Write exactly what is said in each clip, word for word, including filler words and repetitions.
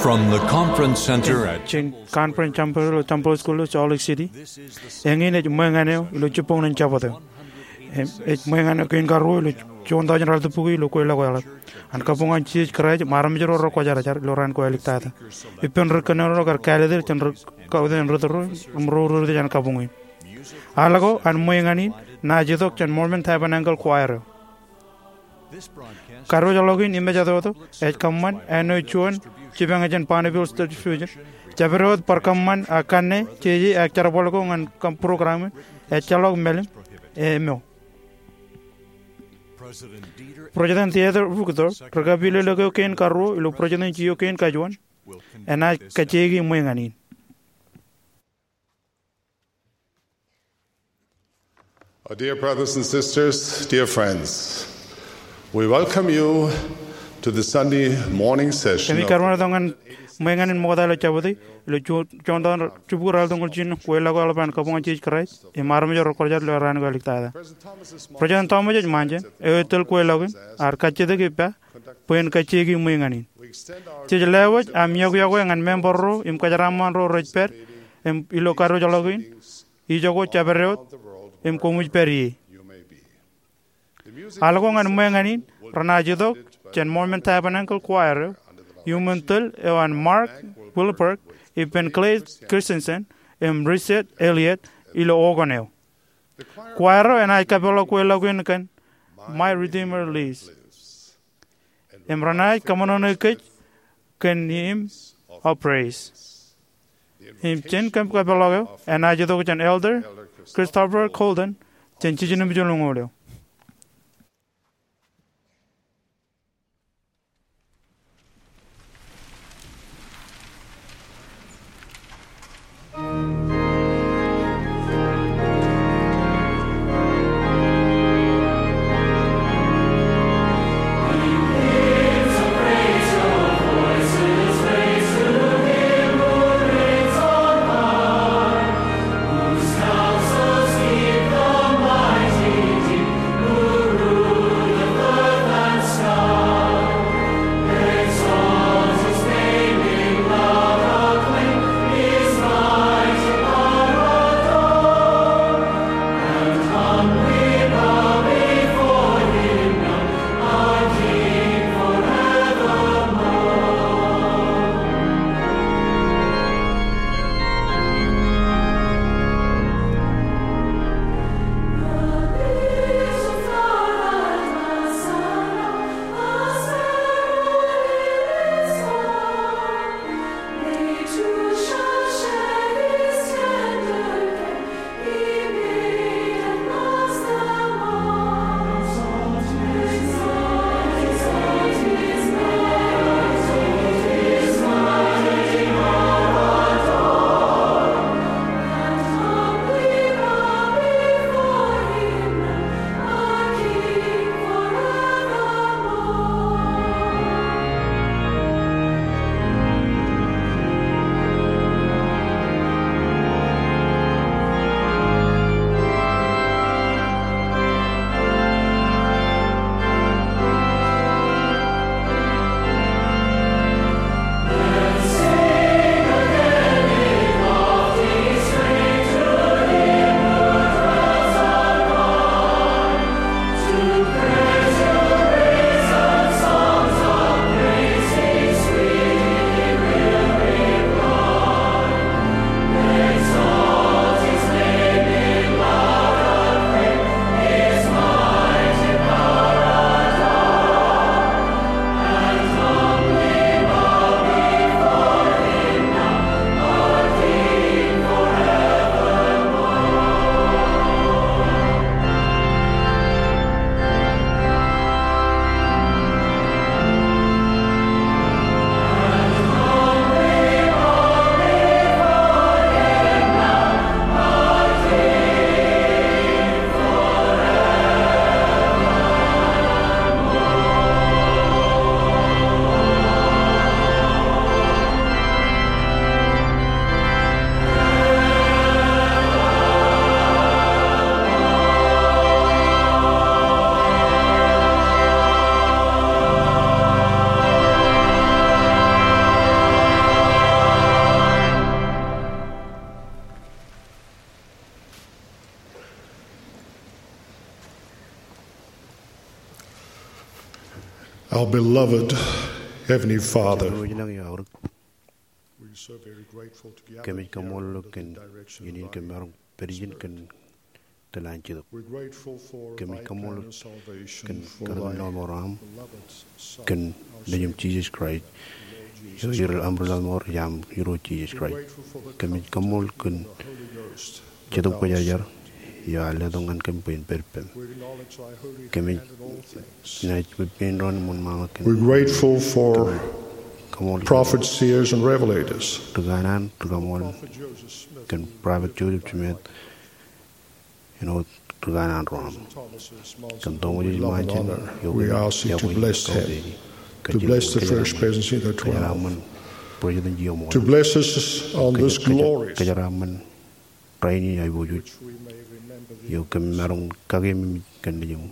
From the conference center at Jān Conference Center ilo Temple School ilo Salt Lake City. Eñin ej ṃweiñan eo ilo jibboñōn Jabōt eo. Im ej ṃweiñan eo kein karuo ilo juon taujin ralitōk bukwi ilo kweilọk eḷap. An kabuñ an Jisōs Kraist im armej ro rekwōjarjar ilo raan ko āliktata. Ippān ri kōnono ro kar kāālōt er jān ri kautiej ri tōl ro im ro ri tōl jān kabuñ in. Al ko an ṃweiñan in naaj itok jān Mormon Tabernacle Choir eo. Kadiwōjḷọk in im ejatoto ej kōṃṃan āinwōt juon jipañ jān Bonneville State Fusion. Jabdewōt bar kōṃṃan ak kanne jeje ak jerbal ko ñan program in ejjeḷọk mālim e mo. President Dieter Uchtdorf, ri kapilōklōk eo kein karuo ilo President eo kein kajuon, enaaj kajjioñ ṃweiñan in. Our dear brothers and sisters, dear friends, we welcome you to the Sunday morning session Kōmij of kōṃṃan tok ñan ṃweiñan in ṃokta ilo Jabōt ilo juon, juon taujin jibukwi ralitōk ñoul jiljino, kweilọk eḷap an kabuñ an Jisōs Kraist im armej ro rekwōjarjar ilo raan ko āliktata. President Thomas H. Monson, eo ej tōl kweilọk in, ear kajjitōk ippa bwe en kajjioñ ṃweiñan in. Jej lewōj aṃ iọkiọkwe ñan member ro im kōjeraaṃṃan ro rej pād im ilo kadiwōjḷọk in, ijoko jabdewōt im koṃij pād ie. Al ko ñan ṃweiñan in renaaj itok jān Mormon Tabernacle Choir eo, iuṃwin tōl eo an Mark Wilberg, ippān Clay Christensen im Richard Elliott ilo organ eo. Choir eo enaaj kapeḷḷọk kweilọk in kōn My Redeemer Lives. Im renaaj kōṃṃane kōj kōn hymn of praise. Im jān kōm kapeḷḷọk eo enaaj itok jān Elder Christopher Golden jān jiljino im jiljino eo. Our beloved Heavenly Father, Jemem eo ej lañ ioorōk, we're so very grateful to gather kōmij kaṃṃoolol eok kōn iien in kōm maroñ pād ijin kōn tōl an Jetōb. We're grateful for thy plan of salvation for thy beloved Son, our Lord Jesus Christ. Kōmij kaṃṃoolol kōn kōn kōrā in ḷōṃaro aṃ kōn Nejūṃ Jisōs Kraist, eo ej aṃ Ri-laḷ eo, ej aṃ Irooj Jisōs Kraist. We're grateful for the comfort of the Holy Ghost. Kōmij kaṃṃoolol kōn Jetōb Kwōjarjar eo ear letok ñan kōm bwe in pād ippaṃ. Kōmij naaj pein doon im wōnṃaanḷọk kōn. We're grateful for prophets, seers, and revelators. Ri kanaan, ri kaṃool, kōn prophet Joseph Smith, āinwōt ri kanaan ro aṃ. Kōn Thomas Monson, eo we love and honor, we ask you to bless him, to bless the First Presidency of the Twelve, to bless us on this glorious rainin aiboojoj, eo kōm maroñ kakememej kōn Nejūṃ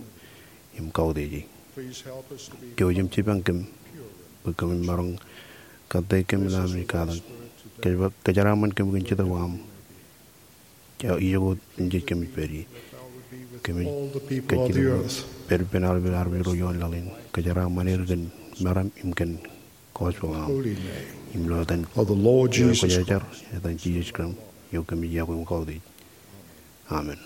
im kautiej e. Jouj im jipañ kōm bwe kōmin maroñ kōttāik kōm im katak. Kōjeraaṃṃan kōm kōn Jetōb eo aṃ, eo ijoko im jej kōmij pād ie. Kōmij kajjitōk bwe pād ippān aolepān armej ro ioon laḷ in. Kōjeraaṃṃan er kōn meram im kōn gospel eo aṃ. Im ilo etan Kwōjarjar, etan Jisōs Kraist, eo kōmij iọkwe im kautiej. Amen.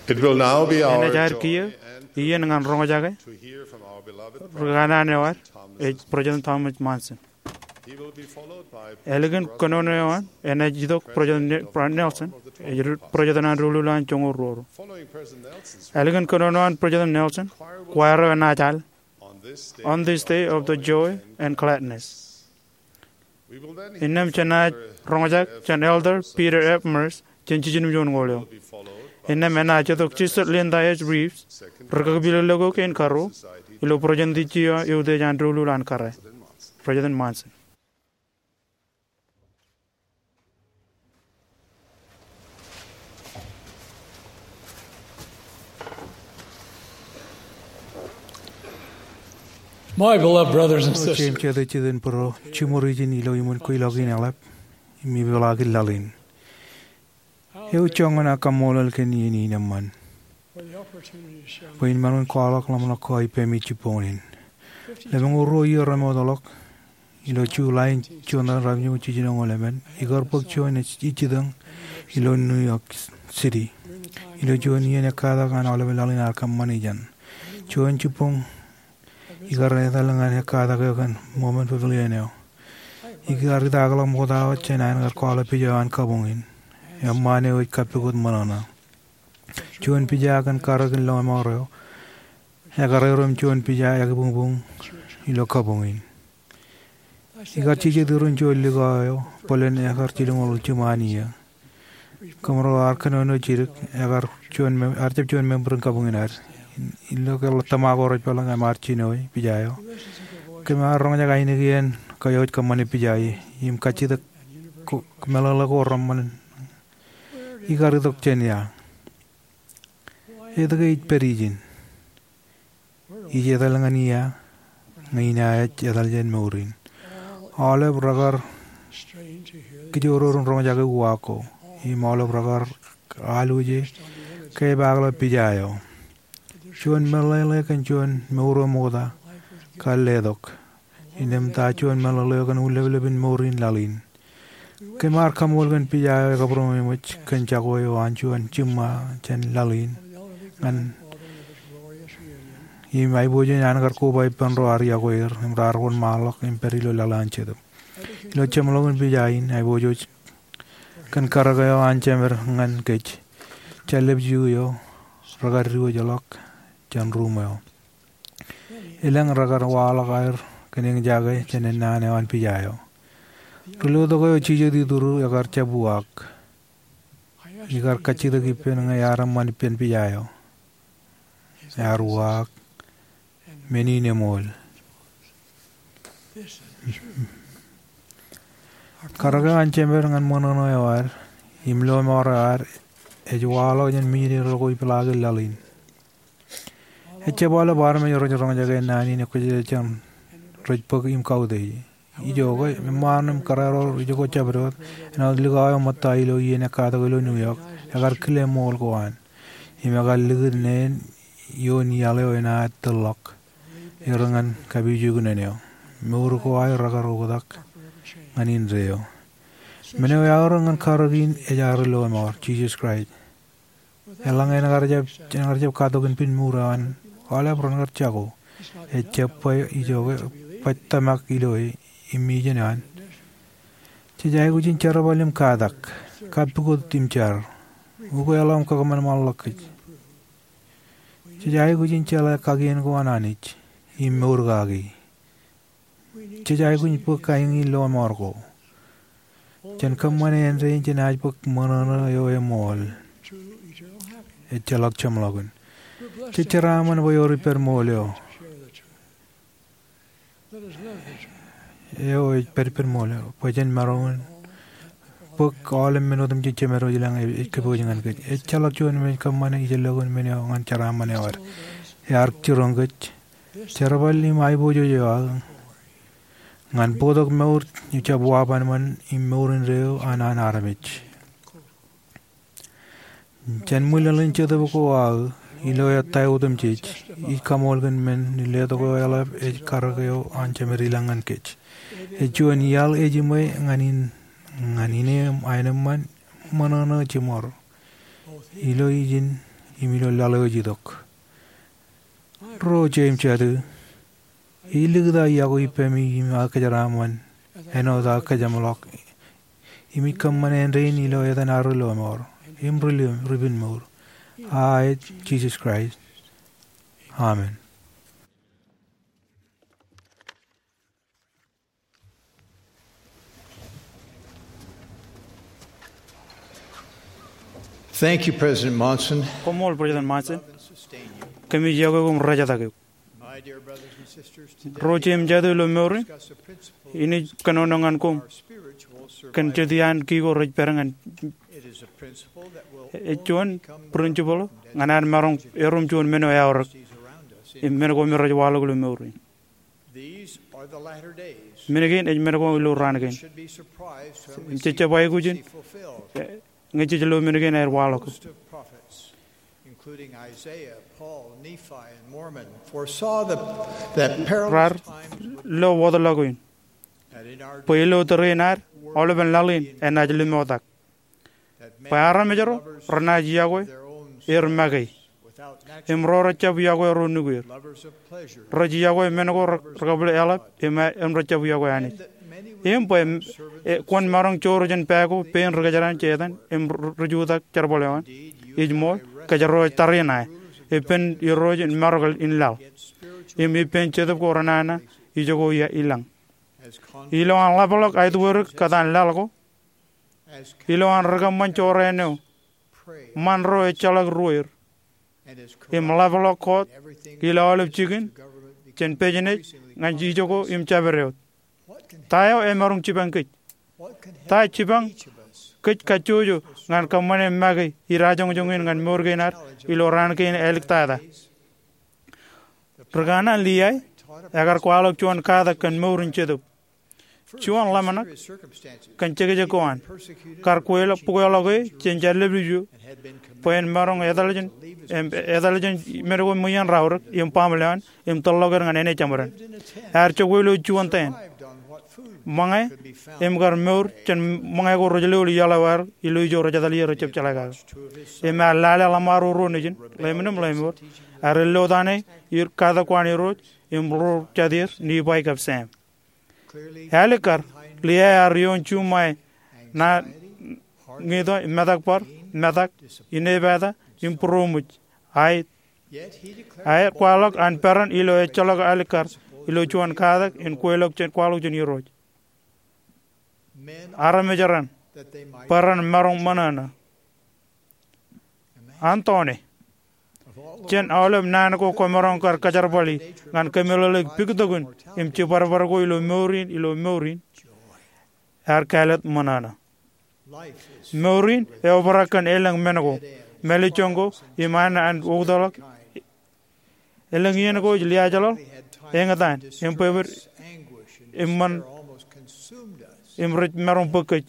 It will now be our joy and privilege to hear from our beloved prophet, Thomas Monson. Enaaj aer kiiō iien ñan roñjake iien ñan roñjake ri kanaan eo ad, ej President Thomas Monson. Ālikin kōnono eo an, enaaj itok President Ne-, Nelson, ej President an doulul an joñoul ruo. Ālikin kōnono eo an President Nelson, choir eo enaaj al On this day of the joy and gladness. Innām jenaaj roñjake jān Elder Peter F. Meurs jān Jijinūṃ Juon Ñoul eo. Innām enaaj itok Sister Linda H. Reeves, ri kakpilōklōk eo kein karuo ilo Presidency eo eutiej an doulul an kōrā, President Monson. My beloved brothers and sisters, Jeiū im jatū jitōnbōro, jiṃor ijin ilo iṃōn kweilọk in eḷap im ipeḷaakin laḷ in. Ewi joñan aō kaṃṃoolol kōn iien in eṃṃan bwe in maroñ in kwaḷọk ḷōmṇak ko ippemi jibboñōn in. Lemñoul ruo iiō remootḷọk, ilo July in juon ḷalem ratimjuon jiljino ñoul emān, ikar bōk juon ej jitōñ ilo New York City. Ilo juon iien ekkatak an aolepen laḷ in ear kōṃṃani jān juon jibboñ ikar etal ñan ekkatak eo kōn Mormon Pavilion eo. Ikar idaakḷọk ṃokta wōt jān an kar kwaḷọk pija eo an kabuñ in. Eṃṃaan eo ej kappukot ṃōṇōṇō. Juon pija kōn karōk in lọmọọr eo ekar erom juon pija ekibuñbuñ ilo kabuñ in. Ikar jijet iroñ juon likao eo bōlen ekar jilñoul jiṃaan iiō. Kōmro ar kōnono jidik, ekar juon mem-, ear jab juon member in kabuñ in ad. Ilo ke ḷōtōṃa ko rej peḷḷọk im ar jinoe pija eo, kōm ar roñjake ainikien kōj wōj kōṃṃane pija e im kajjitōk ko-, meḷeḷe ko reṃṃan. Ikar itok jān ia? Etke ij pād ijin? Ij etal ñan ia ñe inaaj etal jān mour in? Aolep rekar kijooror in roñjake uwaak ko im aolep rekar alwōje ke epaakḷọk pija eo. Juon meḷeḷe kōn juon mour eo ṃokta kar letok. Innām ta juon meḷeḷe eo kōn ullōpḷōp in mour in laḷ in? Kōm ar kaṃool kōn pija eo ekabūroṃōj kōn jako eo an juon jiṃṃa jān laḷ in ñan im aiboojoj an kar koba ippān ro ar iọkwe er im raar wōnṃaanḷọk im pād ilo laḷ an Jetōb. Ilo jeṃḷọkin pija in, aiboojoj kōn karōk eo an jemed ñan kōj, jān lepju eo rekar diwōjḷọk jān ruuṃ eo. Elōñ rekar waḷọk aer kōn eñjake jān ennaan eo an pija eo. Ri lotok eo jijet ituru ekar jab uwaak. Ikar kajjitōk ippān ñe ear eṃṃan ippān pija eo. Ear uwaak men in eṃool. Karōk eo an jemed ñan ṃōṇōṇō eo ad im lọmọọr eo ad ej waḷọk jān mijinede ko ipeḷaakin laḷ in. Ejjab aolep armej rej roñjake naan in ekwōjarjar jān rej bōk im kautiej. ijo ke, meṃṃaan im kōrā ro ijoko jabdewōt, āinwōt likao eo ṃōtta ilo iien ekkatak ilo New York, ekar kile ṃool ko an. Im ekar likūt neen ioon iaḷ eo enaaj tōllọk er ñan kapijuknen eo. Mour ko aer rekar oktak ñan indeeo. Men eo eaorōk ñan karōk in ej ad lọmọọr, Jisōs Kraist. Eḷaññe en kar jab, en kar jab katoken piñ mour eo an aolep ren kar jako, ejab bwe ijo ke, baj tōmak ilo e im ijeṇ eo an. Jej aikuj in jerbal im katak, kapukot im jar, ukeḷọk im kakōṃanṃanḷọk kōj. Jej aikuj in jeḷā kakien ko an Anij im mour kaki. Jej aikuj in bōk aiñi lọmọọr ko. Jen kōṃṃane āindein jenaaj bōk ṃōṇōṇō eo eṃool, ejjeḷọk jeṃḷọkin. Jej jeraaṃṃan bwe ewōr ippān ṃool eo, eo ej pād ippān ṃool eo, bwe jen maroñ in bōk aolep men otemjej Jemedwōj i lañ ej kōpooj ñan kōj. Ejjeḷọk juon men kōṃṃane ijellọkin men eo ñan jeraaṃṃan eo ad. Ear jiroñ kōj. Jerbal im aiboojoj eo aō ñan bōktok mour eo ejab wabanban im mour indeeo an an armej. Jān ṃwilaḷ in Jetōb ko aō ilo ettā otemjej, ij kaṃool kōn men in letok eo eḷap ej karōk eo an Jemed i lañ ñan kōj. Ej juon iaḷ ejiṃwe ñan in, ñan ine im aenōṃṃan ṃōṇōṇō jiṃor ilo ijin im ilo laḷ eo ej itok. Ro jeiū im jatū, ij likūt aō iọkwe ippemi im aō kōjeraaṃṃan āinwōt aō kōjeṃḷọk im ij kōṃṃane āindein ilo etan ad ri lọmọọr im ri lọmọọr, ri piñ mour, aet Jisōs Kraist. Amen. Thank you, President Monson. Koṃṃool President Monson. Kōmij iọkwe koṃ rejjatake. My dear brothers and sisters, today, ro jeiū im jatū ilo mour in, discuss a principle in ij kōnono ñan koṃ our spiritual kōn survival. Jet iaan kiko rej pād ñan. It is a principle that will only become principle ñan ad maroñ erom juon men eo eaorōk im men ko me rej waḷọk ilo mour in. These are the latter days. Men kein ej men ko ilo raan kein. Im jej jab aikuj in, eh, ñe jej lo men kein aer waḷọk. Most of prophets, including Isaiah, Paul, Nephi, and Mormon, foresaw the, that perilous times would come. Raar lo wōtlọk in. That in our bwe ilo tōre in ad, aolepen laḷ in enaaj limoḷtak. Bwe armej ro renaaj iọkwe er make, im ro rejjab iọkwe ro nukier. Rej iọkwe men ko re, rekabwil eḷap, im, im rejjab iọkwe Anij. Im bwe, e, kwōn maroñ joor jān pā ko pein ri kōjeraṇ jetan im ri, ri jutak jerbal eo an. Ij ṃool, kōjro ej tariṇae, ippān Irooj in marok in laḷ, im ippān Jetōb ko renana ijoko i, i lañ. Ilo an ḷapḷọk aetwerik kōtaan laḷ ko, ilo an ri kōṃṃan jorrāān eo, ṃan ro ejjeḷọk ruōer, im ḷapḷọk kọọt ilo aolep jikin jān business ñan ijoko im jabdewōt. Ta eo emaroñ jipañ kōj? Ta jipañ kōj kajjojo ñan kōṃṃane make idajoñjoñ in ñan mour kein ad ilo raan kein āliktata? Ri kanaan Liai ekar kwaḷọk juon katak kōn mour in Jetōb. Juon ḷōmṇak kōn jekjek ko an, kar kweḷọk, bukweḷọk e jān jar W. Bwe en maroñ etal jān, em, etal jān men ko ṃweien raorōk im baaṃle eo an im tōllọk er ñan āne jeṃaden. Ear jokwe ilo juon tent. Ṃōñā im kar mour jān ṃōñā ko rej lo ilo iaḷ eo aer ilo ijo rej etal ie rej jab jeḷā kake. Im ear lale ḷōṃaro ruo nejin, ḷeeṃ in im ḷeeṃ eo. Ear ello tane, katak ko an Irooj, im ro jatier, Nifai kab Sam. Ālikkar, Liai ear ioon juṃae, naan, ñiito, metakbar, metak, inepata, im būroṃōj. Aet, ear kwaḷọk an peran ilo ejjeḷọk alikkar ilo juon katak in kweḷọk jān, kwaḷọk jān Irooj. Armej ran, bwe ren maroñ ṃōṇōṇō. Antoone, jān aolep naan ko kwōmaroñ kar kōjerbali ñan kōmeḷeḷeik puktokin im jibadbad ko ilo mour in, ilo mour in, ear kāālōt ṃōṇōṇō. Mour in eobrak kōn elōñ men ko, mālejjoñ ko, im an, an oktakḷọk. Elōñ iien ko ej liaajḷọk, eñtaan, im bwebwenato. eṃṃan im rej maroñ bōk kōj.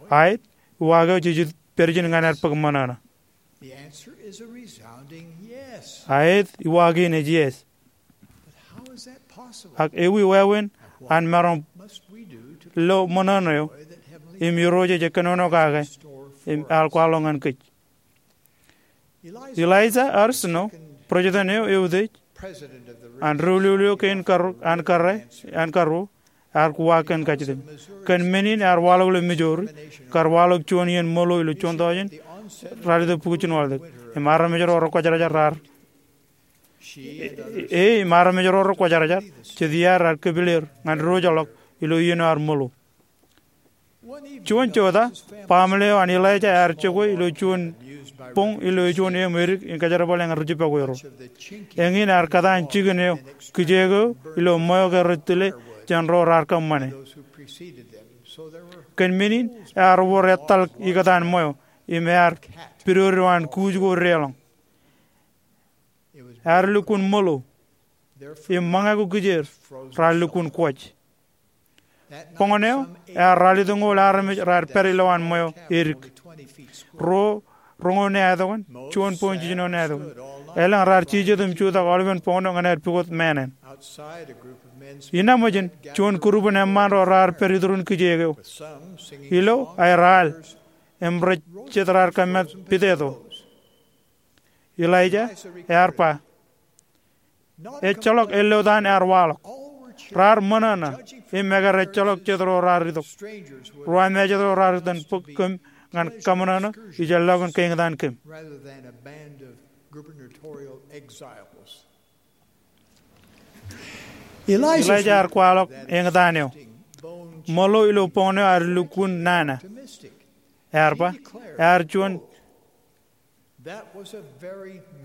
Aet, uwaak eo jej pād ijin ñan ad bōk ṃōṇōṇō. Aet, uwaak in ej yes. Ak ewi wāween an maroñ lo ṃōṇōṇō eo im Irooj ej kōnono kake im ear kwaḷọk ñan kōj? Eliza R. Snow, president eo eutiej an doulul eo kein an kōrā an karuo, ear uwaak kōn kajjitōk. Kōn men in ear waḷọk ilo Missouri, kar waḷọk juon iien ṃōḷo ilo juon tọujin ralitōk bukwi jinowaḷọk. Im armej ro rekwōjarjar raar, e, im armej ro rekwōjarjar jet iaar raar kōpileer ñan diwōjḷọk ilo iien eo ear ṃōḷo. Juon jota, baaṃle eo an Eliza ear jokwe ilo juon boñ ilo juon eṃ edik in kōjerbale ñan ri jibakwe ro. Eñin ear kōtaan jikin eo kijeek eo ilo ṃweo ke rej tile jān ro raar kōṃṃane. Kōn men in ear wōr etal ikōtaan ṃweo im ear pidodo an kuuj ko deḷọñ. Ear lukkuun ṃōḷo im ṃōñā ko kijeer raar lukkuun kwōj. Boñōn eo ear ralitōñoul armej raar pād ilowaan ṃweo edik. Ruo roñoul ṇe aetokan, juon point jiljino ṇe aetokan. Elōñ raar jijet im jutak aolepen boñōn eo ñan aer pukot māāṇāṇ. Inaaj ṃōj in juon group in eṃṃaan ro raar pād iturin kijeek eo ilo aer al im rej jet raar kōmāt piteto. Eliza ear ba, ejjeḷọk elōtan ear waḷọk. Raar ṃōṇōṇō im ekar ejjeḷọk jet ro raar itok. Ruwamāejet ro raar itōn bōk kōm ñan kaṃōṇōṇō ijellọkin kein eñtaan kōm. Eliza ear kwaḷọk eñtaan eo. Ṃōḷo ilo boñōn eo ear lukkuun nana. Ear ba, ear juon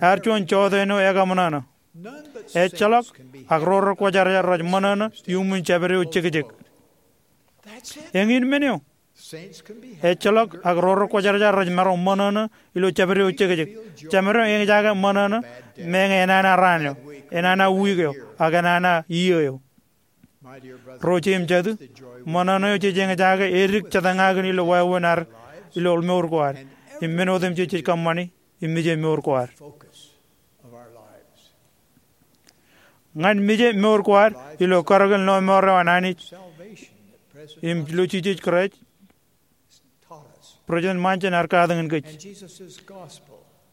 ear juon jota eo ekaṃōṇōṇō. Ejjeḷọk ak ro rekwōjarjar rej ṃōṇōṇō iuṃwin jabdewōt jekjek. Eñin men eo. Ejjeḷọk ak ro rekwōjarjar rej maroñ ṃōṇōṇō ilo jabdewōt jekjek. Jemaroñ eñjake ṃōṇōṇō meñe enana raan eo, enana wiik eo, ak enana iiō eo. Ro jeiū im jatū, ṃōṇōṇō eo jej eñjake edik jatōñakin ilo wāween ad ilo mour ko ad, im men otemjej jej kōṃṃani im mije mour ko ad. Ñan mije mour ko ad ilo karōk in lọmọọr eo an Anij im ilo Jisōs Kraist, President Monson ear katakin kōj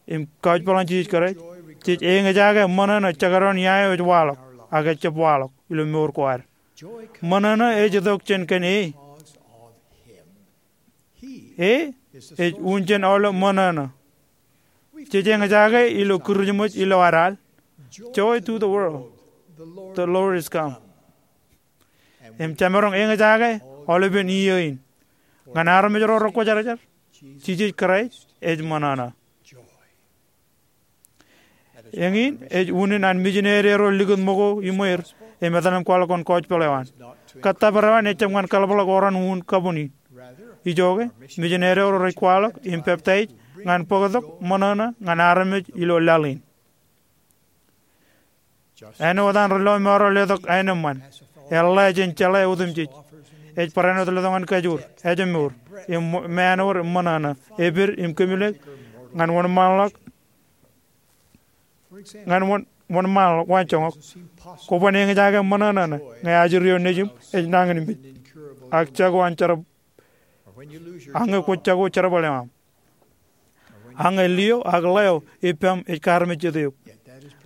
im gospel in Jisōs Kraist, jej eñjake ṃōṇōṇō jekdọọn ia eo ej waḷọk ak ejjab waḷọk ilo mour ko ad. Ṃōṇōṇō ej itok jān kōn e. E ej un jān aolep ṃōṇōṇō. Jej eñjake ilo Kirijmej ilo ad al, "Joy to the world, the Lord is come." Im jemaroñ eñjake aolepen iiō in. Ñan armej ro rekwōjarjar, Jisōs Kraist ej ṃōṇōṇō. Eñin ej unin an mijinede ro likūt ṃōko iṃweir im etal im kwaḷọk kōn gospel eo an. Kōttōpar eo an ejjab ñan kaḷapḷọk oran unin kabun in. Ijoke, mijinede ro rej kwaḷọk im peptaij ñan bōktok ṃōṇōṇō ñan armej ilo laḷ in. Āinwōt an ri lọmọọr eo letok aenōṃṃan, eḷḷā jān jeḷā otemjej, ej barāinwōt letok ñan kajoor, ājmour, im ṃō-, māāṇwōd im ṃōṇōṇō, epād im kōmilōk ñan wōnṃaanḷọk, ñan wōn, wōnṃaanḷọk waanjoñak. Kwōban eñjake ṃōṇōṇō ñe ajri eo nejūṃ ej nañinmej, ak jako an jerbal, ak ñe kwōj jako jerbal eo aṃ, ak ñe lio ak ḷeo ippaṃ ej kaarmejjet eok.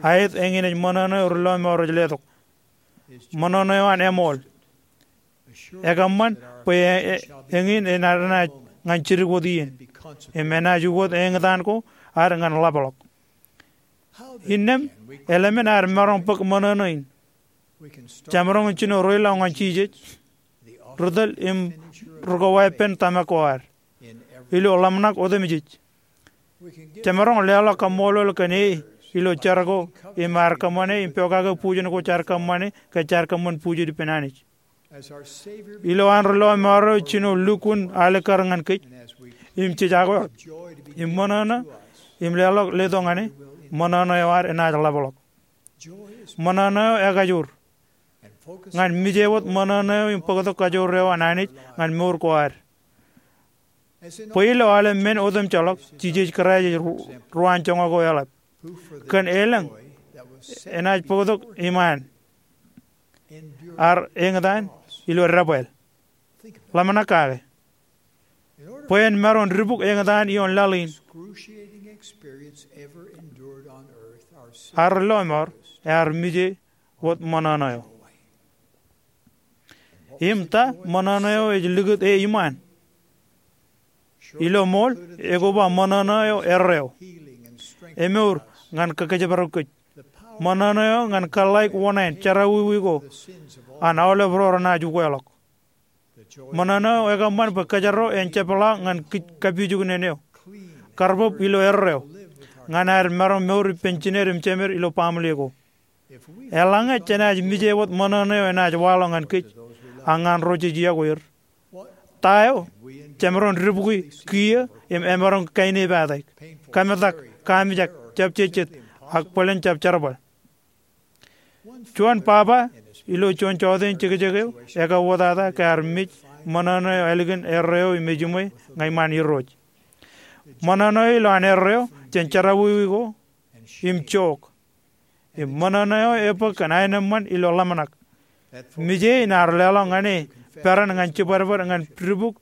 Aet, eñin ej ṃōṇōṇō eo ri lọmọọr rej letok. Ṃōṇōṇō eo an eṃool. Ekōṃṃan bwe e, e, eñin enaaj enaaj ñan jidik wōt iien, im enaaj ukōt eñtaan ko ad ñan ḷapḷọk. Innām eḷmen ad maroñ bōk ṃōṇōṇō in? Jemaroñ jino reiḷọk ñan Jisōs, ri tōl im ri-koweeppān tōmak ko ad, ilo ḷōmṇak otemjej. Jemaroñ leḷọk kaṃṃoolol kōn e ilo jar ko im ad kōṃṃane im pokake bujen ko jaar kōṃṃane ke jaar kōṃṃan bujen ippān Anij. Ilo an ri lọmọọr eo jino lukkuun alikkar ñan kōj, im jej akwōj im ṃōṇōṇō im leḷọk letok ñan e, ṃōṇōṇō eo ad enaaj ḷapḷọk. Ṃōṇōṇō eo ekajoor. ñan mije wōt ṃōṇōṇō eo im bōktok kajoor eo an Anij ñan mour ko ad. Bwe ilo aolep men otemjeḷọk, Jisōs Kraist ej ru-, ruwaanjoñak eo eḷap, kōn elōñ enaaj bōktok iṃaan, ear eñtaan ilo debwāāl. Ḷōmṇak kake. Bwe en maroñ dibuk eñtaan ioon laḷ in, ad lọmọọr ear mije wōt ṃōṇōṇō eo. Im ta ṃōṇōṇō eo ej likūt e iṃaan? Ilo ṃool, ekoba ṃōṇōṇō eo erreo, emour ñan kōjparok kōj, ṃōṇōṇō eo ñan kōḷḷāik oṇāān jerọwiwi ko an aolep ro renaaj ukeḷọk. Ṃōṇōṇō eo ekōṃṃan bwe kōjro en jepḷaak ñan kij kapijuknen eo, karbōb ilo erreo, ñan ad maroñ mour ippān jined im jemed ilo baaṃle ko. Eḷaññe jenaaj mije wōt ṃōṇōṇō eo enaaj waḷọk ñan kōj, ak ñan ro jej iọkwe er, ta eo jemaroñ dibukwi kiiō im emaroñ kainepataik, kametak, kamijak, jab jejjet, ak bōlen jab jerbal? Juon baba ilo juon jọteen jekjek eo ekauwōtata ke ear mej ṃōṇōṇō eo ālikin erreo im ejiṃwe ñan iṃaan Irooj. Ṃōṇōṇō eo ilowaan erreo jān jerọwiwi ko im jook. Im ṃōṇōṇō eo ebōk kōn aenōṃṃan ilo ḷōmṇak. Mije in ear leḷọk ñan e peran ñan jibadbad ñan dibuk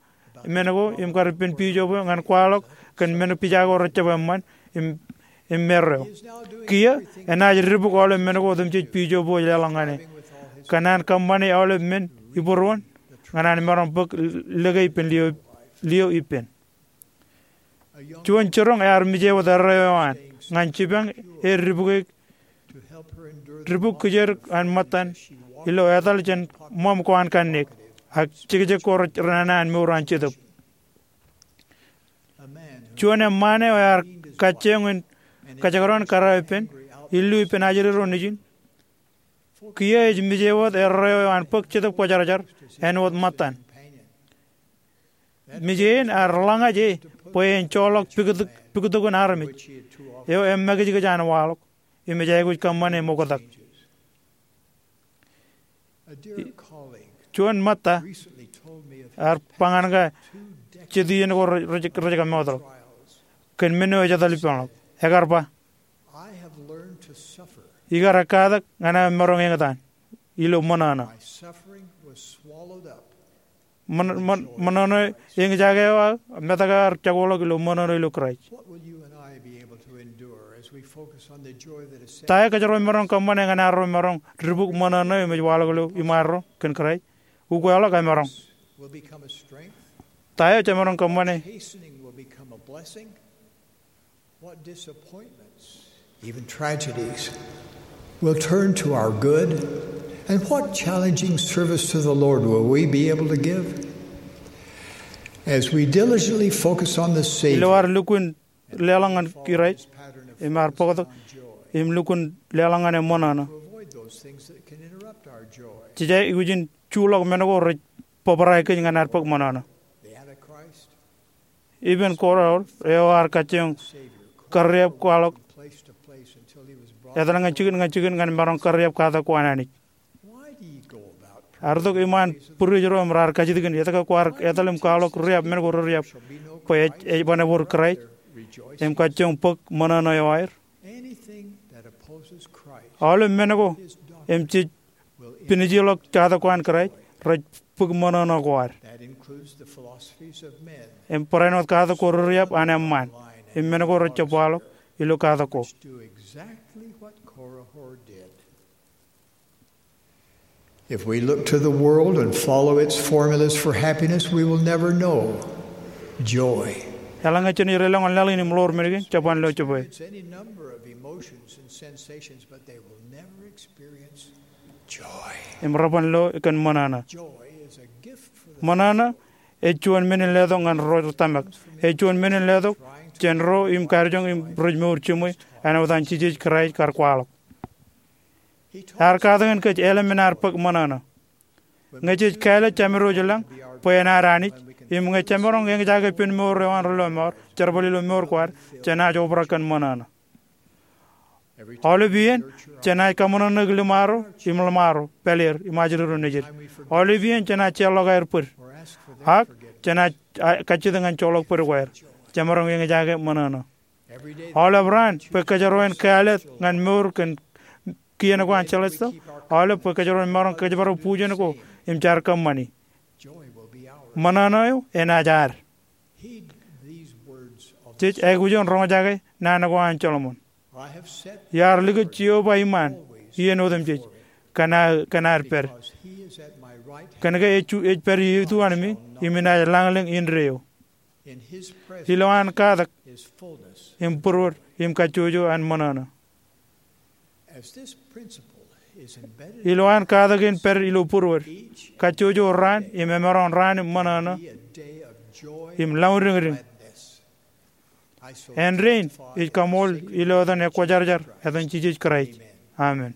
men ko im kar ippān biijop eo ñan kwaḷọk kōn men pija ko rej jab eṃṃan im, im erreo. Kiiō enaaj dibuk aolep men ko otemjej biijop eo ej leḷọk ñan e, kōn an kōṃṃane aolep men ibūruon ñan an maroñ bōk lōke ippān liō, liō ippān. Juon jiroñ ear mije wōt erreo eo an ñan jipañ e dibuk e, dibuk kijer an ṃōttan ilo etal jān ṃōṃ ko an kanniōk, ak jekjek ko rej renana an mour an Jetōb. Juon eṃṃaan eo ear kajjioñ in kajekdọọn kōrā ippān, illu ippān ajri ro nejin. Kiiō ej mije wōt erreo eo an bōk Jetōb Kwōjarjar āinwōt ṃōttan. Mije in ear ḷōñaj e bwe en joḷọk piktok, piktokin armej eo emakijkij an waḷọk im ej aikuj kōṃṃane ṃoktak. Juon ṃōtta ear ba ñan kōj jet iien ko rej, rej, rej kōmootḷọk kōn men eo ej etal ippānḷọk. Ekar ba, ikar ekkatak ñan aō maroñ eñtaan ilo ṃōṇōṇō. Ṃōṇ-, ṃōṇ-, ṃōṇōṇō eñjake eo aō metak ear jokwaḷọk ilo ṃōṇōṇō ilo Kraist. Ta eo kōjro maroñ kōṃṃane ñan arro maroñ dibuk ṃōṇōṇō im ej waḷọk ilo iṃaanro kōn Kraist? Ukeḷọk emaroñ. Ta eo jemaroñ kōṃṃane? What disappointments, even tragedies, will turn to our good, and what challenging service to the Lord will we be able to give? As we diligently focus on the Savior, ilo ad lukkuun leḷọk ñan Kraist im ad bōktok im lukkuun leḷọk ñan e ṃōṇōṇō, jej aikuj in juḷọk men ko rej bōbrae kōj ñan ad bōk ṃōṇōṇō. Ippān kōrā eo ear kajjioñ kariab kwaḷọk etal ñan jikin ñan jikin ñan maroñ kariab katak ko an Anij. Ear itok iṃaan būriej ro im raar kajjitōk in, etke kwaar etal im kwaḷọk riab men ko reriab? Bwe ej, ej bwe en ebōd Kraist im kajjioñ bōk ṃōṇōṇō eo aer. Aolep men ko im jej pinejeḷọk katak ko an Kraist rej bōk ṃōṇōṇō ko ad. Im barāinwōt katak ko reriab an eṃṃaan im men ko rej jab waḷọk ilo katak ko. If we look to the world and follow its formulas for happiness, we will never know joy. Eḷaññe jen deḷọñ ñan laḷ in im ḷoor men kein, jeban lo jebwe. It's any number of emotions and sensations, but they will never experience joy. Im reban lo kōn ṃōṇōṇō. Joy is a gift for the ṃōṇōṇō ej juon men in letok ñan ro rej tōmak. Ej juon men in letok jān ro im kadijoñ im rej mour jiṃwe āinwōt an Jisōs Kraist kar kwaḷọk. Ear katakin kōj eḷap men ad bōk ṃōṇōṇō. Ñe jej kāālōt Jemedwōj lañ bwe en ad Anij, im ñe jemaroñ eñjake pen mour eo an ri lọmọọr, jerbal ilo mour ko ad, jenaaj obrak kōn ṃōṇōṇō. Aolep iien jenaaj kaṃōṇōṇōik ḷōṃaro im ḷōṃaro, pāleer im ajri ro nejid. Aolep iien jenaaj jeorḷọk aer bōd, ak jenaaj kajjitōk ñan joḷọk bōd ko aer. Jemaroñ eñjake ṃōṇōṇō. Aolep raan bwe kōjro en kāālōt ñan mour kōn kien ko an celestial. Aolep bwe kōjro en maroñ kōjparok bujen ko im jar kōṃṃani. Ṃōṇōṇō eo enaaj ad. Jej aikuj in roñjake naan ko an Solomon. Iar likūt Jeova iṃaan iien otemjej kōn ad pād, kōn ke ej pād ituanmi im inaaj lañlōñ indeeo. Ilo an katak im būruod im kajjojo an ṃōṇōṇō. Ilo an katak in pād ilo būruod, kajjojo raan im emaroñ raan in ṃōṇōṇō im lọñdiñdiñ. Āindein ij kaṃool ilo etan ekwōjarjar, etan Jisōs Kraist. Amen.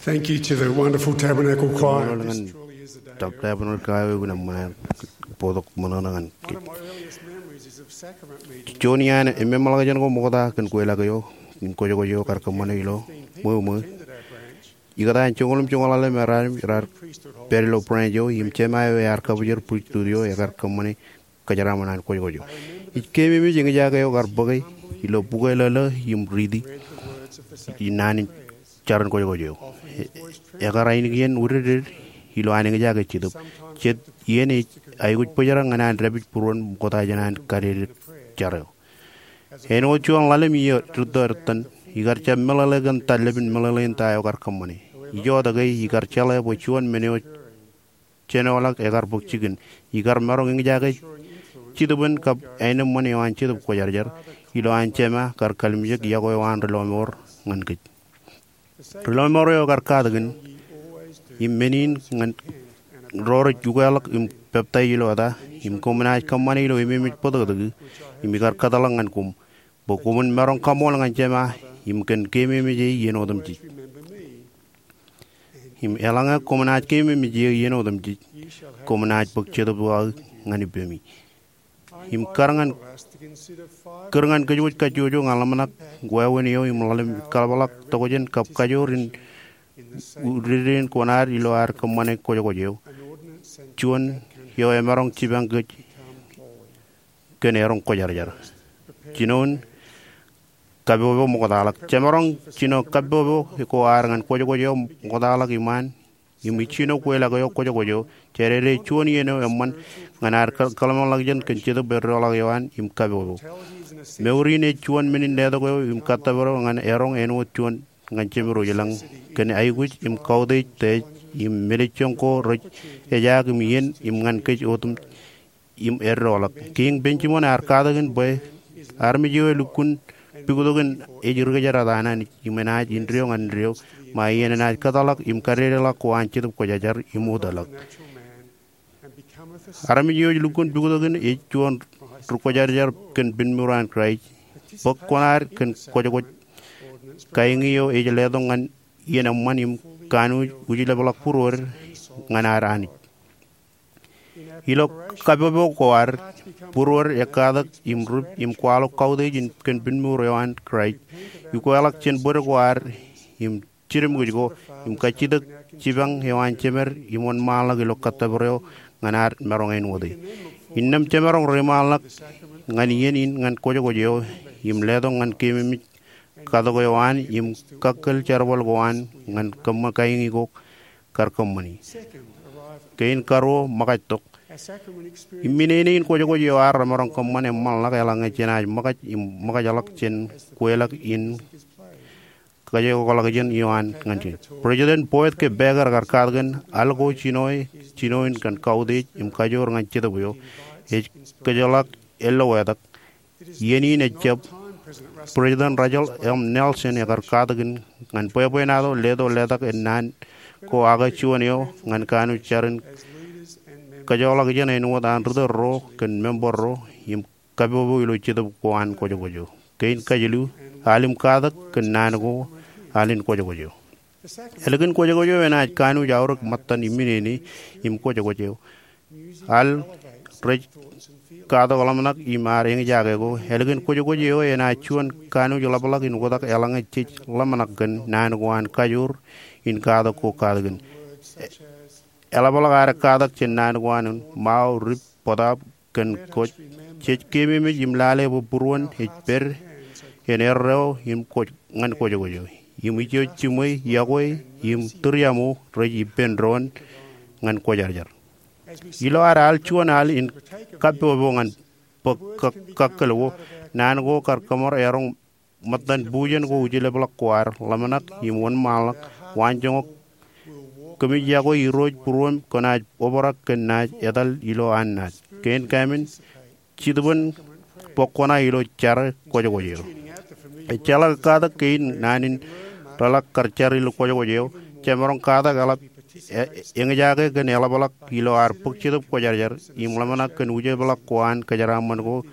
Thank you to the wonderful Tabernacle Choir. Tab Tabernacle Choir eo, kōn aṃ bōktok ṃōṇōṇō ñan kōj. Juon iaan eṃṃanḷọkjeṇ ko ṃokta kōn kweilọk eo im kwōjkwōj eo kar kōṃṃane ilo ṃweo ṃweo. Ikōtaan joñoul im joñoul ḷalem ear, ear pād ilo branch eo im jema eo ear kabōjrak priesthood eo ekar kōṃṃane kōjeraaṃṃan an kwōjkwōj eo. Ij keememej eñjake eo kar bōke ilo bukwe lōḷḷō im riiti in naan in jar in kwōjkwōj eo. Ekar ainikien wūdidded ilo an eñjake Jetōb. Jet iien ej aikuj bōjrak ñan an dāpij būruon ṃokta jān an kadededik jar eo. Āinwōt juon ḷalem iiō rūtto ettan, ikar jab meḷeḷe kōn ta lepin meḷeḷein ta eo kar kōṃṃane. Ijoke ikar jeḷā bwe juon men eo jenoḷọk ekar bōk jikin. Ikar maroñ eñjake jitōbōn kab aenōṃṃan eo an Jetōb Kwōjarjar ilo an Jema kar kalimjek yokwe eo an ri lọmọọr ñan kōj. Ri lọmọọr eo ekar katakin, im men in ñan ro rej ukeḷọk im peptaij ilo eta, im koṃ naaj kōṃṃane ilo ememej bōtōktōk, im ikar kōtḷọk ñan koṃ, bwe koṃwin maroñ kaṃool ñan Jema im kōn keememej e iien otemjej. Im eḷaññe koṃ naaj keememej e iien otemjej, koṃ naaj bōk jetōb eo aō ñan ippemi. Im kar ñan, kūr ñan kōjwōj kajjojo ñan ḷōmṇak wāween eo im ḷalem kaḷapḷọk tokjān kab kajoor in udedeen kuṇaad ilo ad kōṃṃane kwōjkwōj eo, juon eo emaroñ jipañ kōj kōn eroñ kwōjarjar. Jinoin kapopo ṃoktaḷọk. Jemaroñ jino kapopo ko ad ñan kwōjkwōj eo ṃoktaḷọk iṃaan, im ij jino kweilọk eo kwōjkwōj eo, jadede juon iien eo eṃṃan ñan ad kōḷmānḷọkjeṇ kōn jetōb eddoḷọk eo an im kapopo. Mour in ej juon men in letok eo im kōttōpar eo ñan eroñ āinwōt juon ñan Jemedwōj ilañ kōn aikuj im kautiej tij im mālejjoñ ko rej ejaak im iien im ñan kōj otemjej im eddoḷọk. Kiiñ Benjamin ear katakin bwe armej eo elukkuun puktokin ej ri kōjdat an Anij im enaaj indeeo ñan indeeo, ṃae iien enaaj kōtḷọk im kadedeḷọk ko an Jetōb Kwōjarjar im utōḷọk. Armej eo ej lukkuun puktokin ej juon ri kwōjarjar kōn pinmour an Kraist, bōk kuṇaad kōn kwōjkwōj kaeñi eo ej letok ñan iien eṃṃan im kanooj ujlepḷọk būruod ñan ad Anij. Ilo kapopo ko ad, būruod ekkatak im rip im kwaḷọk kautiej in kōn pinmour eo an Kraist, ukeḷọk jān bōd ko ad im jidimkōj ko, im kajjitōk jipañ eo an Jemed im wōnṃaanḷọk ilo kōttōpar eo ñan ad maroñ āinwōt e. Innām jemaroñ reiṃaanḷọk ñan iien in ñan kwōjkwōj eo im letok ñan keememej katok eo an im kakkōl jerbal ko an ñan kōṃṃan kaeñi ko kar kōṃṃani. Kein karuo, ṃōkajtok. Im inene in kwōjkwōj eo ad remaroñ kōṃṃan eṃṃanḷọk eḷaññe jenaaj ṃōkaj im ṃōkajḷọk jān kweilọk in kajekḷọkjeṇ eo an ñan kōj. President Boyd K. Packer ekar katakin, al ko jinoe, jinoin kōn kautiej im kajoor ñan Jetōb eo, ej kōjḷọk ello etak. Iien in ejjab. President Russell M. Nelson ekar katakin ñan bwebwenato leto letak in naan ko ak juon eo ñan kanooj jar in kajekḷọkjeṇ āinwōt an ritōl ro kōn member ro im kapopo ilo Jetōb ko an kwōjkwōj eo. Kein kajilu, al im katak kōn naan ko, al in kwōjkwōj eo. Ālikin kwōjkwōj eo enaaj kanooj aorōk ṃōttan im inene im kwōjkwōj eo. Al rej katak ḷōmṇak im ad eñjake ko. Ālikin kwōjkwōj eo enaaj juon kanooj ḷapḷọk in oktak eḷaññe jej ḷōmṇak kōn naan ko an kajoor in katak ko katakin. Eḷapḷọk ad katak jān naan ko an ṃao, rip, bōtaab, kōn kōj. Jej keememej im lale bwe būruon ej pād en erreo im kwōj, ñan kwōjkwōj eo. Im ijo jiṃwe, yokwe, im tūriaṃo rej ippān doon ñan kwōjarjar. Ilo ad al juon al in kapopo ñan bōk kō, kakkōl ko, naan ko kar kōṃṃan eroñ ṃōttan bujen ko ujlepḷọk ko ad ḷōmṇak im wōnṃaanḷọk, waanjoñak, kōmij yokwe Irooj būruōm kwōnaaj obrak kōn naaj etal ilo an naaj. Kein kaemān, jitōbōn bōk kuṇa ilo jar kwōjkwōj eo. Ejjeḷọk katak kein naan in reḷak kar jar ilo kwōjkwōj eo, jemaroñ katak eḷap, e, eñjake kōn eḷapḷọk ilo ad bōk Jetōb Kwōjarjar im ḷōmṇak kōn ujlepḷọk ko an kōjeraaṃṃan ko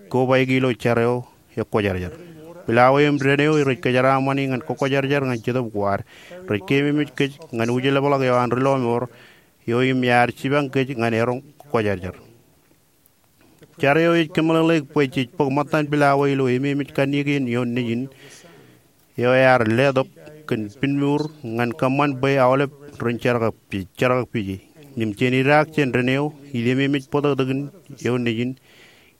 kobaik ilo jar eo ekwōjarjar. Pilawā im dān eo rej kōjeraaṃṃani ñan kwōjarjar ñan Jetōb ko ad rej keememej kōj ñan ujlepḷọk eo an ri lọmọọr eo im ear jipañ kōj ñan eroñ kwōjarjar. Jar eo ej kōmeḷeḷeik bwe jej bōk ṃōttan pilawā ilo ememej kanniōk in ioon nejin eo ear letok kōn pinmour ñan kōṃṃan bwe aolep ren jerkakpeje, jerkakpeje. Im jen idaak jān dān eo ilo ememej bōtōktōkin ioon nejin,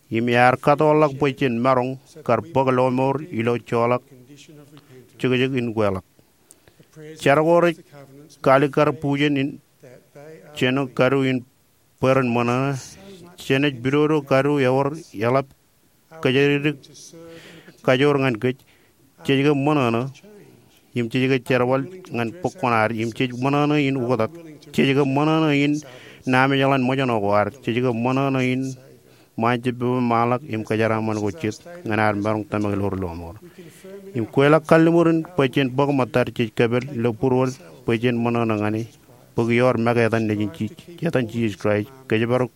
im ear kōttoḷọk bwe jen maroñ kar bōk lọmọọr ilo joḷọk jekjek in kweḷọk. Jar ko rej kalikkar bujen in jeno kadu in bwe ren ṃōṇōṇō, jenaaj pidodo kadu ewōr eḷap kōjatdikdik kajoor ñan kōj, jej ke ṃōṇōṇō, im jej ke jerbal ñan bōk kuṇaad, im jej ṃōṇōṇō in oktak, jej ke ṃōṇōṇō in naan eḷaññe ṃōjṇọ ko ad, jej ke ṃōṇōṇō in ṃaan jab pepeḷḷọk im kōjeraaṃṃan ko jet ñan ad maroñ tōmak ilo ri lọmọọr. Im kweilọk kalliṃur in bwe jen bōk ṃōttad jej kōpel ilo būruod bwe jen ṃōṇōṇō ñan e, bōk ioer make etan Nejin Jisōs, etan Jisōs Kraist, kōjparok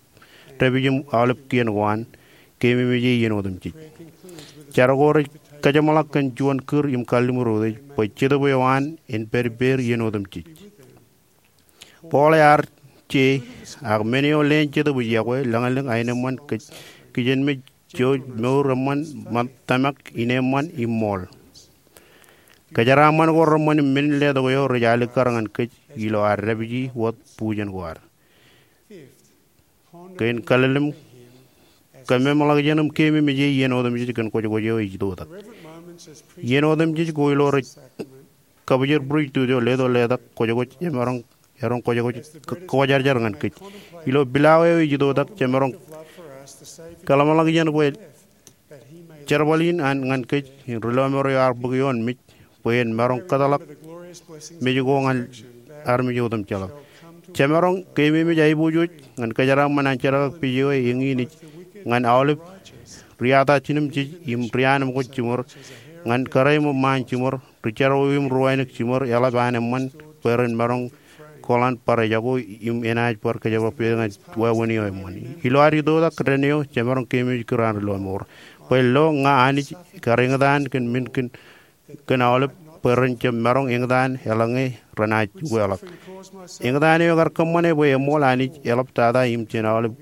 dāpij im aolep kien ko an, keememej e iien otemjej. Jar ko rej kajeṃḷọk kōn juon kūr im kalliṃur otemjej bwe Jetōb eo an en pād ippāer iien otemjej. Paul ear je, ak men eo leen Jetōb ej yokwe, lañlōñ, aenōṃṃan, kijenmej, jouj, mour eṃṃan, tōmak, ineeṃṃan im ṃool. Kōjeraaṃṃan ko reṃṃan im men in letok eo rej alikkar ñan kōj ilo ad dāpiji wōt bujen ko ad. Kein kallimur, kōmeṃḷọkjeṇ im keememej e iien otemjej kōn kwōjkwōj eo ej itoitak. Iien otemjej ko ilo rej kabwijin priesthood eo letok letak kwōjkwōj, jemaroñ, eroñ kwōjkwōj, kwōjarjar ñan kōj. Ilo pilawā eo ej itoitak, jemaroñ kōḷmānḷọkjeṇ bwe jerbal in an ñan kōj, im ri lọmọọr eo ear bōk ioon mej, bwe en maroñ kōtḷọk mej ko ñan armej otemjeḷọk. Jemaroñ keememej aiboojoj ñan kōjeraaṃṃan an jerkakpeje eo eñin ej ñan aolep ri-atajinemjej im ri-anemkwōj jiṃor, ñan kōrā im ṃaan jiṃor, ri jerọwiwi im ri wānōk jiṃor, eḷap an eṃṃan, bwe ren maroñ kōḷan bar ejako im enaaj bar kōjparok ñan wāween eo eṃṃan. Ilo ad itoitak dān eo, jemaroñ keememej kūr an ri lọmọọr. Bwe lo ña Anij kar eñtaan kōn men kōn, kōn aolep, bwe ren jab maroñ eñtaan eḷaññe renaaj ukeḷọk. Eñtaan eo ekar kōṃṃane bwe eṃool Anij eḷap tata im jān aolep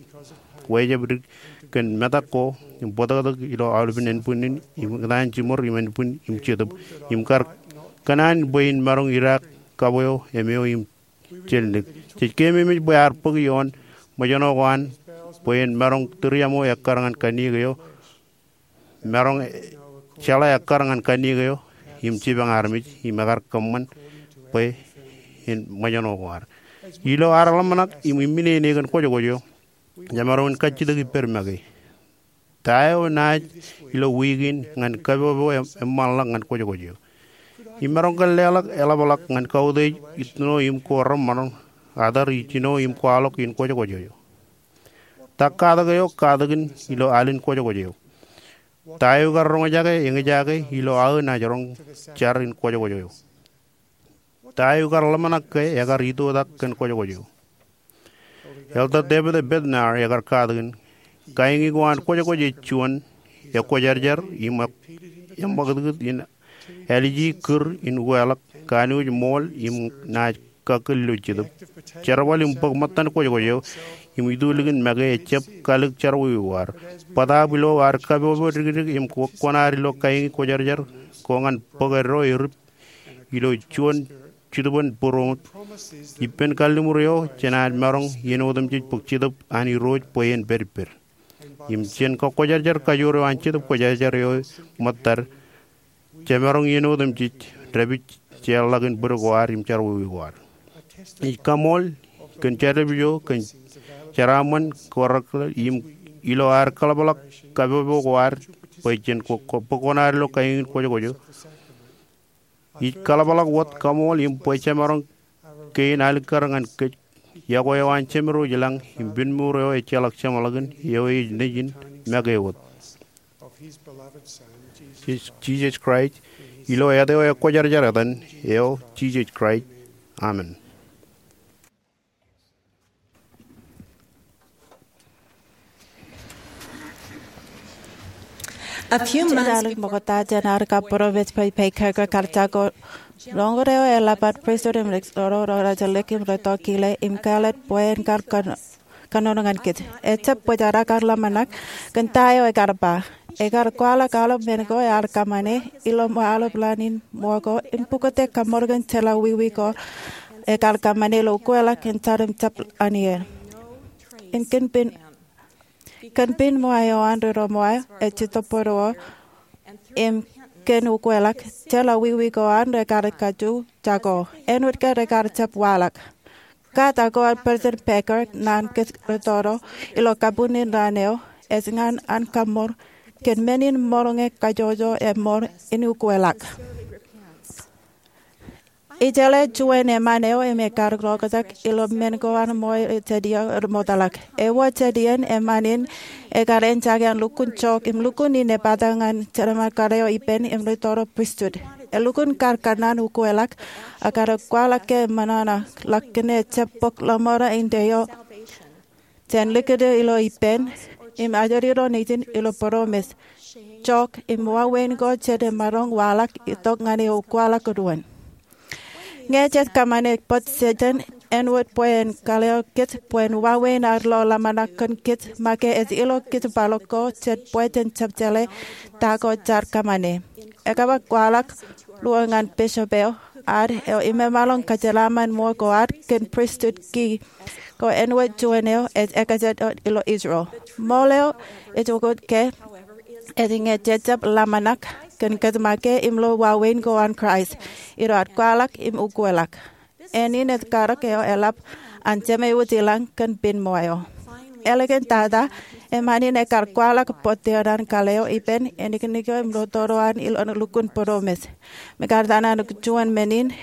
wāween dik kōn metak ko im bōtōktōk ilo aolepān ānbwinnin im eñtaan jiṃor im ānbwin im Jetōb, im kar kōṇaan bwe in maroñ idaak kab eo, im eo im jelnik. Jej keememej bwe ear bōk ioon ṃōjṇọ ko an bwe en maroñ tūriaṃo ekkar ñan kanniōk eo, maroñ jeḷā ekkar ñan kanniōk eo, im jipañ armej, im ekar kōṃṃan bwe en ṃōjṇọ ko ad. Ilo ad ḷōmṇak im iṃminene kōn kwōjkwōj eo, jemaroñ in kajjitōk ippād make. Ta eo naaj ilo wiik in ñan kapopo eṃṃanḷọk ñan kwōjkwōj eo? Im maroñ kōn leḷọk eḷapḷọk ñan kautiej itno im ko reṃṃan, atar ijjino im kwaḷọk in kwōjkwōj eo? Ta katak eo katakin ilo alen kwōjkwōj eo? Ta eo kar roñjake eñjake ilo aō naaj roñ jar in kwōjkwōj eo? Ta eo kar ḷōmṇak ke ekar itoitak kōn kwōjkwōj eo? Elder David A. Bednar ekar katakin, kaiñi ko an kwōjkwōj ej juon ekwōjarjar im eṃṃakūtkūt in āliji kūr in ukeḷọk, kanooj ṃool im naaj kakkōl ilo Jetōb. Jerbal im bōk ṃōttan kwōjkwōj eo im itulikin make ejjab kalōk jerọwiwi ko ad. Bōtaab ilo ad kapopo dikdik im kwō-, kwōkōṇaan ilo kaiñi kwōjarjar ko ñan bōk eddo erip ilo juon jitōbōn būroṃōj. Ippān kalliṃur eo jenaaj maroñ iien otemjej bōk Jetōb an Irooj bwe en pād ippād. Im jān kakwōjarjar kajoor eo an Jetōb Kwōjarjar eo ṃōttad, jemaroñ iien otemjej dāpij jeorḷọk in bōd ko ad im jerọwiwi ko ad. Ij kaṃool kōn jerbal eo kōn jeraaṃṃan ko reḷḷap im ilo ad kōḷapḷọk kapopo ko ad bwe jen kwō-, kwō-, bōk kwōkōṇaan ilo kaiñin kwōjkwōj eo. Ij kōḷapḷọk wōt kaṃool im bwe jemaroñ kein alikkar ñan kōj yokwe eo an Jemed eo ilañ im pinnmour eo ejjeḷọk jeṃḷọkin eo ej Nejin make wōt, Jis-, Jisōs Kraist, ilo āt eo ekwōjarjar etan eo, Jisōs Kraist. Amen. A few months before President Packer got Jago, roñoul eo eḷap an President Nixon ro rajelōk im rej tokile im kāālōt bwe en kar kōnono ñan kōj. Ejjab bōjrak ak ḷōmṇak kōn ta eo ekar ba. Ekar kwaḷọk aolep men ko ear kōṃṃane ilo ṃōk aolep ḷanin ṃōko im pukot e kaṃṃoolol kōn jeḷā wiwi ko ekar kōṃṃane ilo ukeḷọk in jar im jab ḷanieer. Im kōn pin Kōn pin ṃōa eo an ri ro ṃōa ej jitōb bōd eo im kōn ukeḷọk, jeḷā wiwi ko an rekar kajju jako. Āinwōt ke rekar jab waḷọk. Katak ko an President Packer naan kōj rūtto ro ilo kabuñin raan eo ej ñan an kaṃṃool kōn men in ṃōrōñe kajjojo eṃṃool in ukeḷọk. Ij jeḷā juon eṃṃan eo im ekar roñjake ilo men ko an ṃool jet iiō rej ṃoktata. Ewōr jet iien eṃṃan in ekar eñjake an lukkuun jook im lukkuun inepata ñan jerbal kar eo ippān im ri toro pristut. Elukkuun kar kōṇaan ukwelọk, ak kar kwaḷọk ke ṃōṇōṇō ḷọk kōn ejjab bok ḷōṃaro eo jān likūt eo ilo ippān im ajri ro nejin ilo poromes, jook im wāween ko jet emaroñ waḷọk itok ñan eo kwaḷọk doon. Ñe jej kōṃṃane bōk Setan āinwōt bwe en kaleḷọk kōj bwe en wāween ad lo ḷōmṇak kōn kōj make ej ilo kōj kwaḷọk ko jet bwe jen jab jeḷā ta ko jaar kōṃṃane. Ekwe kwaḷọk ruo ñan bishop eo ad eo im emaroñ kōjeraṃṃan ṃool ko ad kōn pristut kiiō ko āinwōt juon eo ej ekajet ilo Israel. Ṃool eo ej ukōt ke ej ñe jej jab ḷōmṇak kōn kōj make im lo wāween ko an Kraist ilo ad kwaḷọk im ukwelọk. Ānin ej karōk eo eḷap an Jemān Wōt ilañ kōn pinnṃōj eo. Ālikin tata, eṃṃan in ekar kwaḷọk bōk tōre an kale eo ippān āniknik eo im ri toro an ilo lukkuun poromes. Im ekar tōn an juon men in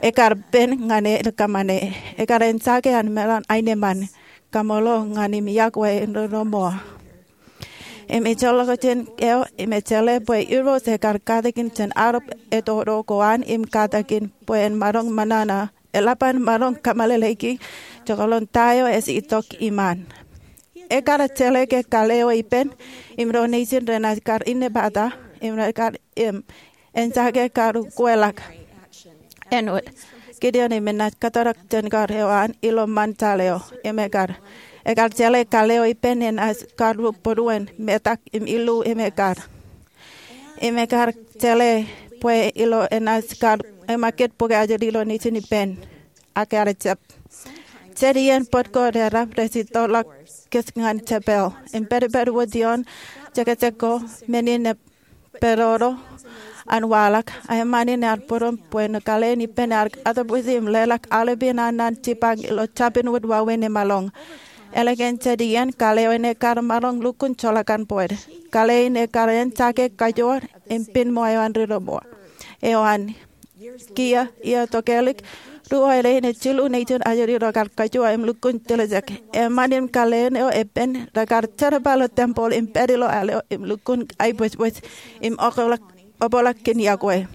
ekar pen ñan e kōṃṃane. Ekar eñjake an meḷan aenōṃṃan, kaṃṃoolol ñan im yokwe in ri ro ṃool. Im ejjeḷọk jān eo im ej jeḷā bwe Irooj ekar katakin jān arop etoto ko an im katakin bwe en maroñ ṃōṇōṇō, eḷap an maroñ kōmeḷeḷeiki jekḷọk ta eo ej itok iṃaan. Ekar jeḷā ke kale eo ippān im ro nejin renaaj kar inepata im renaaj kar im eñjake kar ukwelọk āinwōt Gideon im enaaj kōttar jān kar eo an ilo ṃantal eo im ekar. Ekar jeḷā kale eo ippān enaaj kar būruon metak im illu im ekar. Im ekar jeḷā bwe ilo enaaj kar emakūt bōk ajri ilo nejin ippān. Ak ear jab. Jet iien bōd ko reḷap rej itok ḷọk kōj ñan jepel im pedped wōt ioon jekjek ko men in ej pedodo an waḷọk. Eṃṃan in ear būruon bwe ṇe kale in ippān ear atōpwisi im leḷọk aolepān an naan jipañ ilo jabdewōt wāween emaroñ. Ālikin jet iien kale eo in ekar maroñ lukkuun joḷọk an bōd. Kale in ekar eñjake kajoor im pinnṃōj eo an ri ro ṃool eo an kiiō iiō tokālik. Ruo ālikin ej jilu nejin ajri ro kar kajoor im lukkuun tiljek. Eṃṃan in kale eo ippān rekar jerbal ilo tempeḷ im pād ilo al eo im lukkuun aebōjbōj im okḷọk obrak kōn yokwe.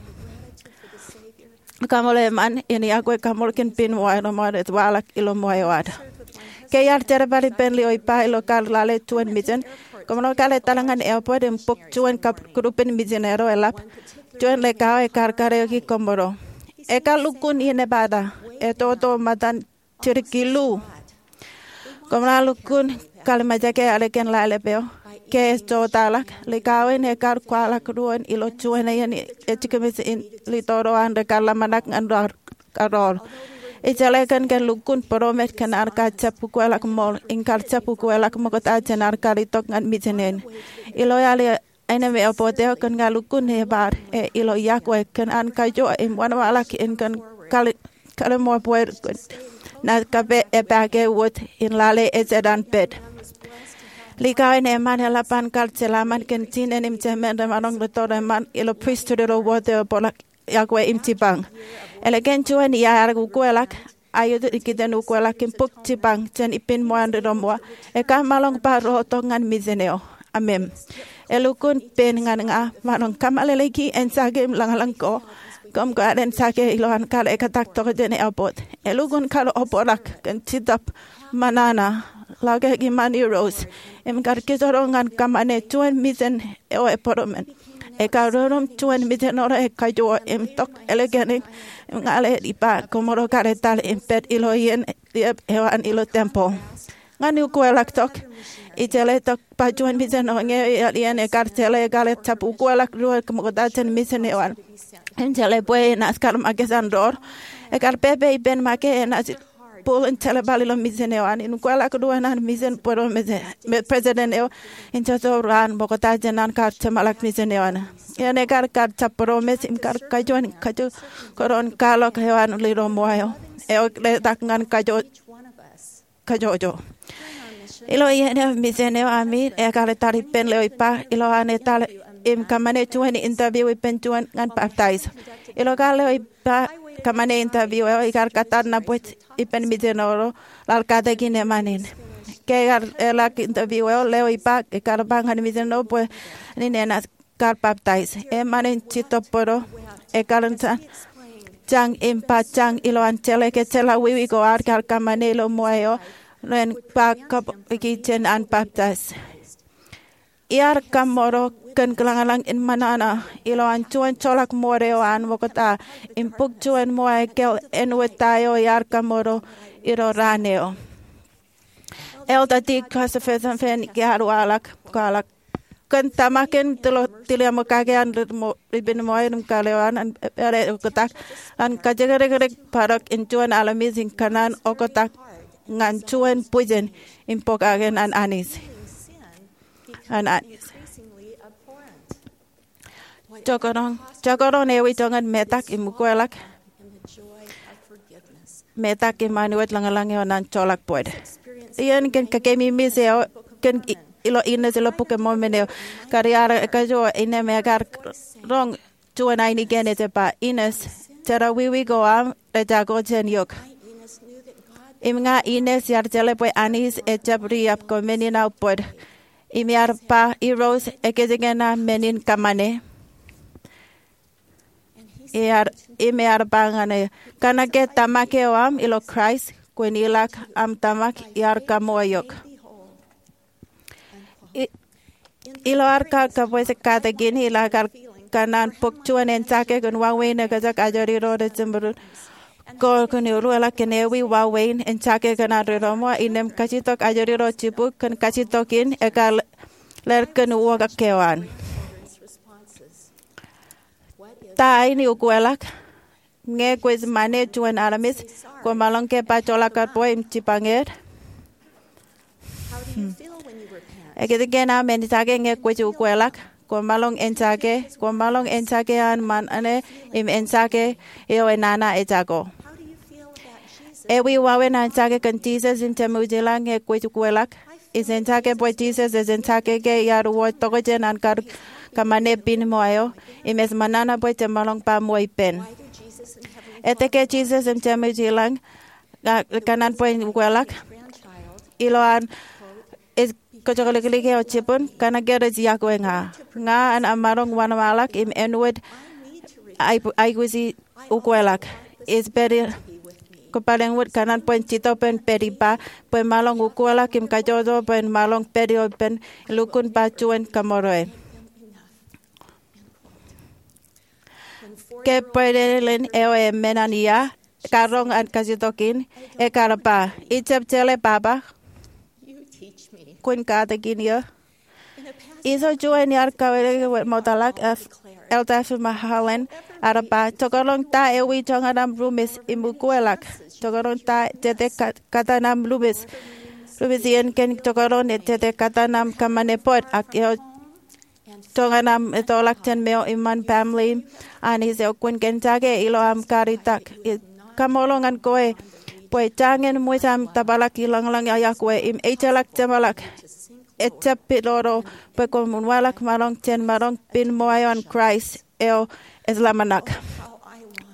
Kaṃṃoolol eṃṃan in yokwe kaṃṃoolol kōn pinnṃōj eo rej waḷọk ilo ṃool eo ad. Ke iar jerbal ippān lio ippa ilo kar lale juon mijen, kōmro kar etal ñan airport im bōk juon kab kūrupin mijen eo eḷap. Juon likao ekar kariōki kōmro. Ekar lukkuun inepata, etoto ṃōttan jidik illu. Kōmro lukkuun kallimjeke ālikin ḷalep eo. Ke ej jotaḷọk, likao in ekar kwaḷọk doon ilo juon iien ej jikōṃṃan in ri toro an rekar ḷōmṇak ñan ro kar rool. Ij jeḷā kōn ke lukkuun būroṃōj kōn an kar jab ukwelọk ṃool im kar jab ukwelọk ṃokta jān an kar itok ñan mijen in. Ilo aolep aenōṃṃan eo bōd eo kōn an lukkuun ebar e ilo yokwe kōn an kajoor im wōnṃaanḷọk in kōn kal- kallimjek bwe kōn naaj kab epaake wōt in lale ejjeḷọk an pād. Likao in eṃṃan eḷap an kar jeḷā ṃōṇōṇō kōn jinen im jemān remaroñ ri toro eṃṃan ilo pristut ilo wōt eo bōkḷọk yokwe im jipañ. Ālikin juon iiō ear ukwelọk, aet ikijjien ukwelọk im bōk jipañ jān pinnṃōj an ri ro ṃool. Ekar maroñ bar ro tok ñan mijen eo. Amen. Elukkuun pen ñan ña maroñ kōmeḷeḷeiki eñjake im lañlōñ ko kōm kar eñjake ilo an kar ektak tok jān airport. Elukkuun kar obrak kōn jitōb ṃōṇōṇō, lọkeḷọk iṃaan Irooj im kar kijorro ñan kōṃṃane juon mijen eo ebūroṃōj. Ekar rurum juon mijen eo ekajoor im tok ālikin im ña ḷe ippa kōmro kar etal im pād ilo iien liep eo an ilo tempeḷ. Ñan ukwelọk tok, ij jeḷā tok ba juon mijen eo ñe eo iien ekar jeḷā ekar jab ukwelọk doon ṃokta jān mijen eo an. Im jeḷā bwe enaaj kar makūt an door. Ekar pepe ippān make enaaj bōlen jerbal ilo mijen eo an im ukwelọk doon an mijen bōro me president eo in jojo raan ṃokta jān an kar jeṃḷọk mijen eo an. Iien ekar kar jab būroṃōj im kar kajoor in kajoor kōn kwaḷọk eo an ri ro ṃool eo. Eo letak ñan kajoor kajojo. Ilo iien eo mijen eo ami ekar etal ippān lio ippa ilo an etal im kōṃṃane juon interview ippān juon ñan baptize. Ilo kar leo ippa kōṃṃane interview eo, ikar kōttar nabōjrak ippān misineri ro raar katakin eṃṃan in. Ke ekar eḷak interview eo, leo ippa, ekar ba ñan misineri eo bwe enaaj kar baptize. Eṃṃan in jitōb bōro, ekar jañ im ba jañ ilowaan jeḷā ke jeḷā wiwi ko ad kar kōṃṃane ilo ṃool eo, ren ba kab ikijjien an baptize. Iar kaṃṃoolol kōn kōḷañḷañ in ṃōṇōṇō ilowaan juon joḷọk ṃool eo an ṃokta im bōk juon ṃool aō kōn āinwōt ta eo iar kaṃṃoolol ilo raan eo. Elder Dieter Christofferson, iar waḷọk, kwaḷọk, kōn tōmak in tilo, tiliaṃo kake an ri, mo, ri pen ṃool im kōḷḷā eo an, an, an oktak, an kajekdekdek bōrọk in juon armej in kōṇaan oktak ñan juon bwijin im pokake an anij. An anij. Jekdọọn, jekdọọn ewi joñan metak im ukweḷọk, metak im āinwōt lañlōñ eo an joḷọk bōd. Iien kōn kakememej eo kōn i, ilo Innes ilo Bok in Mormon eo, kar iar kajo innem ekar roñ juon ainikien ej ba, Innes, jeḷā wiwi ko aṃ rej jako jān eok. Im ña Innes iar jeḷā bwe anij ejjab riab ko men in aō bōd. Im iar ba, Irooj, ekōjkan aō men in kōṃṃane? Iar, im ear ba ñan eō, kōnke tōmak eo aṃ ilo Kraist, kwōn ilọk aṃ tōmak iar kaṃool eok. I, ilo ad kar kabwejak katakin, ilo ad kar kōṇaan bōk juon āinjake kōn wāween ekajak ajri ro rej jemād ko kōn ukweḷọk kōn ewi wāween āinjake kōn ad ri ro ṃool, innem kajjitōk ajri ro jibuk kōn kajjitōk in ekar lale kōn uwaak eo an. Ta aini ukweḷọk? Ñe kwōj ṃane juon armej, kwō maroñ ke ba joḷọk kar bwe im jipañ er? Ekōjkan aṃ āinjake ñe kwōj ukweḷọk? Kwō maroñ āinjake, kwō maroñ āinjake an ṃōṇōṇō im āinjake eo enana ejako? Ewi wāween āinjake kōn Jisōs im Jemem ilañ ñe kwōj ukweḷọk? Ij āinjake bwe Jisōs ej āinjake ke iar wōr tokjān an kar kōṃṃane pen ṃool eo, im ej ṃōṇōṇō bwe jemaroñ ba ṃool ippān. Etke Jisōs im Jemem ilañ ña kōṇaan bwe in ukweḷọk? Ilo an ej kōjokliklik eo jibūn, kōnke rej yokwe ña. Ña an maroñ wōnṃaanḷọk im āinwōt aikuji ukweḷọk. Ij pād ie, kwō pād āinwōt kōṇaan bwe in jitōb ippān pād ippa, bwe maroñ ukweḷọk im kajjojo bwe maroñ pād ioon ippān lukkuun ba juon kaṃṃoolol. Ke bwidejin eo eṃṃan an ia, karoñ an kajjitōk in, ekar ba, Ij jab jeḷā, Papa. Kwōn katakin eō. Ijo juon iar kawōj ṃoktōḷọk, F, Elder F. Holland, ear ba, jekdọọn ta ewi joñan aṃ ruṃwij im ukweḷọk? Jekdọọn ta jete ka-, kōtaan aṃ ruṃwij, ruṃwij iien kōn jekdọọn jete kōtaan aṃ kōṃṃane bōd ak eo joñan aṃ ettoḷọk jān meo iṃaan baaṃle in Anij eo kwōn kōn jake ilo aṃ kar itak? Ij kaṃṃoolol ñan kwe bwe jañin ṃōj aṃ tōprak ilañlōñ iọkwe im ejjeḷọk jeṃḷọk. Ejjab pidodo bwe kwōn uwaḷọk maroñ jān maroñ pen ṃool eo an Kraist eo ej ḷōmṇak.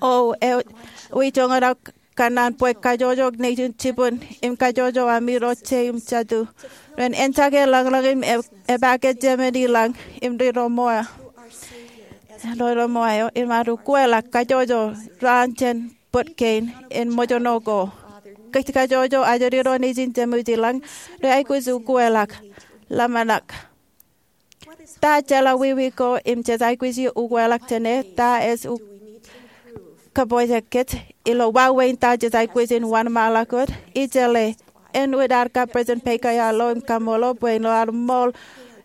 O, ewi joñan aō kōnnaan bwe kajojo nejin jibūn im kajojo ami ro je im jatū ren āinjake lañlōñ im e-, epaake Jemem ilañ im ri ro ṃool, ri ro ṃool eo im ad ukweḷọk kajojo raan jān bōd kein in ṃōjṇọ ko. Kōj kajojo ajri ro nejin Jemem ilañ rej aikuj ukweḷọk, ḷōmṇak. Ta jeḷā wiwi ko im jej aikuj ukweḷọk jāne? Ta ej u-, kabwejak kōj ilo wāween ta jej aikuj in wōnṃaanḷọk wōt? Ij jeḷā āinwōt ad kab President Baker ear lo im kaṃṃoolol bwe ilo ad ṃool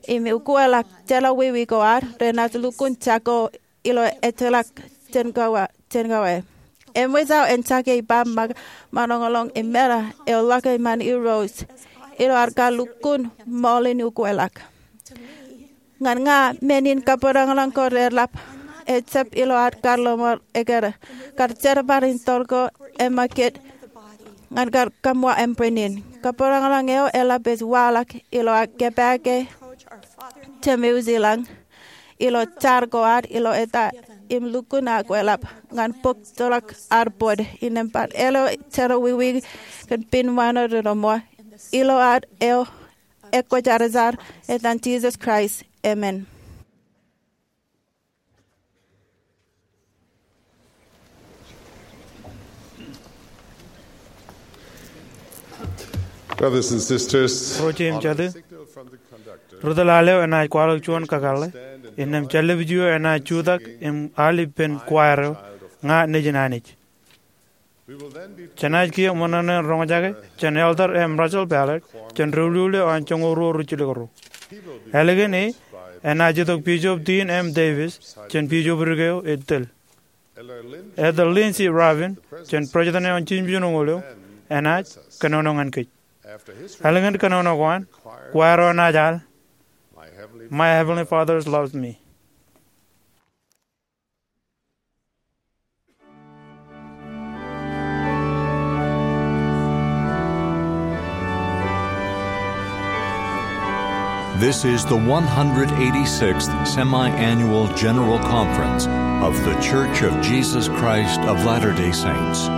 im ukweḷọk jeḷā wiwi ko ad, renaaj lukkuun jako ilo ejjeḷọk jān kōwa, jān kōwa. Eṃōj aō āinjake ippa ṃōk, ṃōṇōṇō im meḷeḷe eo ḷọk iṃaan Irooj ilo ad kar lukkuun ṃool in ukweḷọk. Ñan ña, men in kabōrọñḷọñ ko reḷap ejjab ilo ad kar lọmọọr ekkar, kar jerbal in tōl ko emakit ñan kar kaṃṃoolol ānbwinnin. Kabōrọñḷọñ eo eḷap ej waḷọk ilo ad kōpaake Jemem ilañ ilo jar ko ad ilo eta im lukkuun ak eḷap ñan bok ḷọk ad bōd. Innām bar āleo jerọwiwi kōn pin wāween ri ḷōmṇak ilo ad eo ekwōjarjar, etan Jisōs Kraist, amen. Brothers and sisters, Ro jeiū im jatū, ri tōl al eo enaaj kwaḷọk juon kakōḷḷe. Innām jān ḷapḷap eo enaaj jutak im al ippān choir eo, Ña Nejin Anij. Jenaaj kiiō ṃōṇōṇō in roñjake jān Elder M. Russell Ballard jān Doulul eo an joñoul ruo ruj jilkinrū. Ālikin e, enaaj itok Bishop Dean M. Davis jān bishopric eo ej tōl. Elder Lindsey Rabin jān president eo an jimjuon oñoul eo enaaj kōnono ñan kōj. Ālikin kōnono ko an, choir eo enaaj al My Heavenly Father Loves Me. This is the one hundred eighty-sixth Semi-Annual General Conference of The Church of Jesus Christ of Latter-day Saints.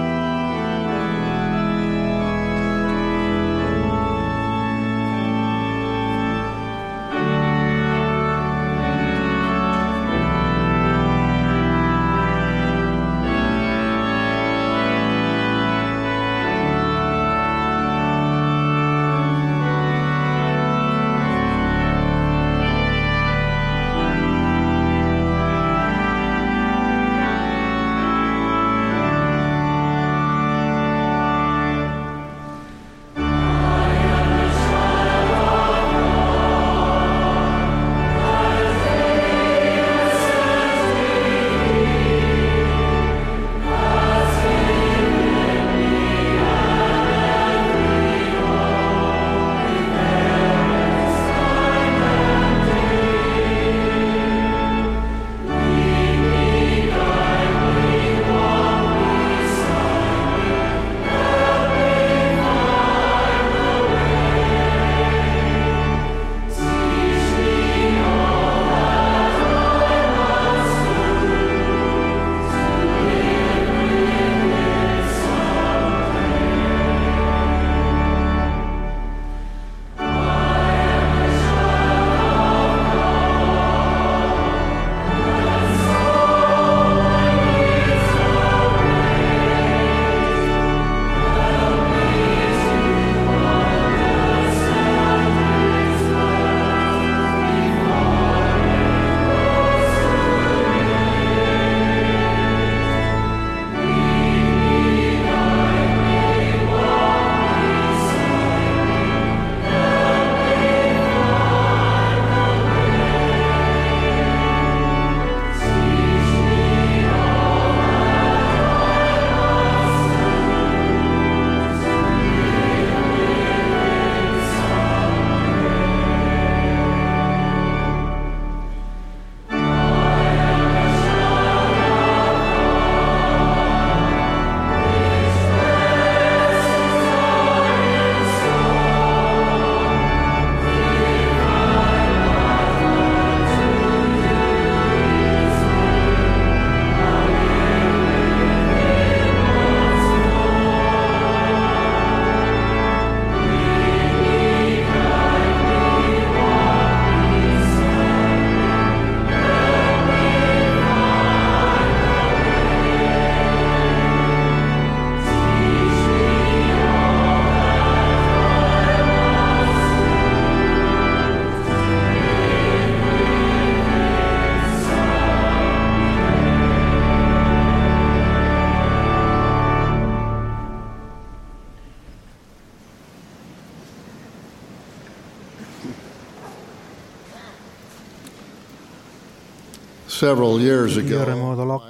Several years ago, Iiō remootḷọk,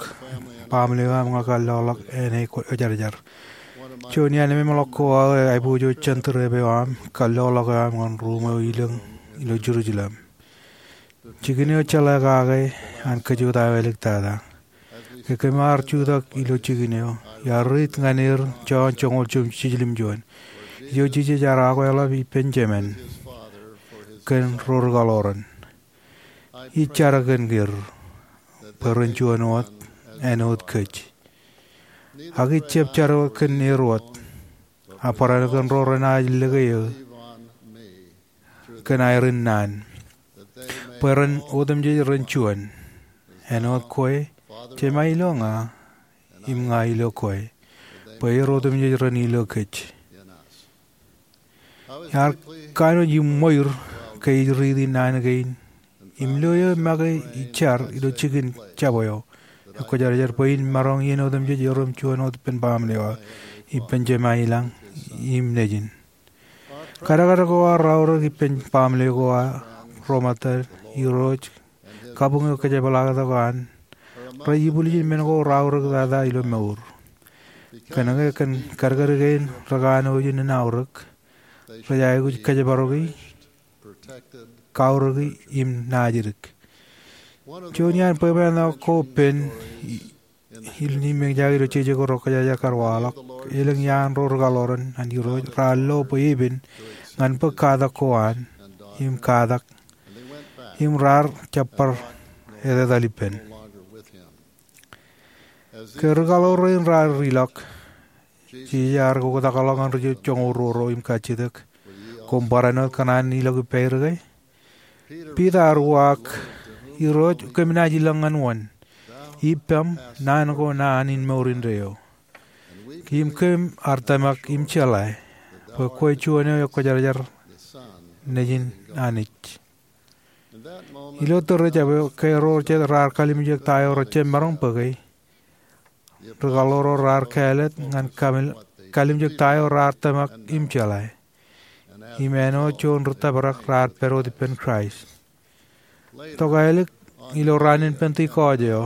baaṃle eo aṃ ñe kalloḷọk enaaj kwōjarjar. Juon iaan ememḷọk ko aō aiboojoj jān tūreep eo aṃ, kalloḷọk eo aṃ ñan ruuṃ eo ilōñ ilo Jerusalem. Jikin eo jeḷā kake an kōjut aō āliktata. Ke kōm ar jutak ilo jikin eo, iar riit ñan er jọọṇ joñoul jiljilimjuon. Ijo jijet ear akweḷap ippān jemān kōn ro rikaḷoran. Ij jar kōn er bwe ren juon wōt āinwōt kōj. Ak ij jab jar wōt kōn er wōt, ak barāinwōt kōn ro renaaj lōke eō kōn aer in naan, bwe ren otemjej ren juon, āinwōt kwe, Jemān ilo ña, im ña ilo kwe, bwe er otemjej ren ilo kōj. Iar kanooj im ṃweiur ke ij riiti naan kein im lo eō make ij jar ilo jikin jab eo ekwōjarjar bwe in maroñ iien otemjej erom juon wōt ippān baaṃle eo aō, ippān Jemān ilañ im Nejin. Kadkad ko aō raorōk ippān baaṃle ko aō, ro ṃōttad, Irooj, kabuñ eo kōjepḷaaktok an, rej ibwiljin men ko raorōk tata ilo mour. Kōnke kōn kadkad kein rekanooj in aorōk, rej aikuj kōjparoki, kaorōki im naajdik. Juon iaan bwebwenato ko pen, i- ilo eñjake ilo jeje ko rej kōjajar kar waḷọk, elōñ iaan ro rikaḷoran an Irooj raar lo bwe epen ñan bōk katak ko an, im katak, im raar jab bar etetal ippān. Ke rikaḷoran raar ilọk, Jisōs ear oktakḷọk ñan ri joñoul ruo ro im kajjitōk, Koṃ barāinwōt kōṇaan ilọk ippāerō ke? Piter ear uwaak, Irooj, kōm naaj ilọk ñan wōn? Ippaṃ naan ko naan in mour indeeo. Im kōm ar tōmak im jeḷā bwe kwe juon eo ekwōjarjar Nejin Anij. Ilo tōre jab eo, ke ro jet raar kalimjek ta eo rej jab maroñ bōke, rikaḷoran raar kāālōt ñan kalimjek ta eo raar tōmak im jeḷā. Im āinwōt juon ri tōprak raar pād wōt ippān Kraist. Tokālik ilo raan in Pentekost eo,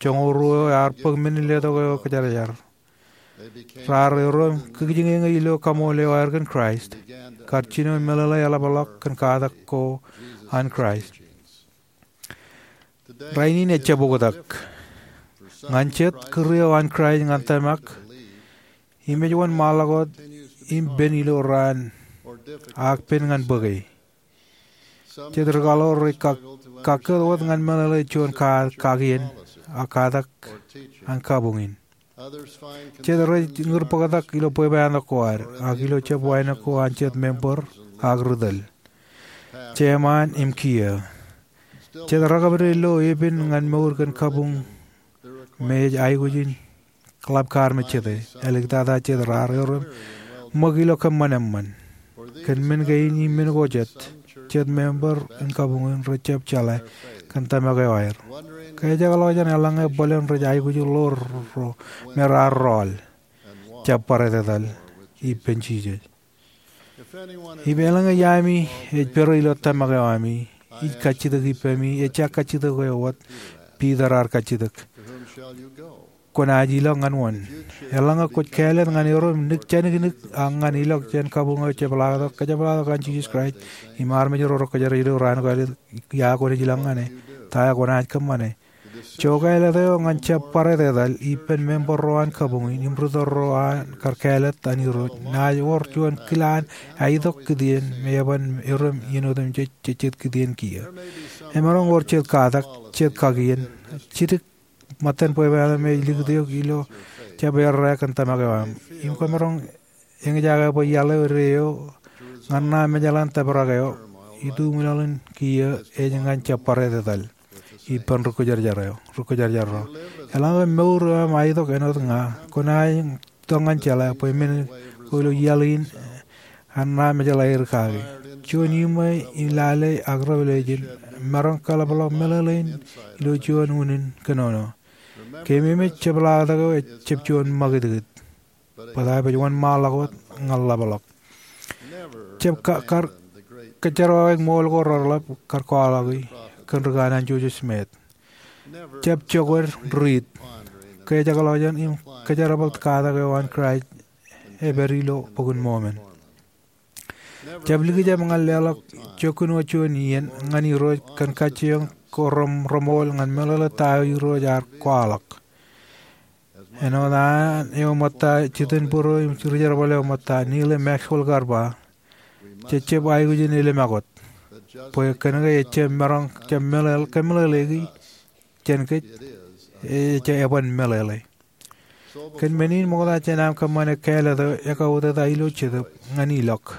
joñoul ruo eo ear bōk men in letok eo kwōjarjar. Raar erom kōkijñeñe ilo kaṃool eo aer kōn Kraist, kar jino meḷeḷe eḷapḷọk kōn katak ko an Kraist. Rainin ejjab oktak. Ñan jet kūr eo an Kraist ñan tōmak, im ej wōnṃaanḷọk wōt im pen ilo raan, ak pen ñan bōke. Jet rikaḷoran rej kak- kakkōt wōt ñan meḷeḷe juon ka- kakien, ak katak an kabuñ in. Jet rej ñūr bōktak ilo bwebwenato ko ad, ak ilo jab wānōk ko an jet member, ak ri tōl. Jeṃaan im kiiō. Jet rekabdewōt lo epen ñan mour kōn kabuñ me ej aikuj in ḷap kar me jete. Āliktata jet raar erom ṃōk ilo kōṃṃan eṃṃan. Kōn men kein im men ko jet, jet member in kabuñ in rej jab jeḷā kōn tōmak eo aer. Ke ejjeḷọk jān eḷaññe bōlen rej aikuj ḷoor ro me raar rọọl, jab bar etetal ippān Jisōs. Im eḷaññe iaami ej pere ilo tōmak eo ami, ij kajjitōk ippaṃ, ejja kajjitōk eo wōt Piter ear kajjitōk, kwōnaaj ilọk ñan wōn? Eḷaññe kwōj kāālōt ñan erom nik janiknik ak ñan ilọk jān kabuñ eo jepḷaaktok, kōjepḷaaktok an Jisōs Kraist, im armej ro rej kōjro ilo raan ko aō, ia kwōnaaj ilọk ñan e? Ta eo kwōnaaj kōṃṃane? Jokāālōt eo ñan jab bar etetal ippān member ro an kabuñ in im ri tōl ro an kar kāālōt an Irooj, naaj wōr juon kilaan aitok kitien me eban erom iien otemjej jejjet kitien kiiō. Emaroñ wōr jet katak, jet kakien, jidik ṃōttan bwebwenato me ej likūt eok ilo jab errā kōn tōmak eo aṃ. Im kwōmaroñ eñjake bwe iaḷ eo deo ñan ṇa mejaḷ an tōprak eo, ituṃwin aolep kiiō ej ñan jab bar etetal ippān ri kwōjarjar ro. Eḷaññe mour eo aṃ aitok āinwōt ña, kwōnaaj itok ñan jeḷā bwe men ko ilo iaḷ in an ṇa mejaḷ aer kaki. Juon iṃwe in lale ak revelation emaroñ kaḷapḷọk meḷeḷein ilo juon unin kōnono. Keememej jepḷaaktok eo ejjab juon ṃakūtkūt, bōtaab ej wōnṃaanḷọk wōt ñan ḷapḷọk. Jab ka- kar- kōjjerawaik ṃool ko reḷap kar kwaḷọki kōn ri kanaan Joseph Smith. Jab jokwe riit ke ejjeḷọk jān im kōjerbal katak eo an Kraist ej pād ilo Bok in Mormon. Jab likjab ñan leḷọk jokkun wōt juon iien ñan Irooj kōn kajjioñ ko reṃool ñan meḷeḷe ta eo Irooj ear kwaḷọk. Āinwōt an eo ṃōtta jitōnbōro im rijerbal eo ṃōtta, Neal A. Maxwell kar ba, jejjab aikuj in ālimak wōt. bwe kōnke ejjab maroñ, jab meḷeḷe, kōmeḷeḷeiki jān kōj, ejjab eban meḷeḷe. Kōn men in ṃokta jān aṃ kōṃṃane kāālōt eo, ekauta ilo Jetōb ñan ilọk.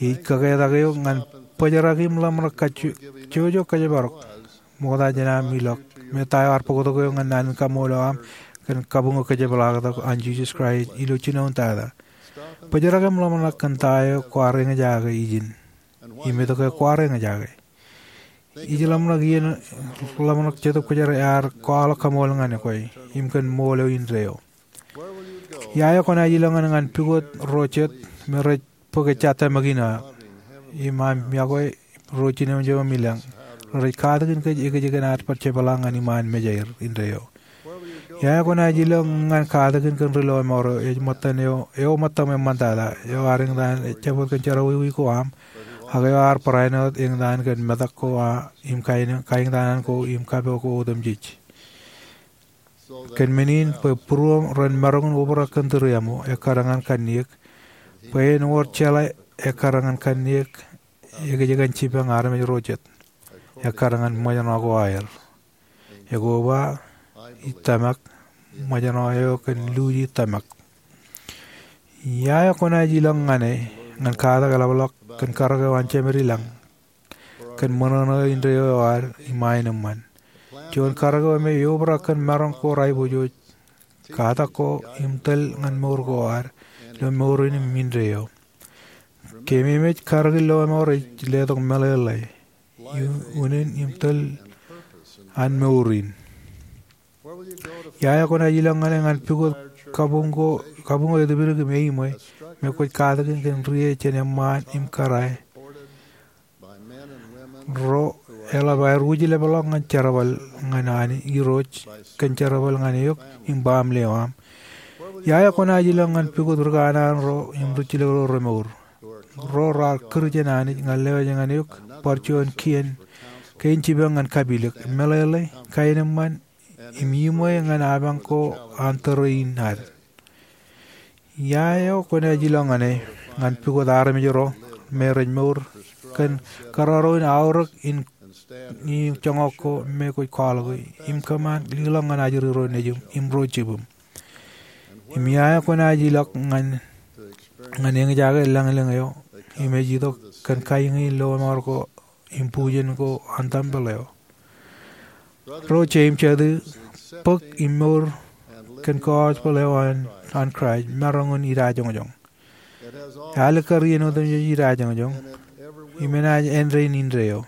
Ij kōketak eok ñan bōjrak im ḷōmṇak kajjojo kōjparok ṃokta jān aṃ ilọk, me ta eo ear bōktok eok ñan naan in kaṃṃoolol eo aṃ kōn kabuñō kōjepḷaaktok an Jisōs Kraist ilo jinoin tata. Bōjrak im ḷōmṇak kōn ta eo kwaar eñjake ijin im etke kwaar eñjake. Ij ḷōmṇak iien ḷōmṇak Jetōb Kwōjarjar ear kwaḷọk kaṃool ñan kwe im kōn ṃool eo indeeo. Ia eo kwōnaaj ilọk ñane ñan pukot ro jet me rej bōk ejja tōmak in aō im aṃ yokwe ro jinoin eo im elōñ, rej katakin kōj ekōjkan ad bar jepḷaak ñan iṃaan Mejāer indeeo? Ia eo kwōnaaj ilọk ñan katakin kōn ri lọmọọr eo ej ṃōttan eo, eo ṃōttam eṃṃantata, eo ear eñtaan jabdewōt kōn jerọwiwi ko aṃ, ak eo ear barāinwōt eñtaan kōn metak ko aṃ im kaeñtaan ko im kapo ko otemjej? Kōn men in bwe būruōm ren maroñ in obrak kōn tūriaṃo, ekkar ñan kanniōk, bwe en wōr jeḷā ekkar ñan kanniōk, ekōjkan jipañ armej ro jet, ekkar ñan ṃōjṇọ ko aer. Ekoba ij tōmak, ṃōjṇọ eo kōn luuji tōmak. Ia eo kwōnaaj ilọk ñane ñan katak eḷapḷọk kōn karōk eo an Jemedlañ kōn ṃōṇōṇō indeeo eo ad iṃaan eṃṃan? Juon karōk eo me eobrak kōn maroñ ko raibojoj, katak ko im tōl ñan mour ko ad ilo mour in im indeeo. Keememej karōk in lọmọọr ej letok meḷeḷe, unin im tōl an mour in. Ia eo kwōnaaj ilọk ñane ñan pukot kabuñ ko, kabuñ ko etipdik im eimwe me kwōj katakin kōn rie jān eṃṃaan im kōrā ro eḷap aer wūjlepḷọk ñan jerbal ñan Anij Irooj kōn jerbal ñan eok im baaṃle eo aṃ? Ia eo kwōnaaj ilọk ñan pukot ri kanaan ro im ri jilkinḷọk remour, ro raar kūr jān Anij ñan lewōj ñan eok bar juon kein, kein jipañ ñan kapilōk, meḷeḷe, kaenōṃṃan, im iṃwe ñan apañ ko an tōre in ad? Ia eo kwōnaaj ilọk ñane ñan pukot armej ro me rej mour kōn kōrọro in aorōk in, in joñak ko me kwōj kwaḷọke im kōṃṃan leḷọk ñan ajri ro nejiṃ im ro jibwiṃ? Im ia eo kwōnaaj ilọk ñan, ñan eñjake lañlōñ eo im ej itok kōn kaiñe in lọmọọr ko im bujen ko an tempel eo? Ro jet im jatū, bōk im mour kōn gospel eo an, an Kraist maroñ in idajoñjoñ. Alikkar iien otemjej idajoñjoñ im enaaj āindein indeeo.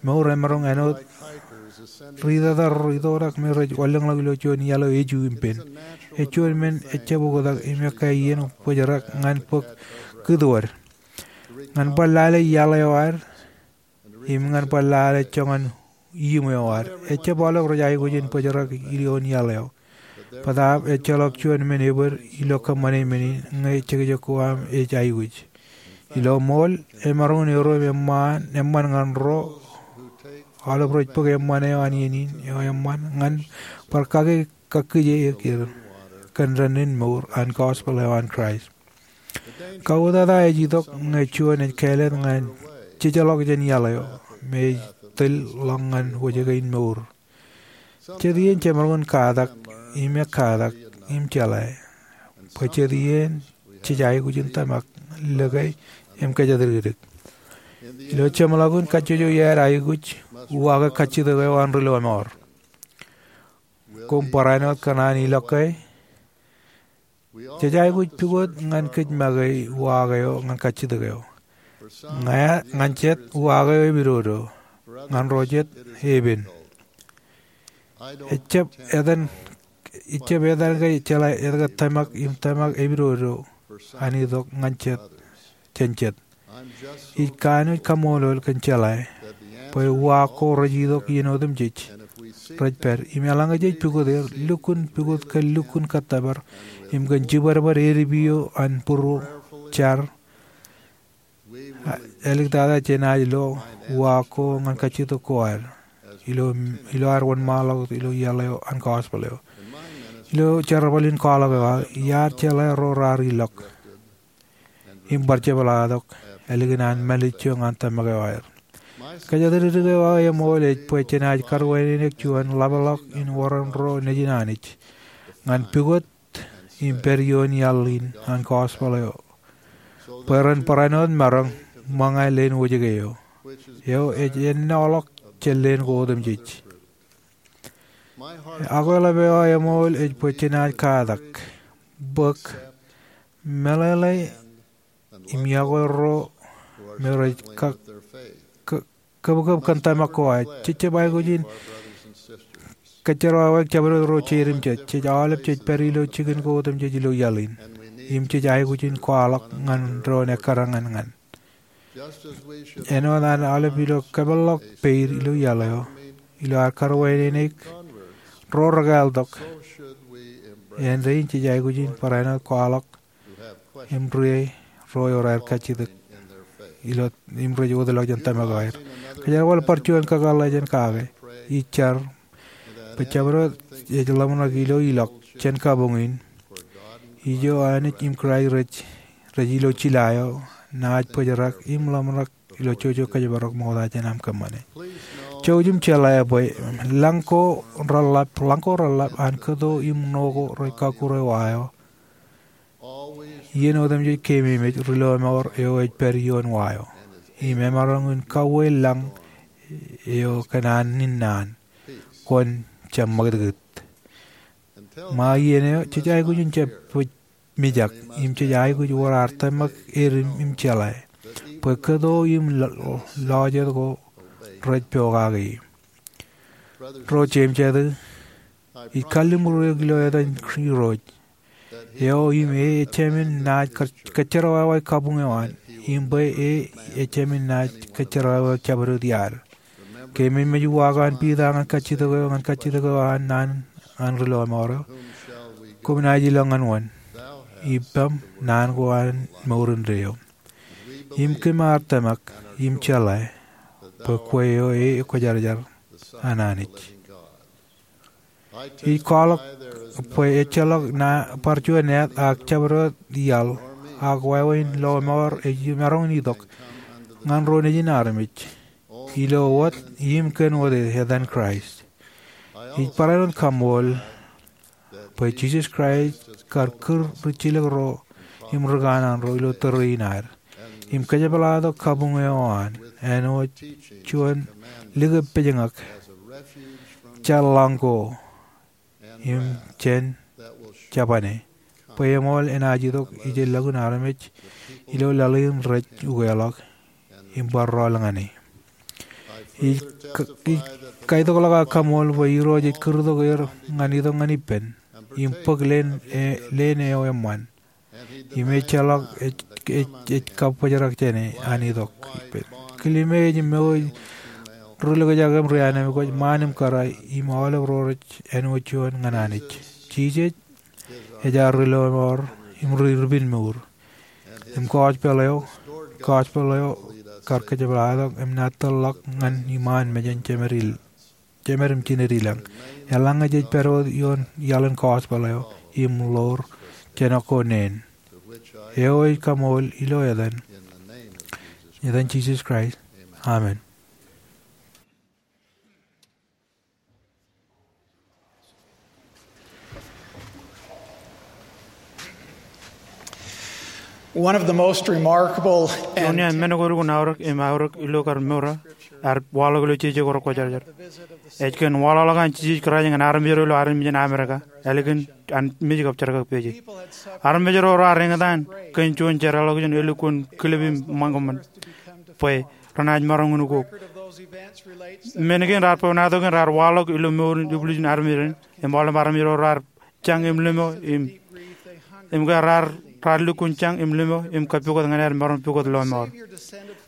Mour emaroñ āinwōt ri tōtōr ri tōtak me rej wanlōñḷọk ilo juon iaḷ eo eju im pen. Ej juon men ejjab oktak im ekkā iien bōjrak ñan bōk kūtwōd, ñan bar lale iaḷ eo ad im ñan bar lale joñan iiṃwe eo ad. Ejjab aolep rej aikuj in bōjrak ioon iaḷ eo. Bōtaab ejjeḷọk juon men ebōd ilo kōṃṃane men in ñe jekjek ko aṃ ej aikuj. Ilo ṃool, emaroñ in erom eṃṃan, eṃṃan ñan ro aolep rej bōk eṃṃan eo an iien in eo eṃṃan ñan bar kake kakkije er kōn dān in mour an gospel eo an Kraist. Kautata ej itok ñe juon ej kāālōt ñan jejjeḷọk jān iaḷ eo me ej tōl ḷọk ñan wōjke in mour. Jet iien jemaroñ in katak im ekkatak im jeḷā bwe jet iien jej aikuj in tōmak, lōke, im kōjatdikdik. Ilo jeṃḷọkin kajjojo iaad aikuj uwaake kajjitōk eo an ri lọmọọr. Koṃ barāinwōt kōṇaan ilọk ke? Jej aikuj pukot ñan kōj make uwaake eo ñan kajjitōk eo. Ña, ñan jet uwaake eo epidodo, ñan ro jet epen. Ejjab etan, ejjab etan ke jeḷā etke tōmak im tōmak epidodo an itok ñan jet, jān jet. Ij kanooj kaṃṃoolol kōn jeḷā bwe uwaak ko rej itok iien otemjej rej pād, im eḷaññe jej pukot er, lukkuun pukot kōn lukkuun kōttōpar im kōn jibadbad edipio an būruō, jar, āliktata jenaaj lo uwaak ko ñan kajjitōk ko ad ilo, ilo ad wōnṃaanḷọk ilo iaḷ eo an gospel eo. Ilo jerbal in kwaḷọk eo aō, iar jeḷā ro raar ilọk im bar jepḷaaktok ālikin an mālejjo ñan tōmak eo aer. Kōjatdikdik eo aō eṃool ej bwe jenaaj karwaineneik juon ḷapḷọk in wōran ro nejin Anij ñan pukot im pād ioon iaḷ in an gospel eo, bwe ren barāinwōt maroñ ṃōñā leen wōjke eo, eo ej ennọḷọk jān leen ko otemjej. Akwāḷap eo aō eṃool ej bwe jenaaj katak, bōk, meḷeḷe im iọkwe ro me rej ka, ka, kōpkōp kōn tōmak ko aer. Jej jab aikuj in kōjjerwāwōk jabdewōt ro jeiū im jej, jej aolep jej pād ilo jikin ko otemjej ilo iaḷ in, im jej aikuj in kwaḷọk ñan doon ekkar ñan ñan. Āinwōt an aolep ilo kapeḷḷọk peid ilo iaḷ eo, ilo ad karwaineneik ro rekāāltok, āindein jej aikuj in barāinwōt kwaḷọk im ri ro eo raar kajjitōk ilo im rej wōtlọk jān tōmak eo aer. Kōjerbal bar juon kakōḷḷe jān kake, ij jar bwe jabdewōt ej ḷōmṇak ilo ilọk jān kabuñ in. Ijo Anij im Kraist rej, rej ilo jila eo, naaj bōjrak im ḷōmṇak ilo jojo kōjparok ṃokta jān aṃ kōṃṃane. Jouj im jeḷā bwe lañ ko reḷḷap, lañ ko reḷḷap an kōto im ṇo ko rej kọkkure wa eo, iien otemjej keememej ri lọmọọr eo ej pād ioon wa eo, im emaroñ in kauwe lañ eo kōn an in naan, kwōn jab ṃakūtkūt. Ṃae iien eo, jej aikuj in jab pād mijak, im jej aikuj wōr ad tōmak edim im jeḷā bwe kōto im lo, lọjet ko rej pokake. Ro jeiū im jatū, ij kalliṃur eok ilo etan Irooj, eo im e ejāmin naaj kōj, kōjjerwāwā kabuñ eo an, im bwe e ejāmin naaj kōjjerwāwā jabdewōt iaad. Keememej uwaak an Piter ñan kajjitōk eo, ñan kajjitōk eo an naan an ri lọmọọr eo, koṃ naaj ilọk ñan wōn? Ippaṃ naan ko an mour indeeo. Im kōm ar tōmak im jeḷā bwe kwe eo e ekwōjarjar an Anij. Ij kwaḷọk bwe ejjeḷọk bar juon at ak jabdewōt iaḷ ak wāween lọmọọr ej maroñ in itok ñan ro nejin armej ilo wōt im kōn wōt etan Kraist. Ij barāinwōt kaṃṃool bwe Jisōs Kraist kar kūr ri jilōk ro im ri kanaan ro ilo tōre in ad im kōjepḷaaktok kabuñ eo an āinwōt juon likōb pejñak jān lañ ko im jān jabane, bwe eṃool enaaj itok ijellọkun armej ilo laḷ in rej ukeḷọk im bar rọọl ñan e. Ij ka, ij kaitokḷọk ak kaṃṃool bwe Irooj ej kūrtok er ñan itok ñan ippān im bōk leen, e, leen eo eṃṃan. Im ejjeḷọk ej, ej, ej kab bōjrak jān e an itok ippān. Kilime ej mour ri likjak im ri anemkwōj, ṃaan im kōrā, im aolep ro rej āinwōt juon ñan Anij. Jisōs ej ad ri lọmọọr im ri, ri pād mour. Im gospel eo, gospel eo kar kōjepḷaaktok im naaj tōrḷọk ñan iṃaan mejān jemed im jined ilañ. Eḷaññe jej pād wōt ioon iaḷ in gospel eo im ḷoor jān ko neen. Eo ij kaṃṃool ilo etan, etan Jisōs Kraist. Amen. One of the most remarkable and Juon iaan men ko elukkuun aorōk im aorōk ilo kar mour eo, ear waḷọk ilo jeje ko rekwōjarjar. Ej kōn waḷọkḷọk an Jisōs Kraist ñan armej ro ilo armej in Amerika, ālikin an mej kab jerkakpeje. Armej ro raar eñtaan kōn juon jeraḷọkjeṇ elukkuun kilep im ṃōñā ṃōn bwe renaaj maroñ in ukok. Men kein raar bwebwenato kein raar waḷọk ilo mour in ibwiljin armej rein, im aolep armej ro raar jañ im limo im, im ke raar, raar lukkuun jañ im limo im kab pukot ñan aer maroñ pukot lọmọọr.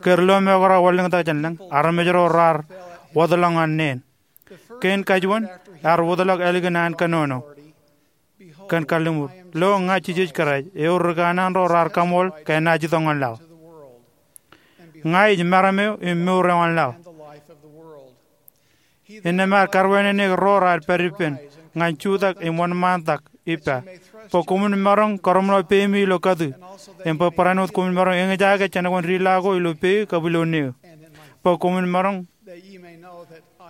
Ke ri lọmọọr ko raar wanlōñtak jān lañ, armej ro raar wōtlọk ñan neen. Kein kajuon, ear wōtlọk ālikin an kōnono. Kōn kalliṃur, lo ña Jisōs Kraist, eo ri kanaan ro raar kaṃool ke enaaj itok ñan laḷ. Ña ij meram eo im mour eo an laḷ. Innām ear karwaineneik ro raar pād ippān ñan jutak im wōnṃaantak, ippa, bwe koṃwin maroñ kōrōmḷọk peimi ilo katu, im bwe barāinwōt koṃwin maroñ eñjake jān kōn diḷā ko ilo peiū kab ilo neū, bwe koṃwin maroñ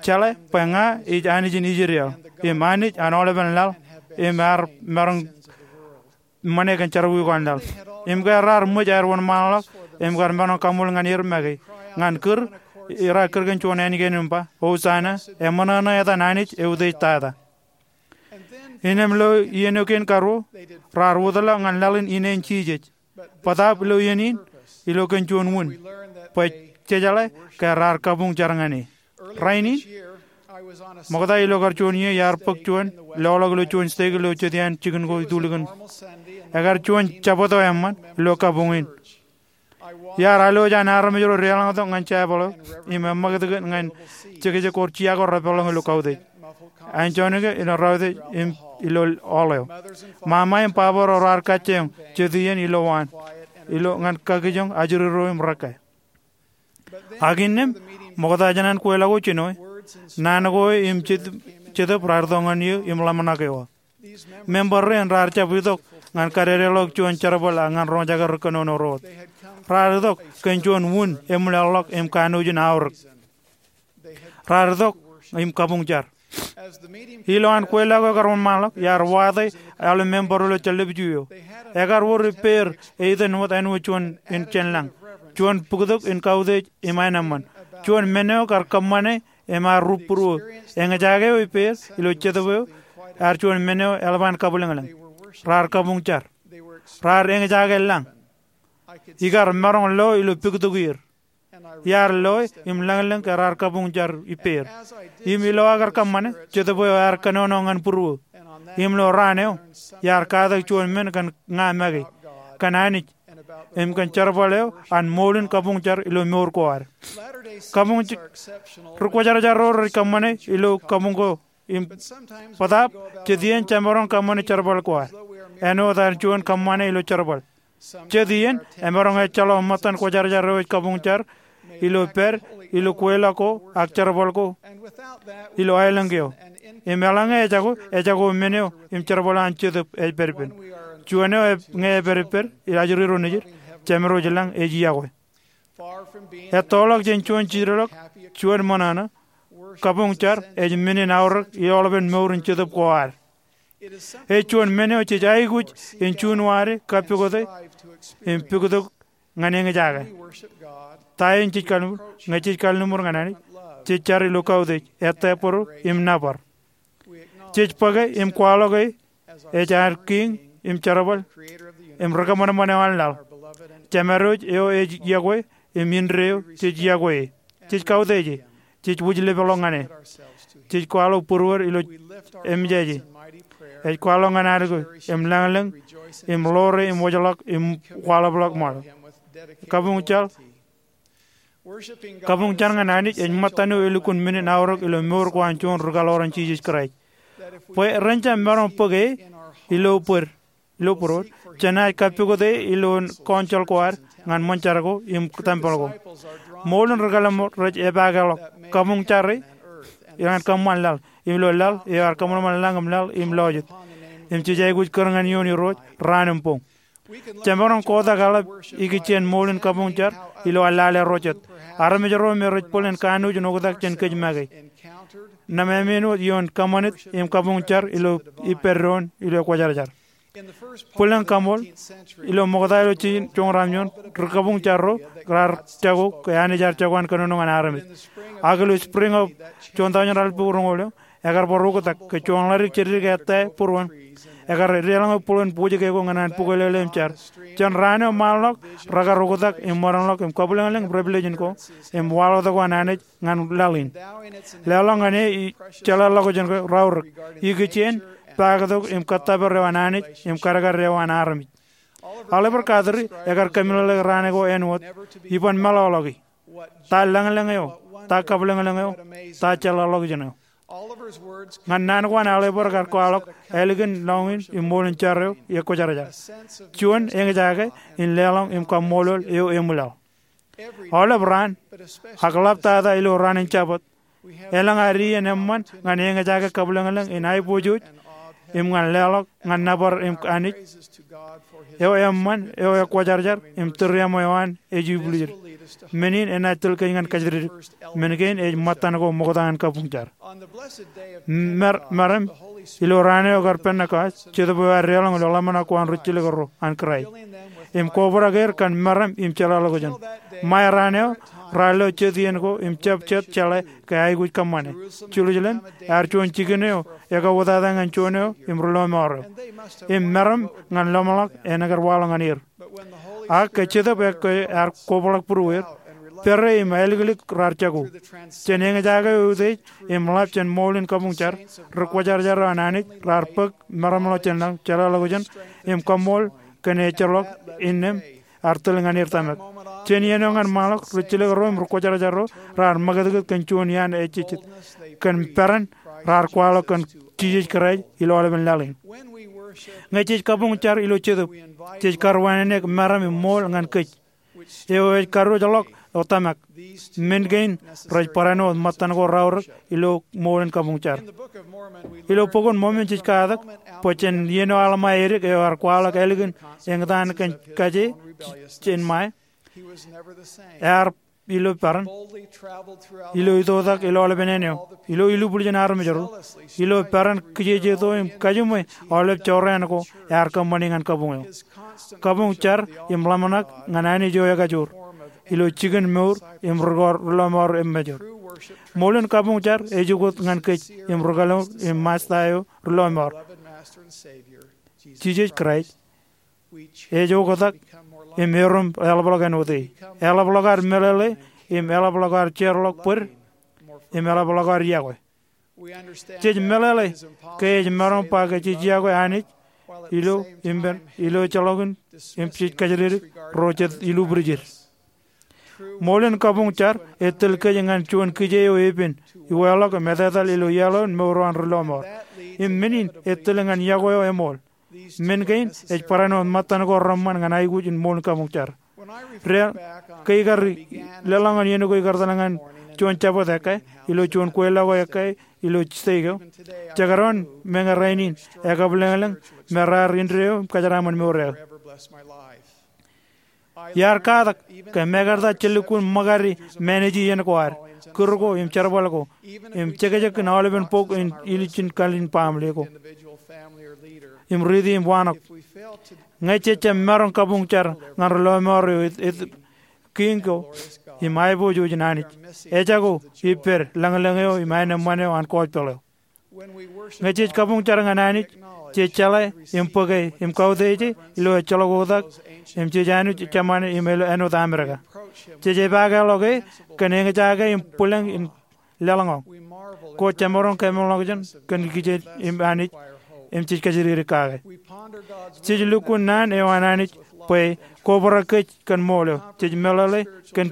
jeḷā bwe ña ij Anij in Israel, im Anij an aolepen laḷ, im ear maroñ ṃane kōn jerọwiwi ko an laḷ. Im ke raar ṃōj aer wōnṃaanḷọk im kar maroñ kaṃool ñan er make, ñan kūr, raar kūr kōn juon ānikein im ba, Hosanna, eṃōṇōṇō etan Anij eutiej tata. Innām ilo iien eo kein karuo, raar wōtḷọk ñan laḷ in ine in Jisōs. Bōtaab ilo iien in, ilo kōn juon wūn, bwe jejeḷā ke raar kabuñ jar ñan e. Rainin, ṃokta ilo kar juon iiō iar bōk juon loḷọk ilo juon stek ilo jet iaan jikin ko itulikin. Ekar juon Jabōt eo eṃṃan ilo kabuñ in. Iar alwōj an armej ro deḷọñtok ñan jabōḷ eo im eṃṃakūtkūt ñan jekjek ko rej iọkwe repeḷḷọk ilo kautiej. An juon ke ilo rautiej im ilo aolep eo. Ṃaṃa im baba ro raar kajjioñ jet iien ilo waan, ilo ñan kakijoñ ajri ro im rekke. Ak innām, ṃokta jān an kweilọk ko jinoe, naan ko im jet, jetōb raar itok ñan eō im ḷōmṇak eō. Member rein raar jab itok ñan kadedeḷọk juon jerbal ak ñan roñjake ri kōnono ro wōt. Raar itok kōn juon wūn eṃwilaḷḷọk im kanooj in aorōk. Raar itok im kabuñ jar. Ilo an kweilọk ko ekar wōnṃaanḷọk, iar wate aolep member ilo jellep iju eo. Ekar wōr ippāer eiten wōt āinwōt juon in jān lañ, juon bōktok in kautiej im aenōṃṃan, juon men eo kar kōṃṃane im ear rūpūruō. Eñjake eo ippāer ilo jetōb eo ear juon men eo eḷap an kabwilōñlōñ. Raar kabuñ jar. Raar eñjake lañ. Ikar maroñ lo ilo bōktok er. Iar loe im lañlōñ ke raar kabuñ jar ippāer. Im ilo aō kar kōṃṃane, jetōb eo ear kōnono ñan būruō. Im ilo raan eo, iar katak juon men kōn ña make, kōn Anij, im kōn jerbal eo an ṃool in kabuñ jar ilo mour ko ad. Kabuñ j-, ri kwōjarjar ro rej kōṃṃane ilo kabuñ ko im bōtaab jet iien jemaroñ kōṃṃane jerbal ko ad. Āinwōt an juon kōṃṃane ilo jerbal. Jet iien, emaroñ ejjeḷọk ṃōttan kwōjarjar eo ej kabuñ jar ilo pād ilo kweilọk ko ak jerbal ko ilo aelōñ keo. Im eḷaññe ejako, ejako men eo im jerbal eo an jetōb ej pād ippān. Juon eo ej, ñe epād ippād ilo ajri ro nejid, jemedwōj lañ ej iọkwe. Ettoḷọk jān juon jidḷọk, juon ṃōṇōṇō, kabuñ jar ej men in aorōk ilo aolepen mour in jetōb ko ad. Ej juon men eo jej aikuj in juunwaade kappokote im bōktok ñan eñjake. Ta eo jej kalliṃur? Ñe jej kalliṃur ñan Anij, jej jar ilo kautiej, ettā būruō im nōbar. Jej bōke im kwaḷọk e ej ad kiiñ im jerbal im rikōṃanṃan eo an laḷ. Jemedwōj eo ej iọkwe im indeeo jej iọkwe e. Jej kautiej e. Jej wōj lepeḷḷọk ñan e. Jej kwaḷọk būruod ilo eṃōjaje. Ej kwaḷọk ñan ad ko im lañlōñ im ḷoore im wōjḷọk im kwaḷapḷọk ṃaḷo. Kabuñ jar Kabuñ jar ñan Anij ej ṃōttan eo elukkuun men in aorōk ilo mour ko an juon ri kaḷoran Jisōs Kraist. Bwe ren jab maroñ bōk e ilo būruod, ilo būruod, jenaaj kappokote e ilo kọọnjeḷ ko ad ñan ṃōn jar ko im tempel ko. Ṃool in ri kaḷoran rej epaake ḷọk kabuñ jar e ñan kōṃṃan laḷ, im ilo laḷ eo ear kōṃanṃan lañ im laḷ im lọjet. Im jej aikuj kūr ñan eoon Irooj raan im boñ. Jemaroñ kotak eḷap ikijjien ṃool in kabuñ jar ilo lale ro jet. Armej ro me rej bōlen kanooj in oktak jān kōj make. Nōṃṃan āinwōt ioon kōṃṃanit im kabuñ jar ilo ippād doon ilo ekwōjarjar. Bōlen kaṃool, ilo ṃokta ilo joñan raamjuon, ri kabuñ jar ro raar jako ke Anij ear jako an kōnono ñan armej. Ak ilo spring eo juon taujin ralitōk roñoul eo, ekar bar oktak ke juon ḷaddik jeddik ettā būruon. Ekar deḷọñe būruon pojke ko ñan an bukwelele im jar. Jān raan eo ṃaanḷọk, rekar oktak im ṃōdenḷọk im kabwilōñlōñ revelation ko im waḷọktok eo an Anij ñan laḷ in. Leḷọk ñan e jeḷāḷọkjeṇ ko raorōk ikijjien paktok im kōttōpar eo an Anij im kadkad eo an armej. Oliver Cowdery ekar kōmeḷeḷeik raan ko āinwōt iban meḷọkḷọki. Ta lañlōñ eo, ta kabwilōñlōñ eo, ta jeḷāḷọkjeṇ eo. Ñan naan ko an Oliver ekar kwaḷọk ālikin lọñiin im ṃool in jar eo ekwōjarjar. Juon eñjake in leḷọñ im kaṃṃoolol eo eṃwilaḷ. Aolep raan, ak ḷaptata ilo raan in Jabōt, elōñ ad iien eṃṃan ñan eñjake kabwilōñlōñ in aiboojoj im ñan leḷọk ñan nōbar im Anij, eo eṃṃan, eo ekwōjarjar, im tūriaṃo eo an ej ibwiljid. Men in enaaj tōl kōj ñan kajjitōk. Men kein ej ṃōttan ko ṃokta ñan kabuñjar. Meram, ilo raan eo kar Pentekost, Jetōb eo ear deḷọñ ilo ḷōmṇak ko an rijjilōk ro an Kraist im kobrak er kōn meram im jeḷāḷọkjeṇ. Ṃae raan eo, raar lo jet iien ko im jab jet jeḷā ke aikuj kōṃṃane. Jerusalem ear juon jikin eo ekauwōtata ñan juon eo im ri-lọmọọr eo. Im meram ñan ḷōmṇak en ekar waḷọk ñan er. Ak ke Jetōb ekkā ear kobrak būrueir, pere im āliklik raar jako. Jān eñjake eo utiej im ḷap jān ṃool in kabuñjar, ri-kwōjarjar eo an Anij raar bōk meram ḷọk jān lañ, jeḷāḷọkjeṇ, im kaṃṃool kōn ejjeḷọk innām ear tōl ñan er tōmak. Jān iien eo ñan ṃaanḷọk, rijjilōk ro im ri-kwōjarjar ro raar ṃakūtkūt kōn juon iaan ejejjet kōn peran raar kwaḷọk kōn Jisōs Kraist ilo aolepen laḷ in. Ñe jej kabuñjar ilo Jetōb, jej karuwaineneik meram im ṃool ñan kōj, eo ej karuj ḷọk eo tōmak. Men kein rej barāinwōt ṃōttan ko raorōk ilo ṃool in kabuñjar. Ilo Bok in Mormon jej katak bwe jān iien eo Alma edik eo ear kwaḷọk ālikin eñtaan kōn kaje jān ṃae, ear ilo peran, ilo itoitak ilo aolepen āne eo, ilo ilubwiljin armej ro, ilo peran kijejeto im kajiṃwe aolep jorrāān ko ear kōṃṃani ñan kabuñ eo. Kabuñjar im ḷōmṇak ñan Anij eo ekajoor ilo jikin mour im ri-lọmọọr ro emmajoor. Ṃool in kabuñjar ej ukōt ñan kōj im ri-kelōñ im Masta eo ri-lọmọọr, Jisōs Kraist. Ej oktak im erom eḷapḷọk āinwōt e. Eḷapḷọk ad meḷeḷe im eḷapḷọk ad jeorḷọk bōd im eḷapḷọk ad iọkwe. Jej meḷeḷe ke ej maroñ ba ke jej iọkwe Anij ilo im pen ilo ejjeḷọkin im jej kōjatdikdik ro jet ilubrijid. Ṃool in kabuñjar ej tōl kōj ñan juon kije eo epen, iwāḷọk im etetal ilo iaḷ eo in mour eo an ri-lọmọọr. Im men in ej tōl ñan iọkwe eo eṃool. Men kein ej barāinwōt ṃōttan ko reṃṃan ñan aikuj in ṃool in kabuñjar. Ri-, ke ikar leḷọk ñan iien ko ikar etal ñan juon jabōt ekkā ilo juon kweilọk eo ekkā ilo stek eo, jekdọọn meñe rainin ekabwilōñlōñ me raar indeeo im kōjeraaṃṃan mour eo. Iar katak ke mekarta jen lukkuun ṃōkade māneji iien ko ad, kūr ko im jerbal ko, im jekjekin aolepen bok in ilijin kalin baaṃle ko im riiti im waanōk. Ñe jej jab maroñ kabuñjar ñan ri-lọmọọr eo, ej kiiñ ko im aiboojoj in Anij, ejako ippād lañlōñ eo im aenōṃṃan eo an gospel eo. Ñe jej kabuñjar ñan Anij, jej jeḷā im bōke im kautiej e ilo ejjeḷọk oktak im jej anuj jemān im āinwōt Amerika. Jej epaake ḷọk e kōn eñjake im bwilōñ in leḷọñḷọk. Ko jemaroñ kōmeḷeḷein kōn kijeej im Anij im jej kōjatdikdik kake. Jej lukkuun naan eo an Anij bwe kobrak kōj kōn ṃool eo. Jej meḷeḷe kōn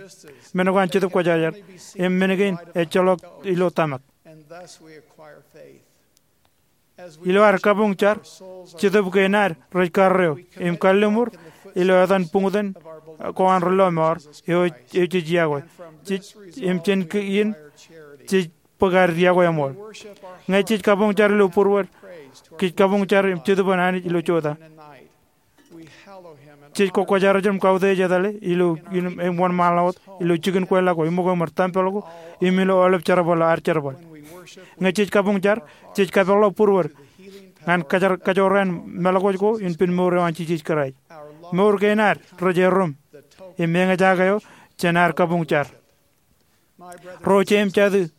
men ko an Jetōb Kwōjarjar im men kein ejjeḷọk ilo tōmak. Ilo ad kabuñjar, jetōb kein ad rej karreo im kalliṃur ilo etan buñtōn ko an ri-lọmọọr eo, eo jej iọkwe. Jej, im jān kein jej bōk ad iọkwe eṃool. Ñe jej kabuñjar ilo būruod, kōj kabuñjar im jetōb an Anij ilo jota. Jej kwōjarjar im kautiej etale ilo, im wōnṃaanḷọk wōt ilo jikin kweilọk ko, iṃōko im tempel ko, im ilo aolep jerbal eo ad jerbal. Ñe jej kabuñjar, jej kapeḷḷọk būruod ñan kōjor-, kōjorrāān meḷọkḷọk ko in pen mour eo an Jisōs Kraist. Mour kein ad rej erom im eñjake eo jān ad kabuñjar. Ro jen jatū,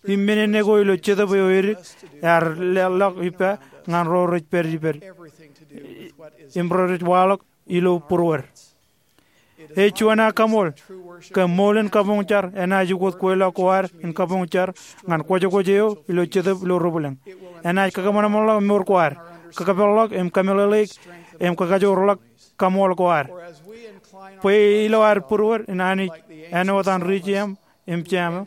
im men eo ko ilo jetōb eo edik ear leḷọk ippa ñan ro rej pād ippād im ro rej waḷọk ilo būruod. Ej juon aō kaṃool ke ṃool in kabuñjar enaaj ukōt kweilọk ko ad in kabuñjar ñan kwōjkwōj eo ilo jetōb ilo ri-bwilōñ. Enaaj kakōṃanṃanḷọk mour ko ad, kakapeḷḷọk im kameḷeḷeik im kakajoorḷọk kaṃool ko ad. Bwe ilo ad būruod in Anij āinwōt an ri-jeiū im jeiū,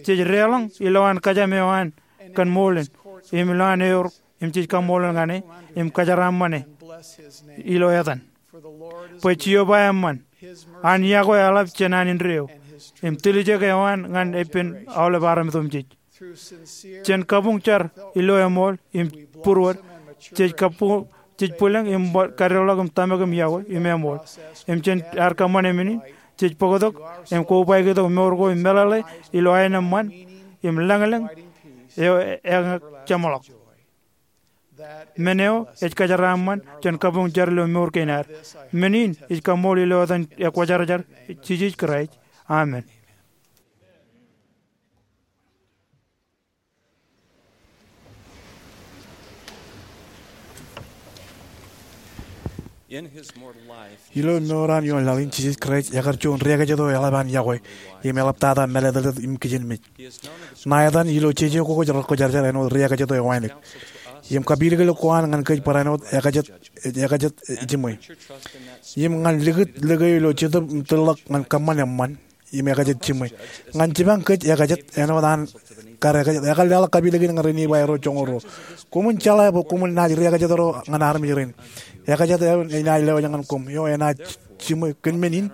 jej deḷọñ ilowaan kōjām eo an kōn ṃool in, im ilowaan eor, im jej kaṃṃoolol ñan e im kōjeraaṃṃan e ilo etan. Bwe Jeova eṃṃan, an iọkwe eḷap jān an indeeo, im tiljek eo an ñan ippān aolep armej otemjej. Jān kabuñjar ilo eṃool im būruod, Jej kabbokbok, jej bwilōñ im bar kadeḷọk im tōmak im yokwe im eṃool. Im jān ad kōṃṃane men in, jej bōktok im kobaik tok mour ko im meḷeḷe ilo aenōṃṃan im lañlōñ eo eñak jeṃḷọk. Men eo ej kōjeraaṃṃan jān kabuñ jar ilo mour kein ad. Men in ij kaṃṃool ilo etan ekwōjarjar Jisōs Kraist. Amen. Ilo mour eo an ioon laḷ in, Jisōs Kraist ekar juon ri-ekajet eo eḷap an yokwe im eḷaptata mālōtlōt im kijenmej. Ṇa etan ilo jeje ko kwōj rekwōjarjar āinwōt ri-ekajet eo ewānōk. Im kapilōklōk ko an ñan kōj barāinwōt ekajet, ekajet jiṃwe. Im ñan likūt lōke ilo jetōb im tōllọk ñan kōṃṃan eṃṃan im ekajet jiṃwe. Ñan jipañ kōj ekajet āinwōt an kar ekajet, ekar leḷọk kapilōk in ñan ri Nifai ro joñoul ruo. Koṃwin jeḷā bwe koṃwin naaj ri-ekajet ro ñan armej rein. Ekajet eo enaaj lewōj ñan koṃ, eo enaaj jiṃwe. Kōn men in,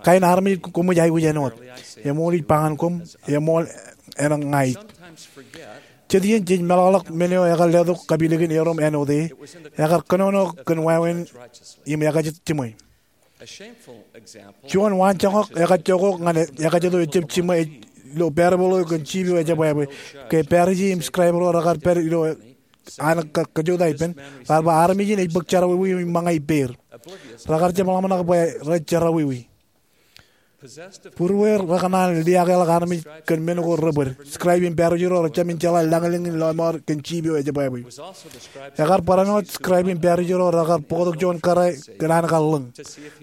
kain armej koṃij aikuj āinwōt. Eṃool ij ba ñan koṃ, eṃool eṇ ña ij. Jet iien jej meḷọkḷọk men eo ekar letok kapilōk in erom āinwōt e. Ekar kōnono kōn wāween im ekajet jiṃwe. Juon waanjoñak ekajjokok ñan ekajet eo ejjab jiṃwe ej ilo parable eo kōn jiip eo ejebwābwe. Ke Parisi im scribe ro rekar pād ilo an kōjota ippān, raar ba armej in ej bōk jerọwiwi im ṃōñā ippāer. Rekar jab ḷōmṇak bwe rej jerọwiwi. Būrueir rekōṇaan liaakḷọk armej kōn men ko rebōd. Scribe im Parisi ro rejāmin jeḷā lañlōñ in lọmọọr kōn jiip eo ejebwābwe. Ekar barāinwōt scribe im Parisi ro rekar bōktok juon kōrā kōn an kar lōñ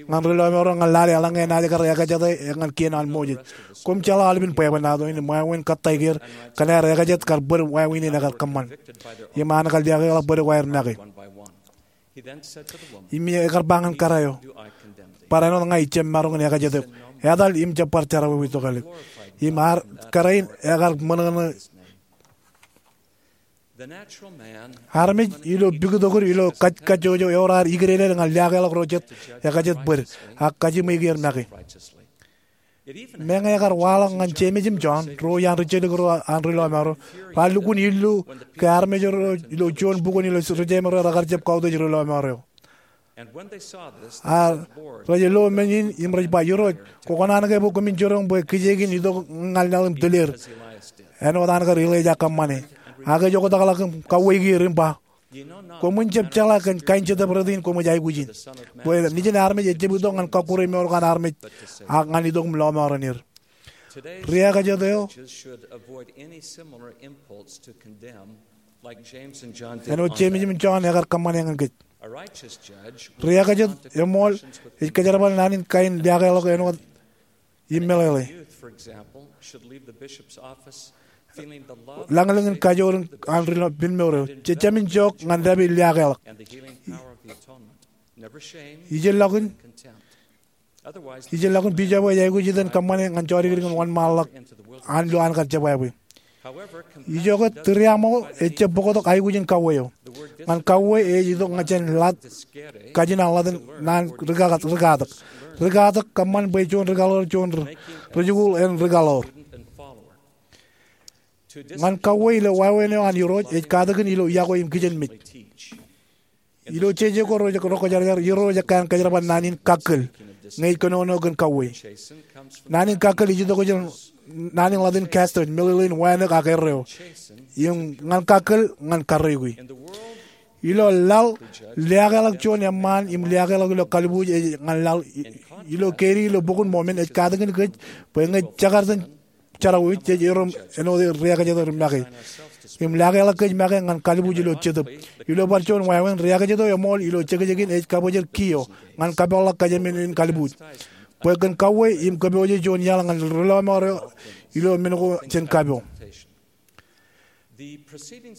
ñan ri lọmọọr eo ñan lale eḷaññe enaaj kar ekajete ñan kien an Moses. Koṃ jeḷā aolepen bwebwenato in im wāween kōttāik er kōn aer ekajet kar bōd wāween in ekar kōṃṃan im an kar liaakḷọk bōd ko aer make. Im ekar ba ñan kōrā eo, barāinwōt ña ij jab maroñ in ekajet eok, etal im jab bar jerọwiwi tokālik. Im ar kōrā in ekar ṃōṇōṇō. Armej ilo pikitok ilo kaj, kajjojo eor ar ikideeded ñan liaakḷọk ro jet ekajet bōd, ak kajiṃwe er make. Meñe ekar waḷọk ñan Jemes im Jon, ruo iaan ri-jelōk ro an ri lọmọọr eo, raar lukkuun illu ke armej ro ilo juon bukwōn ilo ri-jemeer eo rekar jab kautiej ri lọmọọr eo. Ak rej lo men in im rej ba, Irooj, kwō kōṇaan ke bwe koṃwin jiroñ bwe kijeek in itok ñan laḷ im tōl er āinwōt an kar Ilaija kōṃṃane. Ak ej oktakḷọk im kauweik er im ba, Koṃwin jab jeḷā kōn kain Jetōb Rot in koṃij aikuj in, bwe Nejin armej ejjab itok ñan kọkkure mour ko an armej, ak ñan itok im lọmọọren er. Ri-ekajet eo, āinwōt Jemes im Jon ekar kōṃṃane ñan kōj. Ri-ekajet eṃool ej kōjerbal naan in kain liaakḷọk āinwōt im meḷeḷe. Lañlōñ in kajoor an ri lọmọọr eo. Jejāmin jook ñan dāpij liaakḷọk. Ijellọkin, ijellọkin Bishop eo ej aikuj itok in kōṃṃane ñan jodikdik in wōnṃaanḷọk an lo an kar jebwābwe. Ijoke tūriaṃo ejjab bōktok aikuj in kauwe eo. Ñan kauwe ej itok ñan jān ḷadik, kajin an ḷadik naan rikatak, rikatak. Rikatak kōṃṃan bwe juon rikaḷoor, juon ri, rijikuuḷ en rikaḷoor. Ñan kauwe ilo wāween eo an Irooj ej katakin ilo yokwe im kijenmej. Ilo jeje ko rej rekwōjarjar, Irooj ekkā an kōjerbal naan in kakkōl, ñe ej kōnono kōn kauwe. Naan in kakkōl ej itok jān naan in ḷadik chastos, meḷeḷein wānōk ak erreo. Im ñan kakkōl, ñan karreoiki. Ilo laḷ, liaakḷọk juon eṃṃaan im liaakḷọk ilo kalbuuj ej ñan laḷ. I, ilo kein ilo bok in Mormon ej katakin kōj bwe ñe jekar iten jerọwiwi jej erom āinwōt ri-ekajet ro make. Im liaakḷọk kōj make ñan kalbuuj ilo jetōb. Ilo bar juon wāween, ri-ekajet eo eṃool ilo jekjekin ej kabōjrak kiiō ñan kapeḷḷọk kōjām in kalbuuj. Bwe kōn kauwe im kōpooje juon iaḷ ñan ri lọmọọr eo ilo men ko jān kapo.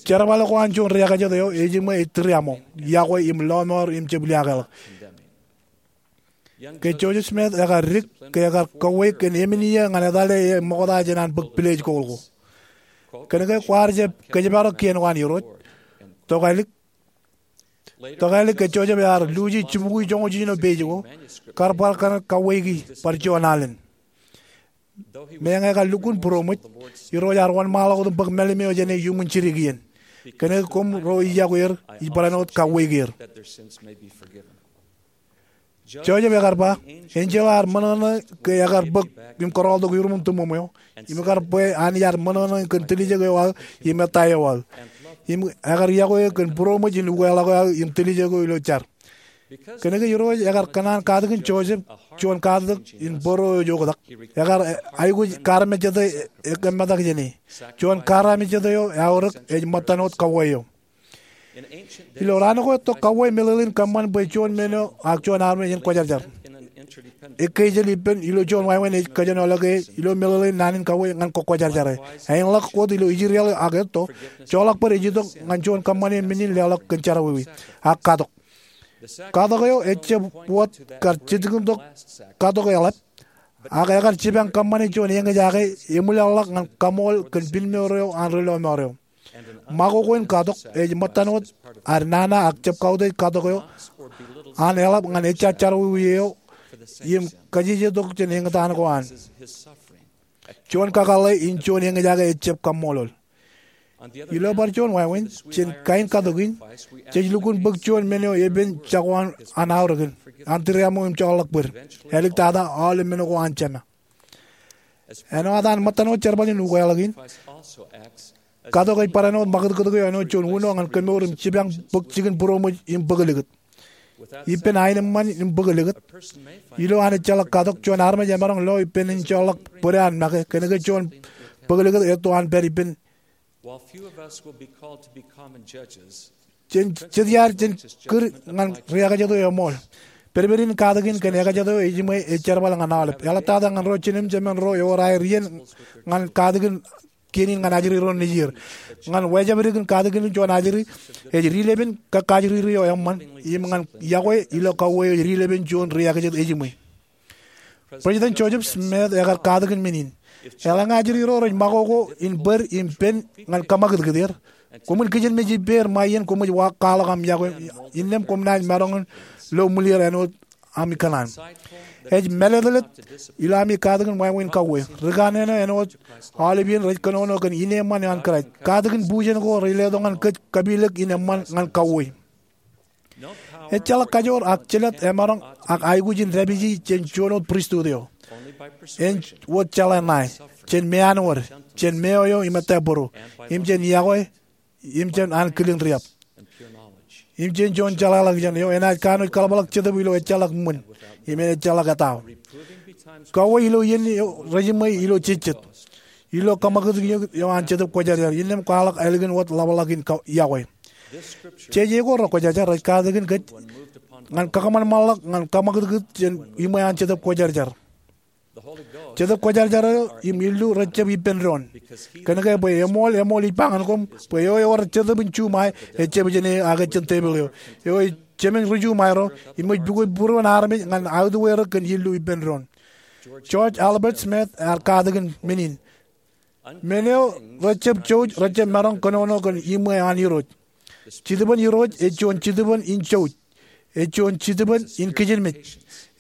Jerbal ko an juon ri-ekajet eo ej iṃwe ej tūriaṃo, yokwe im lọmọọr im jab liaakḷọk. Ke Joseph Smith ekar dik, ke ekar kauwe kōn emān iiō ñan etale e ṃokta jān an bōk pilej ko ḷọk. Kōnke kwaar jab kōjparok kien ko an Irooj. Tokālik, tokālik ke Joseph ear luuji jibukwi joñoul jiljino page ko, kar bar kar kauweiki bar juon alen. Meñe ekar lukkuun būroṃōj, Irooj ear wōnṃaanḷọk wōt im bōk mālim eo jān e iuṃwin jidik iien. Kōnke koṃ ro ij yokwe er, ij barāinwōt kauweik er. Joseph ekar ba, enjeḷ ear ṃōṇōṇō ke ekar bōk im kōrọọltok iuṃwin tūṃṃoṃ eo, im ekar bwe Anij ear ṃōṇōṇō kōn tiljek eo aō im ettā eo aō, im ekar yokwe kōn būroṃōj in ukeḷọk eo aō im tiljek eo ilo jar. Kōnke Irooj ekar kōṇaan katakin Joseph juon katak in bōro eo oktak, ekar aikuj karamejjete ekemmetak jāne. Juon karamejjete eo eaorōk ej ṃōttan wōt kauwe eo. Ilo raan ko etto kauwe meḷeḷein kōṃṃan bwe juon men eo ak juon armej en kwōjarjar. Ekkejel ippān ilo juon wāween ej kōjenolọke e ilo meḷeḷein naan in kauwe ñan kwōkwōjarjare. Āinḷọk wōt ilo Israel ak etto, joḷọk bōd ej itok ñan juon kōṃṃane men in leḷọk kōn jerọwiwi, ak katok. Katok eo ejjab wōt kar jitkintok katok eḷap, ak ekar jipañ kōṃṃane juon eñjake eṃwilaḷḷọk ñan kaṃool kōn pinmour eo an ri lọmọọr eo. Ṃakoko in katok ej ṃōttan wōt ad nana ak jab kautiej katok eo an eḷap ñan ejja jerọwiwi eo im kajejjetok jān eñtaan ko an. Juon kakōḷḷe in juon eñjake ejjab kaṃṃoolol. Ilo bar juon wāween, jān kain katok in, jej lukkuun bōk juon men eo epen jako an aorōkin an tūriaṃo im joḷọk bōd. Āliktata aolep men ko an jema. Āinwōt an ṃōttan wōt jerbal in ukeḷọk in, katok ej barāinwōt ṃakūtkūt eo āinwōt juon uno ñan kemour im jipañ bōk jikin būroṃōj im bōk likūt. Ippān aenōṃṃan im bōk likūt, ilo an ejjeḷọk katok, juon armej emaroñ lo ippān en joḷọk bōde an make, kōnke juon bōk likūt etto an pād ippān. Jen jet iaad jān kūr ñan riekajet eo eṃool. Pedped in katakin kōn ekajet eo ejiṃwe ej jerbal ñan aolep. Eḷaptata ñan ro jinen jemān ro ewōr aer iien ñan katakin kien in ñan ajri ro nejier. Ñan wōjabdikdik in katakin in juon ajri, ej dilepin kakkajriri eo eṃṃan, im ñan yokwe ilo kauwe eo ej dilepin juon riekajet ejiṃwe. President Joseph Smith ekar katakin men in. Eḷaññe ajri ro rej ṃakoko in bōd im pen ñan kōṃakūtkūt er, koṃwin kijenmej ippāer ṃae iien koṃij kwaḷọk aṃ yokwe, innām koṃ naaj maroñ in lo ṃwilir āinwōt ami kōṇaan. Ej mālōtlōt ilo ami katakin wāween kauwe. Ri kanaan eo āinwōt aolep iien rej kōnono kōn ineeṃṃan eo an Kraist. Katakin bujen ko rej letok ñan kōj kapilōk in eṃṃan ñan kauwe. Ejjeḷọk kajoor ak jelōt emaroñ ak aikuj in dāpiji jān juon wōt pristut eo. En wōt jeḷā ṇae, jān meanwōd, jān meoeo im ettā bōro, im jān yokwe, im jān an kilin riab, im jān juon jeḷāḷọkjeṇ eo enaaj kanooj kaḷapḷọk Jetōb ilo ejjeḷọk ṃwin im ejjeḷọk etao. Kauwe ilo iien eo rejiṃwe ilo jejjet, ilo kōṃakūtkūt eo an Jetōb Kwōjarjar, innām kwaḷọk ālikin wōt ḷapḷọk in yokwe. Jeje ko rekwōjarjar rej katakin kōj ñan kakōṃanṃanḷọk ñan kōṃakūtkūt jān iṃwe an Jetōb Kwōjarjar. Jetōb Kwōjarjar eo im illu rejjab ippān doon. Kōnke bwe eṃool, eṃool ej ba ñan koṃ bwe eo ewōr jetōb in juṃae ejjab jāne ak ejjab tepil eo. Eo ej jemān ri juṃae ro, im ej pukot būruon armej ñan autiwōjrak kōn illu ippān doon. George Albert Smith ear katakin men in. Men eo rejjab jouj rejjab maroñ kōnono kōn iṃwe an Irooj. Jitōbōn Irooj ej juon jitōbōn in jouj. Ej juon jitōbōn in kijenmej.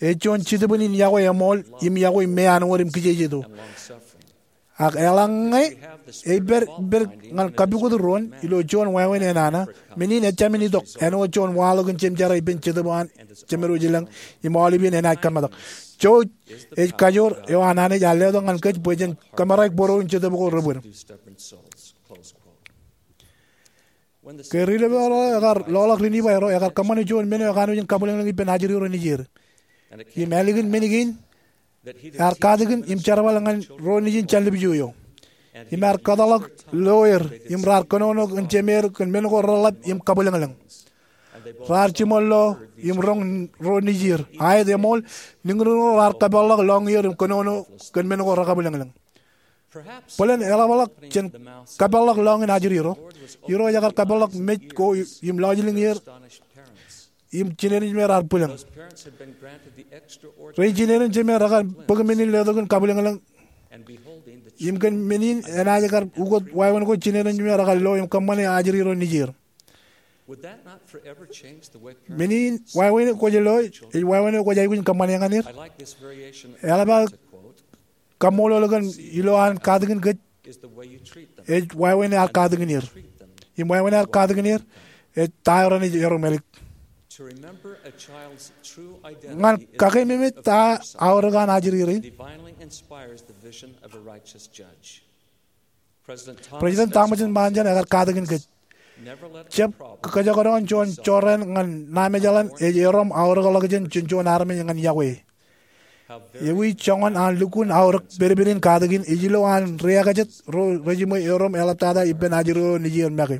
Ej juon jitōbōn in yokwe eṃool im yokwe meanwōd im kijejeto. Ak eḷaññe ej pād ippād ñan kapukot doon ilo juon wāween enana, men in ejāmin itok āinwōt juon waḷọk in jemjerā ippān Jetōb an Jemedwōj Ilañ im aolep iien enaaj kōmetak. Jouj ej kajoor eo an Anij ear letok ñan kōj bwe jen kōmāraik bōro in Jetōb ko rebōd. Ke ri lọmọọr eo ekar loḷọk ri Nifai ro, ekar kōṃṃane juon men eo ekanooj in kabwilōñlōñ ippān ajri ro nejier. Im ālikin men kein, ear katakin im jerbal ñan ro nejin jān lipju eo. Im ear kōtḷọk lo er, im raar kōnono kōn jemeer kōn men ko reḷap im kabwilōñlōñ. Raar jiṃor lo im roñ ro nejier. Aet eṃool, niñniñ ro raar kapeḷḷọk lọñier im kōnono kōn men ko rekabwilōñlōñ. Bōlen eḷapḷọk jān kapeḷḷọk lọñiin ajri ro, Irooj ekar kapeḷḷọk mej ko im lọjilñier im jined in jemeer ear bwilōñ. Ren jined in jemeer rekar bōk men in letok in kabwilōñlōñ. Im kōn men in enaaj kar ukōt wāween ko jined in jemeer rekar lo im kōṃṃane ajri ro nejier. Men in wāween kwōj lo, ej wāween kwōj aikuj in kōṃṃane ñan er. Eḷap aō kaṃṃoolol kōn ilo an katakin kōj, ej wāween ear katakin er. Im wāween aer katakin er ej ta eo raṇ ej erom ālik. Ñan kakeememej ta aorōk an ajri rein, President Thomas Monson ekar katakin kōj, jab kōjekdọọn juon jorrāān ñan Naamejeḷāān ej erom aorōkḷọk jān juon armej ñan yokwe. Ewi joñan an lukkuun aorōk pedped in katakin ej ilo an ri-ekajet ro rejiṃwe erom eḷaptata ippān ajri ro nejier make.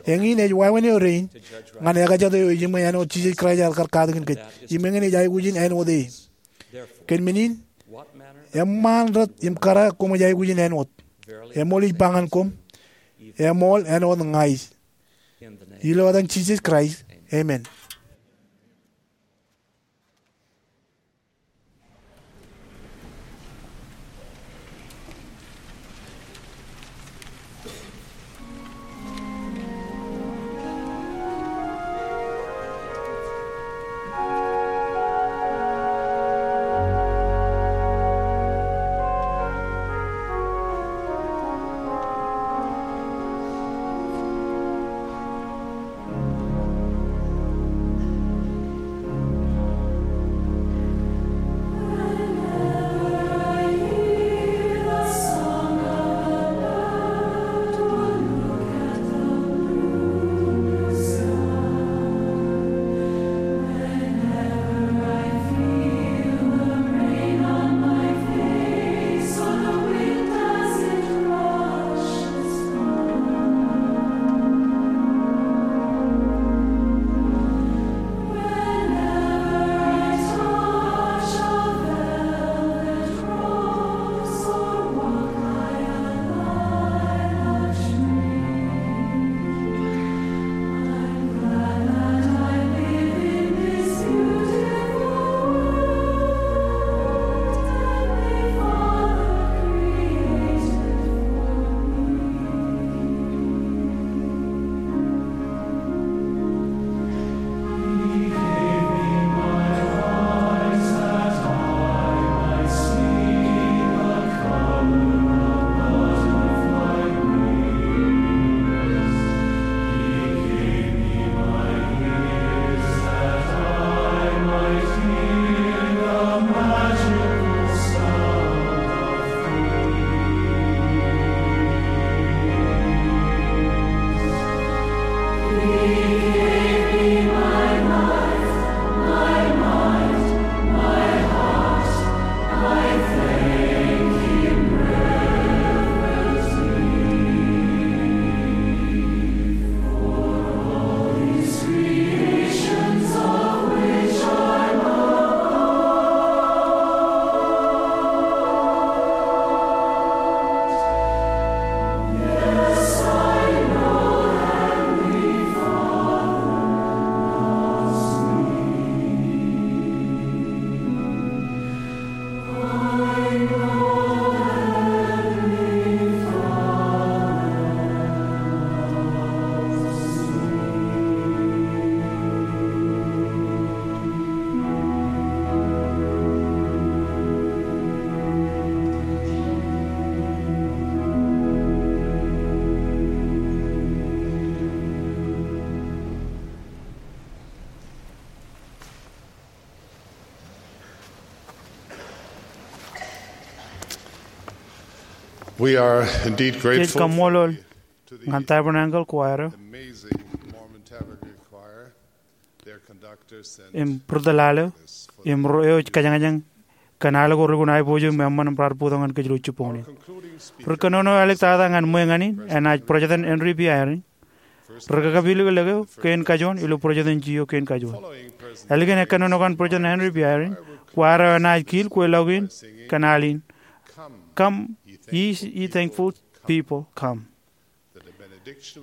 Eñin ej wāween eo dein ñan ekajet eo ejiṃwe āinwōt Jisōs Kraist ekar katakin kōj, im eñin ej aikuj in āinwōt e. Kōn men in, eṃṃaan rot im kōrā koṃij aikuj in āinwōt. Eṃool ij ba ñan koṃ, eṃool āinwōt ña ij. Ilo etan Jisōs Kraist, amen. We are indeed grateful. Jej kaṃṃoolol ñan Tabernacle Choir eo, amazing Mormon Tabernacle Choir, their conductors and im ri tōl al eo, im ro eo ej kōjañjañ kōn al ko relukkuun aiboojoj im eṃṃan im raar bōktok ñan kōj ilo jibboñōn in. Ri kōnono āliktata ñan ṃwe ñan in enaaj President Henry B. Eyring, ri kakapilōklōk eo kein kajoon ilo President J. O. kein kajoon. Ālikin ekkōnono kaṇ President Henry B. Eyring, kwaar eo enaaj kiil kweilọk in kōn al in, Come, ye thankful people, come.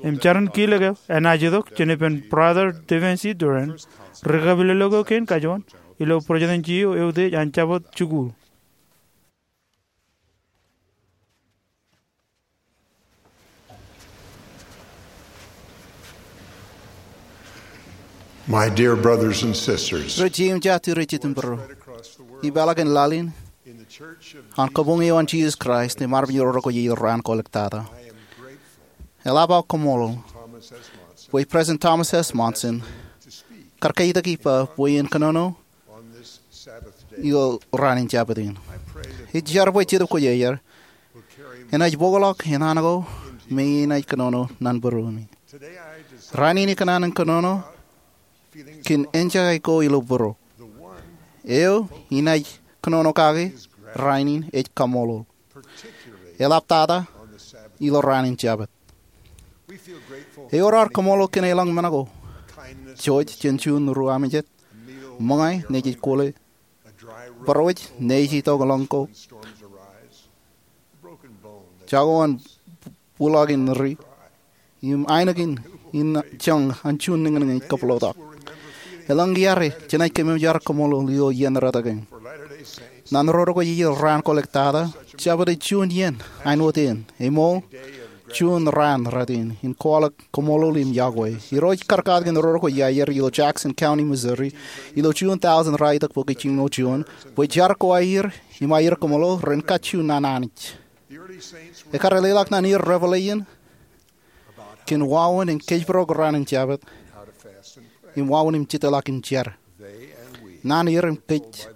Im jar in kiilōk eo enaaj itok jān ippān Brother Stephen C. Durrant, ri kakapilōklōk eo kein kajoon ilo President J. O. eutiej an Jabōt Jikuuḷ. My dear brothers and sisters, ri jiṃja, ri jitōnbōro, ipeḷḷọk in laḷ in, an kabuñ eo an Jisōs Kraist im armej ro ko iiō raan ko āliktata, eḷap aō kaṃṃoolol bwe President Thomas S. Monson kar kaitak ippa bwe en kōnono ilo raan in Jabōt in. Ij jar bwe Jetōb Kwōjarjar enaaj bōkḷọk enana ko me enaaj kōnono naan būruemi. Rainin ikōṇaan in kōnono kōn enjeḷā ko ilo būruō. Eo inaaj kōnono kake rainin ej kaṃṃoolol, eḷaptata ilo raan in Jabōt. Ewōr ad kaṃṃoolol kōn eḷaññe men ko, jouj jān juon ruo amejed, ṃōñā nejej kole, būruōj nejej itok ḷọk ko, jako an buḷọkin ri, im ainikien in joñan juon niñniñ ej kōpeḷḷọk. Eḷaññe iar, jenaaj kōmemej ad kaṃṃoolol ilo iien rot kein. Naan ro rekwe ilo raan kwōlọk tata, Jabōt ej juon iien āinwōt eṇ, eṃool juon raan rot in, in kwaḷọk kaṃṃoolol im yokwe. Irooj kar katak in ro rekwe iaer ilo Jackson County, Missouri, ilo juon tọujin raar itok bōk jiñoul juon, bwe jar ko aer im aer kaṃṃoolol ren kajju naan Anij. Ekkar leḷọk naan er Revelation kōn wāween in kōjparok raan in Jabōt im wāween im jitḷọk in jar. Naan er im kōj,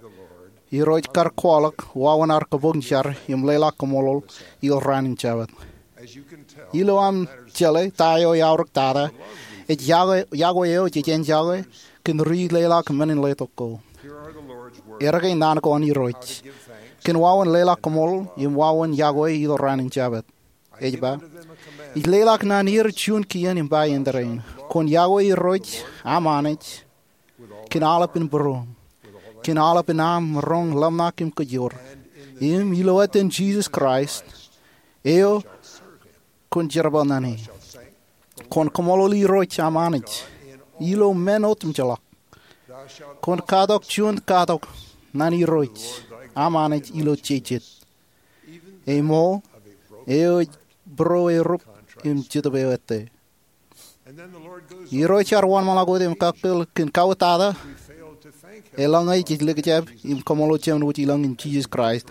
Irooj kar kwaḷọk wāween ad kabuñ jar im leḷọk kaṃṃoolol ilo raan in Jabōt. Ilo aṃ jeḷā ta eo eaorōk tata, ej yokwe, yokwe eo jej āinjake kōn ri leḷọk men in letok ko. Erkein naan ko an Irooj kōn wāween leḷọk kaṃṃoolol im wāween yokwe ilo raan in Jabōt. Ej ba, Ij leḷọk naan er juon kien im ba iien tōre in, kwōn yokwe Irooj aṃ Anij kōn aolepān būruōṃ, kōn aolepān aṃ maroñ, ḷōmṇak im kōjoor, im ilo etan Jisōs Kraist, eo kwōn jerbal naan e. Kwōn kaṃṃoolol Irooj aṃ Anij ilo men otemjeḷọk. Kwōn katok juon katok naan Irooj aṃ Anij ilo jejjet, eṃool eo ej būruō erup im Jetōb eo ettā. Irooj ear wōnṃaanḷọk wōt im kakkōl kōn kauwōtata eḷaññe jej likjab im kaṃṃoolol Jemān Wōj i lañ in Jisōs Kraist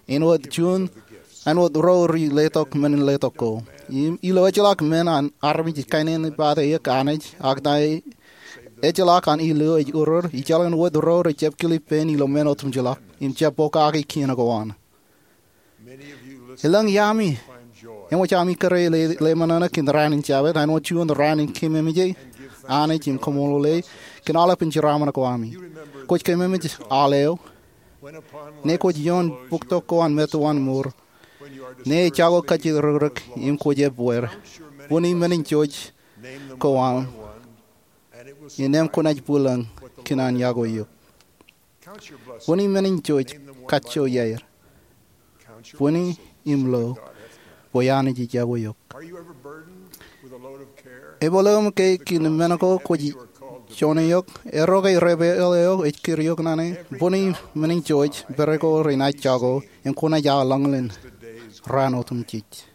āinwōt juon, āinwōt ro ri letok men in letok ko. Im ilo ejjeḷọk men an armej ej kainene pate eō Anij, ak ta ejjeḷọk an ilo ej uror, ijeḷā wōt ro rej jab kilep pein ilo men otemjeḷọk im jab pokake kien ko an. Elōñ iaami eṃōj ami kōrā ḷe, ḷemānānōk in raan in Jabōt āinwōt juon raan in kememej Anij im kaṃṃoolol e kōn aolepān jeraaṃṃan ko ami. Kwōj kememej aḷ eo, ñe kwōj ioon bōktok ko an metowan mour, ñe ej jako kajjitōk rōkrōk im kwōj ebbeer, bōni men in jouj ko aṃ, innām kwōnaaj bwilōñ kōn an yokwe eok. Bōni men in jouj kajjojo iaer. Bōni im lo bwe Anij ej yokwe eok. Ebaḷ eō ke kōn men ko kwōj joñan eok, erro ke repeḷ eo ej kūr eok naan e? Bōni men in jouj, pere ko renaaj jako im kwōnaaj aō lañlōñ raan otemjej.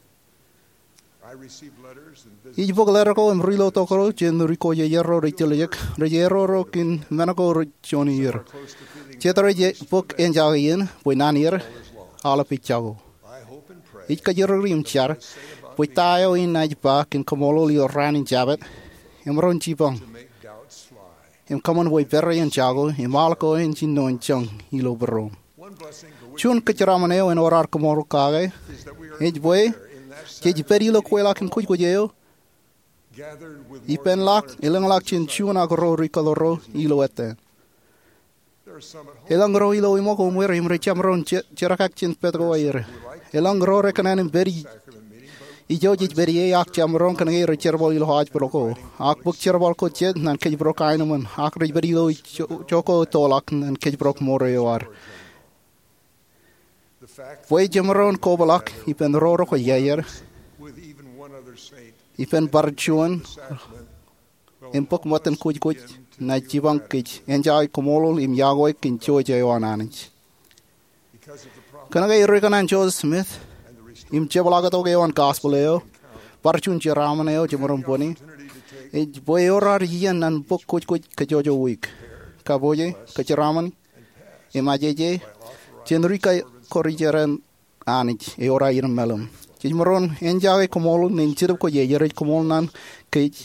Ij bōk letter ko im ri lotok ro jān ri kwōjarjar ro rej tiljek rej erro ro kōn men ko rej joñan er. Jet rej bōk āinjake iien bwe naan er aolep ej jako. Ij kajjirere im jar bwe ta eo enaaj ba kōn kaṃṃoolol ilo raan in Jabōt emaroñ jipañ im kōṃṃan bwe pere en jako im aḷ ko en jino joñ ilo būruōṃ. Juon kōjeraaṃṃan eo en wōr ad kaṃṃoolol kake ej bwe jej pād ilo kweilọk in kwōjkwōj eo ippān ḷọk, elōñḷọk jān juon ak ro ri kōḷoor ro ilo ettā. Elōñ ro ilo ṃōko uṃwin im rej jab maroñ je-, jerkakakpeje jān pād ko aer. Elōñ ro rekōṇaan im pād i-, ijo jej pād ie ak jab maroñ kōnke rej jerbal ilo hospital ko, ak bōk jerbal ko jet ñan kōjparok aenōṃṃan, ak rej pād ilo ijo-, ijo ko ettoḷọk ñan kōjparok mour eo ad. Bwe jemaroñ kobrak ippān ro ro kwōjarjar, ippān bar juon im bōk ṃōttan kwōjkwōj, naaj jipañ kōj enjoy kaṃṃoolol im yokwe kōn jouj eo an Anij. Kōnke ri kōṇaan Joseph Smith im jepḷaaktok eo an gospel eo, bar juon jeraaṃṃan eo jemaroñ bōne ej bwe ewōr ad iien ñan bōk kwōjkwōj kajjojo wiik, kapoje, kōjeraaṃṃan im ajeje jān ri kakkōrijer an Anij ewōr aer maroñ. Jej maroñ enjoy kaṃṃoolol ñan Jetōb Kwōjarjar ej kaṃṃoolol ñan kōj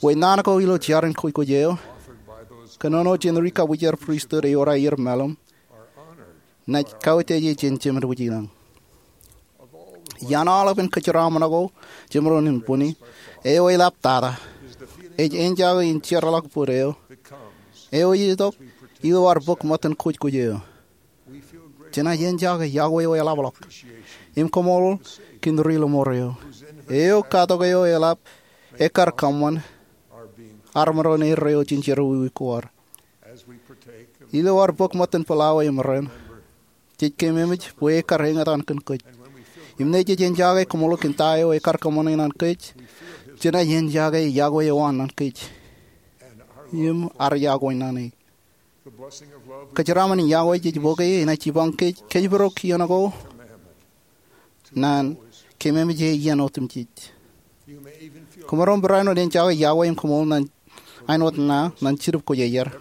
bwe naan ko ilo jar in kōjkōj eo, kōnono jān ri kabwijer pristut ewōr aer mālōm, naaj kautiej jān Jemed wōj ilañ. Iaan aolepān kōjeraaṃṃan ko jemaroñ in bwini, eo eḷap tata ej enjake in jeorḷọk bōd eo, eo ej itok ilo ad bōk ṃōttan kōjkōj eo. Jenaaj enjake yokwe eo eḷapḷọk im kaṃṃoolol kōn ri lọmọọr eo, eo katok eo eḷap ekkar kōṃṃan armej ro eo jān jerọwiwi ko ad. Ilo ad bōk ṃōttan pulawa im ren, jej keememej bwe ekkar eñtaan kōn kōj. Im ñe jej enjake kaṃṃoolol kōn ta eo ekkar kōṃṃane ñan kōj, jenaaj enjake yokwe eo an ñan kōj im ad yokwe ñan e. Kōjeraaṃṃan in yokwe jej bōke enaaj jipañ kōj kōjparok iien ko ñan keememej e iien otemjej. Kōmaroñ barāinwōt enjake yokwe im kaṃṃoolol āinwōt ṇa ñan Jetōb Kwōjarjar,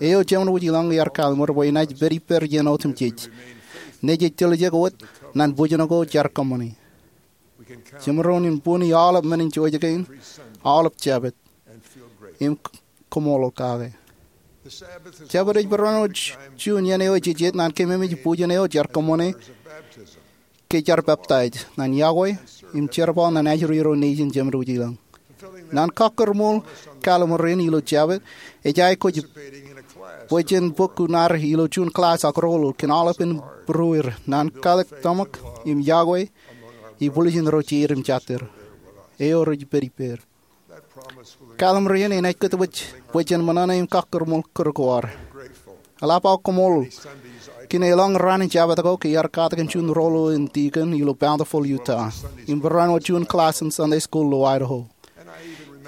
eo Jemed wōj ilañ ear kallimur bwe enaaj pād ippād iien otemjej ñe jej tiljek wōt ñan bwijin ko jaar kōṃṃane. Jemaroñ in bwini aolep men in jojak kein, aolep Jabōt, im kaṃṃoolol kake. Jabōt ej barāinwōt juon iien eo ej jejet ñan keememej bwijin eo jaar kōṃṃane ke jaar peptaij, ñan yokwe, im jerbal ñan ajri ro nejin Jemed wōj ilañ. Ñan kakkōrṃool kallimur in ilo Jabōt, ej aikuj bwe jen bōk kuṇaad ilo juon klass ak roll kōn aolepān būrueir ñan kalōk tōmak im yokwe ibwiljin ro jeid im jatid eo rej pād ippād. Kallimur in enaaj kōtwōj bwe jen ṃōṇōṇō im kakkōrṃool kūr ko ad. Eḷap aō kaṃṃoolol kōn elōñ raan in Jabōt ko ke iar katak in juon roll in deacon ilo Bountiful, Utah, im barāinwōt juon klass in Sunday school ilo Idaho.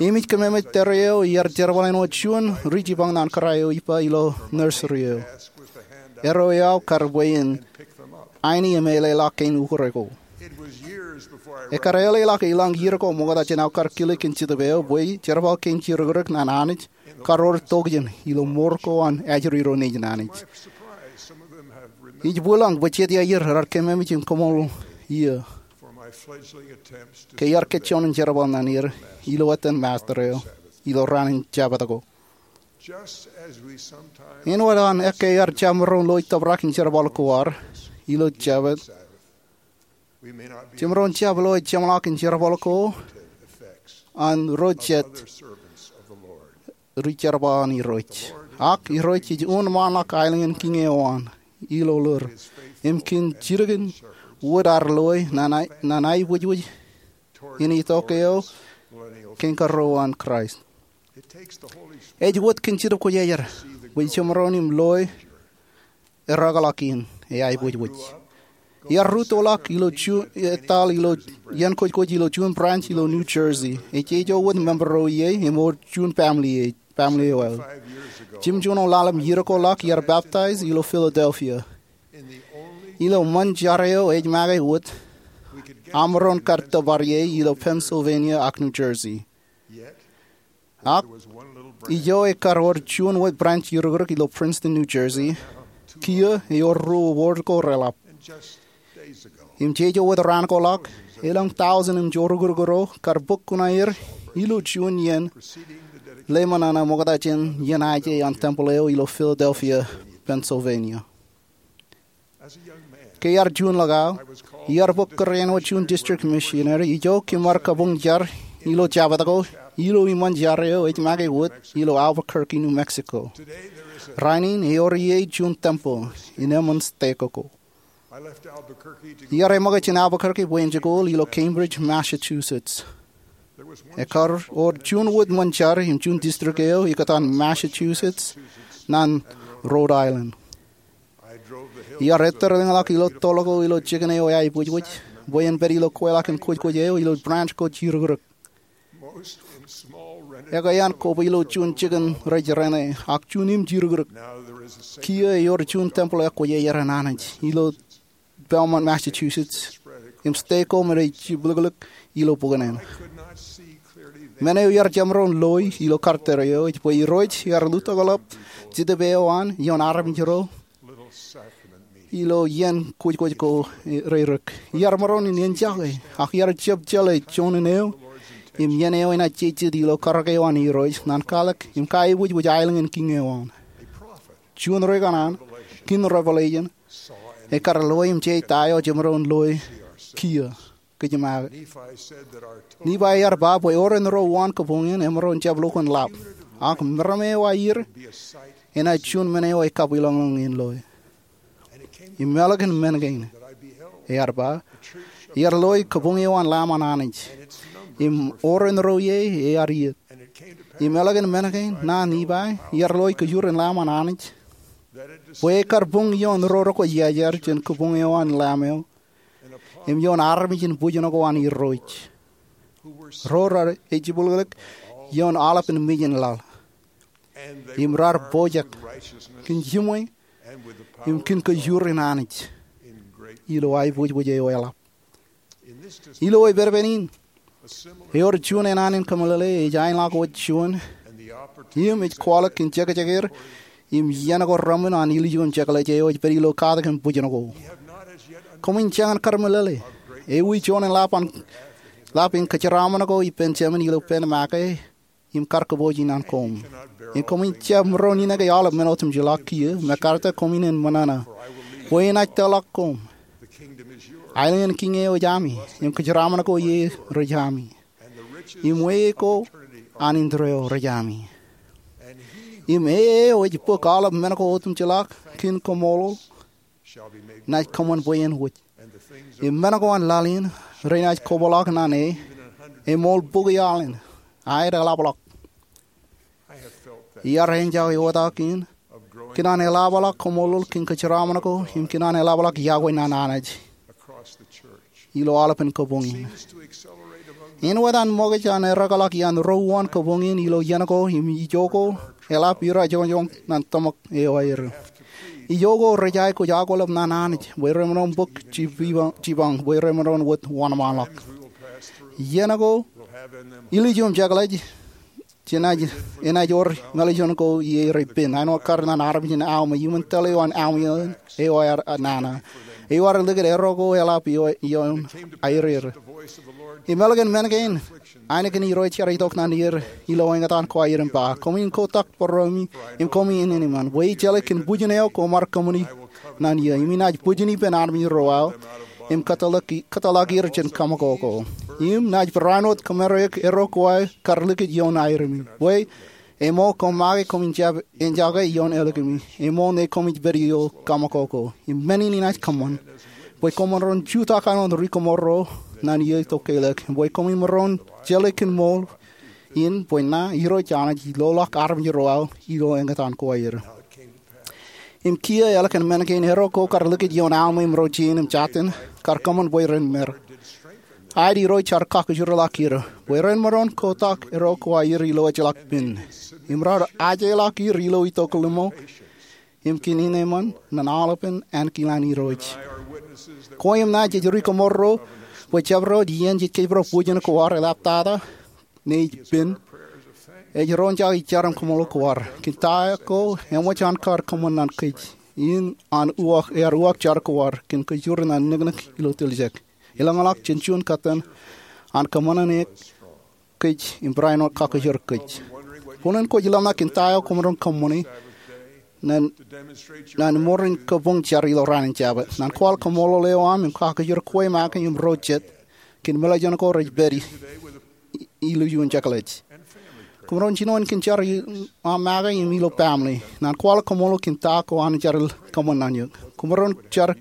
Im ij keememej tōre eo iar jerbal āinwōt juon ri jipañ ñan kōrā eo ippa ilo nursery eo. Erro eo aō kar bwe in aini im eḷeḷọk kein ukōre ko. Ekkar eḷeḷọk elōñ iiō ko ṃokta jān aō kar kile kōn Jetōb eo bwe jerbal kein jirōkrōk ñan Anij kar wōr tokjān ilo mour ko an ajri ro nejin Anij. Ij bwilōñ bwe jet iaer raar keememej im kaṃṃoolol eō ke iar kōjjọọne jerbal ñan er ilo ettōn master eo ilo raan in Jabōt ko. Āinwōt an ekkā iar jab maroñ loi tōprak in jerbal ko ad ilo Jabōt, jemaroñ jab loi jeṃḷọk in jerbal ko an ro jet ri jerbal an Irooj. Ak Irooj ej unin ṃaanḷọk aelōñ in kiiñ eo an ilo ḷoor im kōn jidik in wōt ad loi ñan aebwijbwij in itok eo kein karuo an Kraist. Ej wōt kōn Jetōb Kwōjarjar bwe jemaroñ in loi errọọlḷọk in aebwijbwij. Iar rūttoḷọk ilo juon, etal ilo iien kōjkōj ilo juon branch ilo New Jersey. Ej ijo wōt member ro ie im ewōr juon family eo aō. Jimjuon ḷalem iiō ko ḷọk iar peptaij ilo Philadelphia, ilo ṃōn jar eo ej make wōt aṃ maroñ kar tōpar ie ilo Pennsylvania ak New Jersey. Ak ijo ekkar wōr juon wōt branch iiō rūkrūk ilo Princeton, New Jersey. Kiiō ewōr ruo ward ko reḷap. Im jeje wōt raan ko ḷọk, elōñ tọujin im jọọr rūkrūk ro kar bōk kuṇaer ilo juon iien ḷōmṇak ṃokta jān iien aje an tempeḷ eo ilo Philadelphia, Pennsylvania. Ke iar juon ḷọk aō, iar bōk kūr āinwōt juon district missionary ijo kōm ar kabuñ jar ilo Jabōt ko ilo iṃōn jar eo ej make wōt ilo Albuquerque, New Mexico. Rainin ewōr ie juon tempeḷ in eṃṃan stake ko. Iar eṃōkaj jān Albuquerque bwe en jikuuḷ ilo Cambridge, Massachusetts. Ekkar wōr juon wōt ṃōn jar im juon district eo ikōtaan Massachusetts ñan Rhode Island. Iar ettōr lōñḷọk ilo toḷ ko ilo jikin eo aebwijbwij bwe en pād ilo kweilọk in kōjkōj eo ilo branch ko jirokrok. Ekwe iaan kobwe ilo juon jikin rej rene ak juon im jirokrok. Kiiō ewōr juon tempeḷ ekwōjarjar an Anij ilo Belmont, Massachusetts, im stake ko me rej jibliklik ilo buknen. Men eo iar jab maroñ loi ilo kar tōre eo ej bwe Irooj ear lutokḷọk Jetōb eo an ioon armej ro ilo iien kōjkōj ko reirōk. Iar maroñ in enjake ak iar jab jeḷā juon in eo im iien eo enaaj jejjet ilo karōk eo an Irooj ñan kwaḷọk im kaibwijbwij aelōñ in kiiñ eo an. Juon ri kanaan, kōn Revelation, ekar loe im je ta eo jemaroñ loe kiiō kōj im aō. Nifai ear ba bwe ewōr en ro wōn kabuñ in emaroñ jab lukkuun lap, ak meram eo aer enaaj juon men eo ekabwilōñlōñ in loe. Im ālikin men kein, ear ba, iar loe kabuñ eo an Lamb an Anij, im ewōr en ro ie ear iiet. Im ālikin men kein, ñan Nifai, iar loe kajjoor in Lamb an Anij, bwe ekar buñ ioon ro rekwe iajar jān kabuñ eo an Lamb eo, im ioon armej in bwijin ko an Irooj, ro rej jibwilōñlōñ ioon aolepān mejān laḷ, im raar pojak kōn jiṃwe im kōn kajjoor in Anij ilo aebwijbwij eo eḷap. Ilo epedped in, ewōr juon enaan in kōmeḷeḷe ej aenḷọk wōt juon, im ej kwaḷọk kōn jekjeker im iien ko reṃwin an ilju im jekḷaj eo ej pād ilo katak in bwijin ko. Koṃwin jañin kar meḷeḷe, ewi juon in ḷap in kōjeraṃṃan ko ippān Jemān ilo pen make im kar kōpooj in an koṃ. Im koṃwin jab maroñ in ke aolep men otemjej ḷọk kiiō, MacArthur, koṃwin en ṃōṇōṇō, bwe enaaj tōlọk koṃ. Aelōñ in kiiñ eo ej ami, im kōjeraṃṃan ko ie rej ami, im weie ko an indeeo rej ami. Im e eo ej bōk aolep men ko otemjej ḷọk kōn koṃṃool, naaj kōṃṃan bwe en wōj. Im men ko an laḷ in renaaj kobōḷọk ñan e, eṃool bukwi aḷ in, aer eḷapḷọk. Iar enjake wōt ak in kōn an eḷapḷọk koṃṃool kōn kōjeraṃṃan ko im kōn an eḷapḷọk yokwe ñan Anij ilo aolepān kabuñ in. Āinwōt an ṃokaj an ereḷọk iaan ro wōn kabuñ in ilo iien ko im ijo ko eḷap irajoñoñ ñan tōmak eo aer. Ijo ko rej aikuj akwilep ñan Anij bwe remaroñ bōk jipañ bwe remaroñ wōt wōnṃaanḷọk. Iien ko, ilju im jekḷaj, jenaaj, enaaj wōr mālejjān ko ie rej pen, āinwōt kar ñan armej in Alma, iuṃwin tōl eo an Alma eo aer nana. Eo ear likūt erro ko eḷap ioon aer. Im ālikin men kein, ainikien Irooj jar itok ñan er ilo eñtaan ko aer im ba, koṃwin kotak bōrōmi im koṃwin eñin eṃṃan, bwe ij jeḷā kōn bwijin eo koṃ ar kōṃṃani ñan eō, im inaaj bwijin ippān armej ro aō, im kōtḷọk er jān kōṃakoko. Im naaj barāinwōt kōmāreik erro ko aō kar likūt ioon aerōmi, bwe eṃool koṃ make koṃwin jab enjake ioon ālikimi, eṃool ñe koṃij pād ilo kōṃakoko. Im men in inaaj kōṃṃan, bwe koṃ maroñ jutak āinwōt ri kōṃro ñan eō itok ke ḷọk, bwe koṃwin maroñ jeḷā kōn ṃool in bwe ña, Irooj Anij, ij loḷọk armej ro aō ilo eñtaan ko aer. Im kiiō ālikin men kein, erro ko kar likūt ioon Alma im ro jein im jatin kar kōṃṃan bwe ren mer. Aet Irooj ear kakajoorḷọk er bwe ren maroñ kotak erro ko aer ilo ejjeḷọk pen, im raar ajeḷọk er ilo itok limo im kōn eñin eṃṃan ñan aolepān ankilaan Irooj. Kwe im ña jej ri kōṃro bwe jabdewōt iien jej kōjparok bwijin ko ad eḷaptata ñe ej pen, ej roñjake jar im kōṃṃool ko ad kōn ta ko eṃōj an kar kōṃṃan ñan kōj, im an uwaak, ear uwaak jar ko ad kōn kōjro ñan niknik ilo tiljek, elōñḷọk jān juon kōttan an kōṃṃan ñan kōj im barāinwōt kakajoor kōj. Boñōn kwōj ḷōmṇak kōn ta eo koṃ maroñ kōṃṃane ñan, ñan mour in kabuñ jar ilo raan in Jabōt. Ñan kwaḷọk kōṃṃool eo aṃ im kakajoor kwe make im ro jet kōn mālejjān ko rej pād ilju im jekḷaj. Koṃ maroñ jinoin kōn jar aṃ make im ilo family. Ñan kwaḷọk kōṃṃool kōn ta ko an jar kōṃṃan ñan eok. Koṃ maroñ jar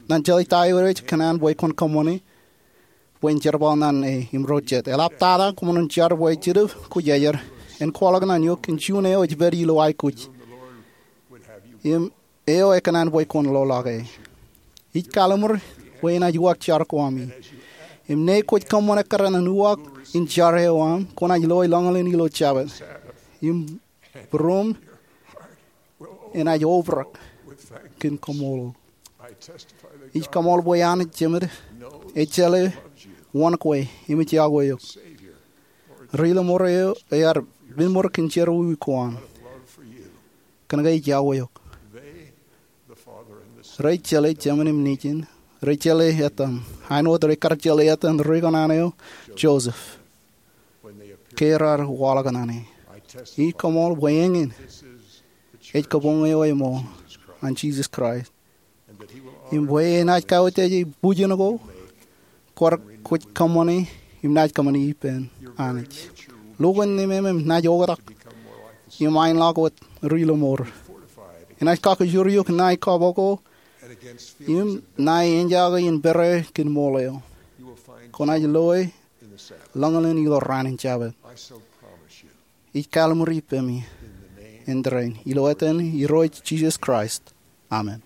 ñan jeḷā ta eo ej kōṇaan bwe kwōn kōṃṃane bwe en jerbal ñan e im ro jet. Eḷaptata koṃ maroñ jar bwe Jetōb Kwōjarjar en kwaḷọk ñan eok kōn juon eo ej pād ilo aikuj im eo ekōṇaan bwe kwōn loḷọke. Ij kallimur bwe enaaj uwaak jar ko ami. Im ñe kwōj kōṃṃan ekkar ñan uwaak in jar eo aṃ, kwōnaaj loe lọñilen ilo Jabōt, im būruōṃ enaaj obrak kōn kōṃṃool. Ij kaṃool bwe Anij Jemād ej jeḷā wōn kwe im ej iọkwe eok. Ri-lọmọọr eo ear pād ṃōr kōn jerọwiwi ko an. Kōnke ij iọkwe eok. Rej jeḷā Jemān im Nejin. Rej jeḷā etan, āinwōt rej kar jeḷā etan ri kanaan eo, Joseph. ke raar waḷọk naan e. Ij koṃṃool bwe eñin ej kabuñ eo ṃool an Jisōs Kraist, im bwe enaaj kauwōj bwijin ko, kwōj kōṃṃane im naaj kōṃṃane ippān Anij. Lukkuun nemāmeim naaj oktak im aenḷọk wōt ri lọmọọr. Enaaj kakijur eok ṇae kọọp ko im ṇae enjake in pere kōn ṃool eo. Kwōnaaj loe ḷōñḷōñ ilo raan in Jabōt. Ij kaḷmūri ippemi āindein, ilo etan Irooj Jisōs Kraist, amen.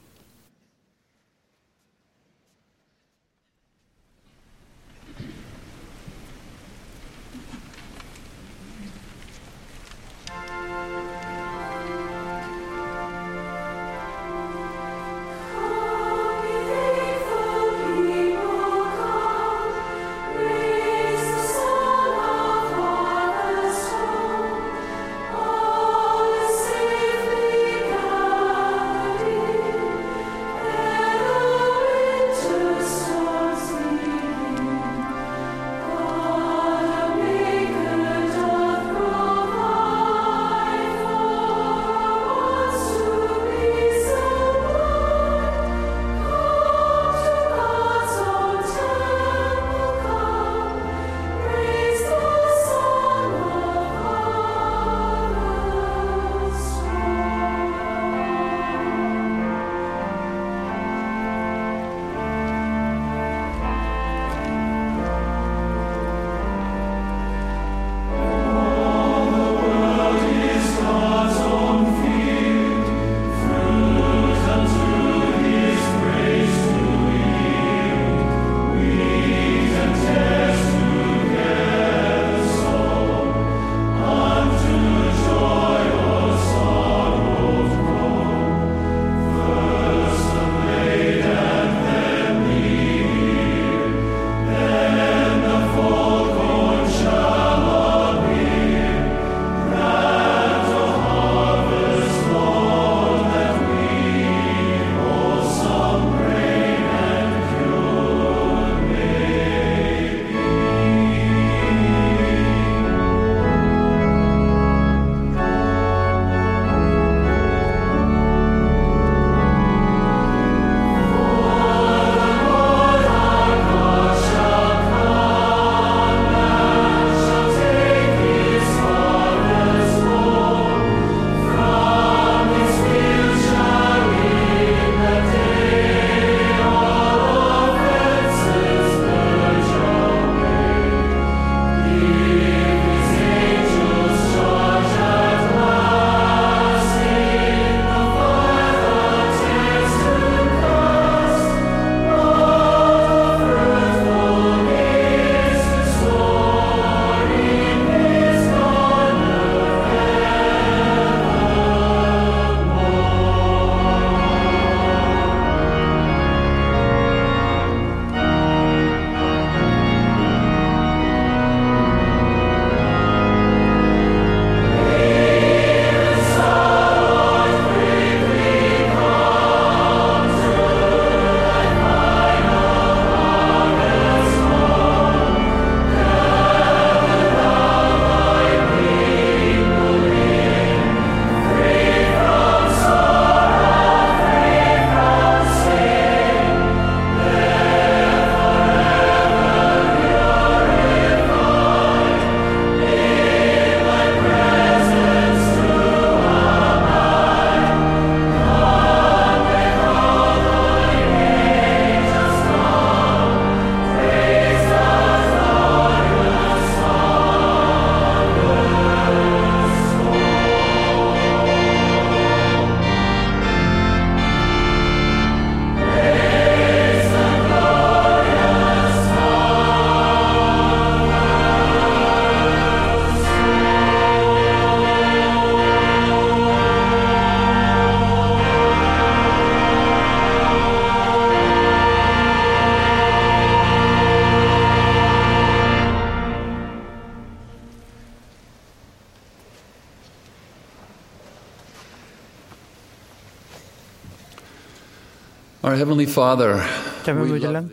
Our Heavenly Father, Jemem eo ej ilañ,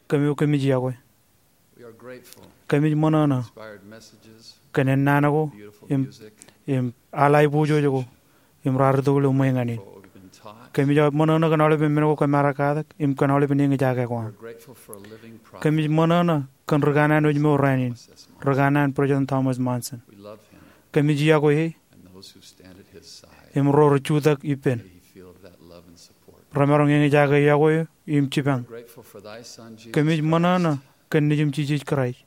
kōm eo kōmij iọkwe. Kōmij ṃōṇōṇō kōn ennaan ko im, im al aiboojoj ko im raar itok ilo ṃwe ñan in. Kōmij ṃōṇōṇō kōn aolepen men ko kōm ar katak im kōn aolepen eñjake ko aṃ. Kōmij ṃōṇōṇō kōn ri kanaan wōj mour rainin, ri kanaan President Thomas Monson. Kōmij iọkwe e im ro rej jutak ippān. Remaroñ eñjake iọkwe eo im jipañ. Kōmij ṃōṇōṇō kōn Nejiṃ Jisōs Kraist,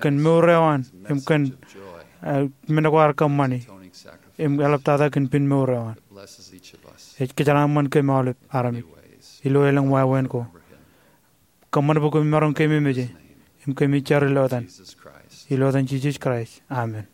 kōn mour eo an im kōn, eh, men ko ear kōṃṃani im eḷaptata kōn pen mour eo an. Ej kōjeḷāṃṃan kōm aolep armej ilo elōñ wāween ko. Kōṃṃan bwe kōm maroñ keememej e im kōmij jar ilo etan, ilo etan Jisōs Kraist, amen.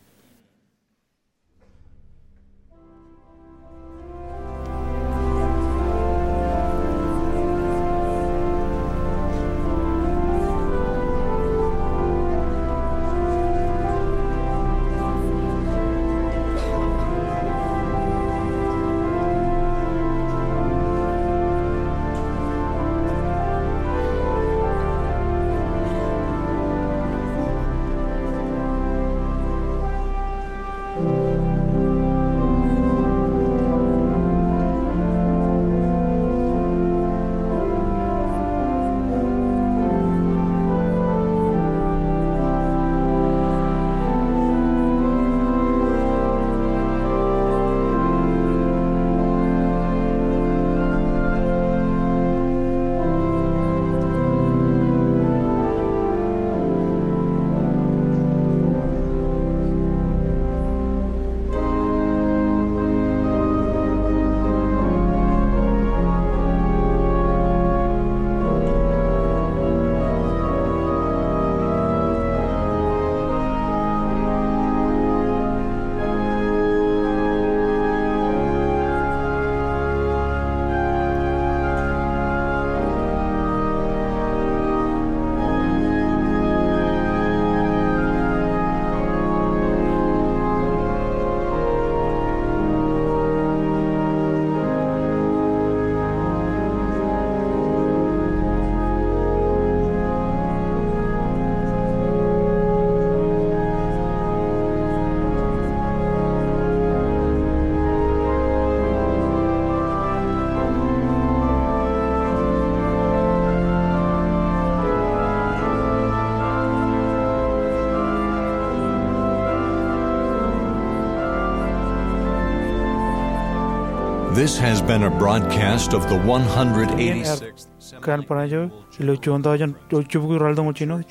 This has been a broadcast of the one hundred eighty-sixth Conference eo ilo juon tọujin eo jibukwi ralitōñoul jinoin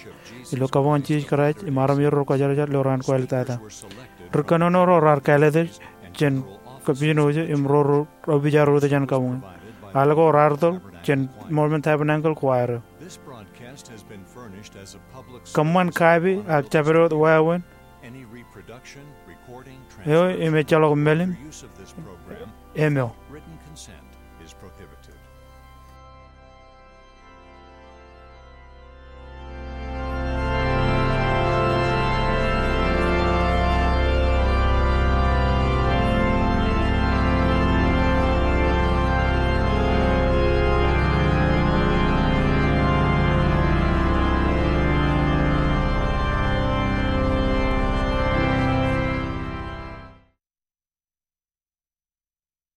ilo kabuñ an Jisōs Kraist im armej ro rej kwōjarjar ilo raan ko āliktata. Ri kōnono ro raar kāālōt e jān kōmmishin wōj im ro rej ippaṃ ro jān kabuñ in. Al ko raar tōl jān Mormon Tabernacle Choir eo. Kōṃṃan kape ak jabdewōt wāween eo im ejjeḷọk mālim eo.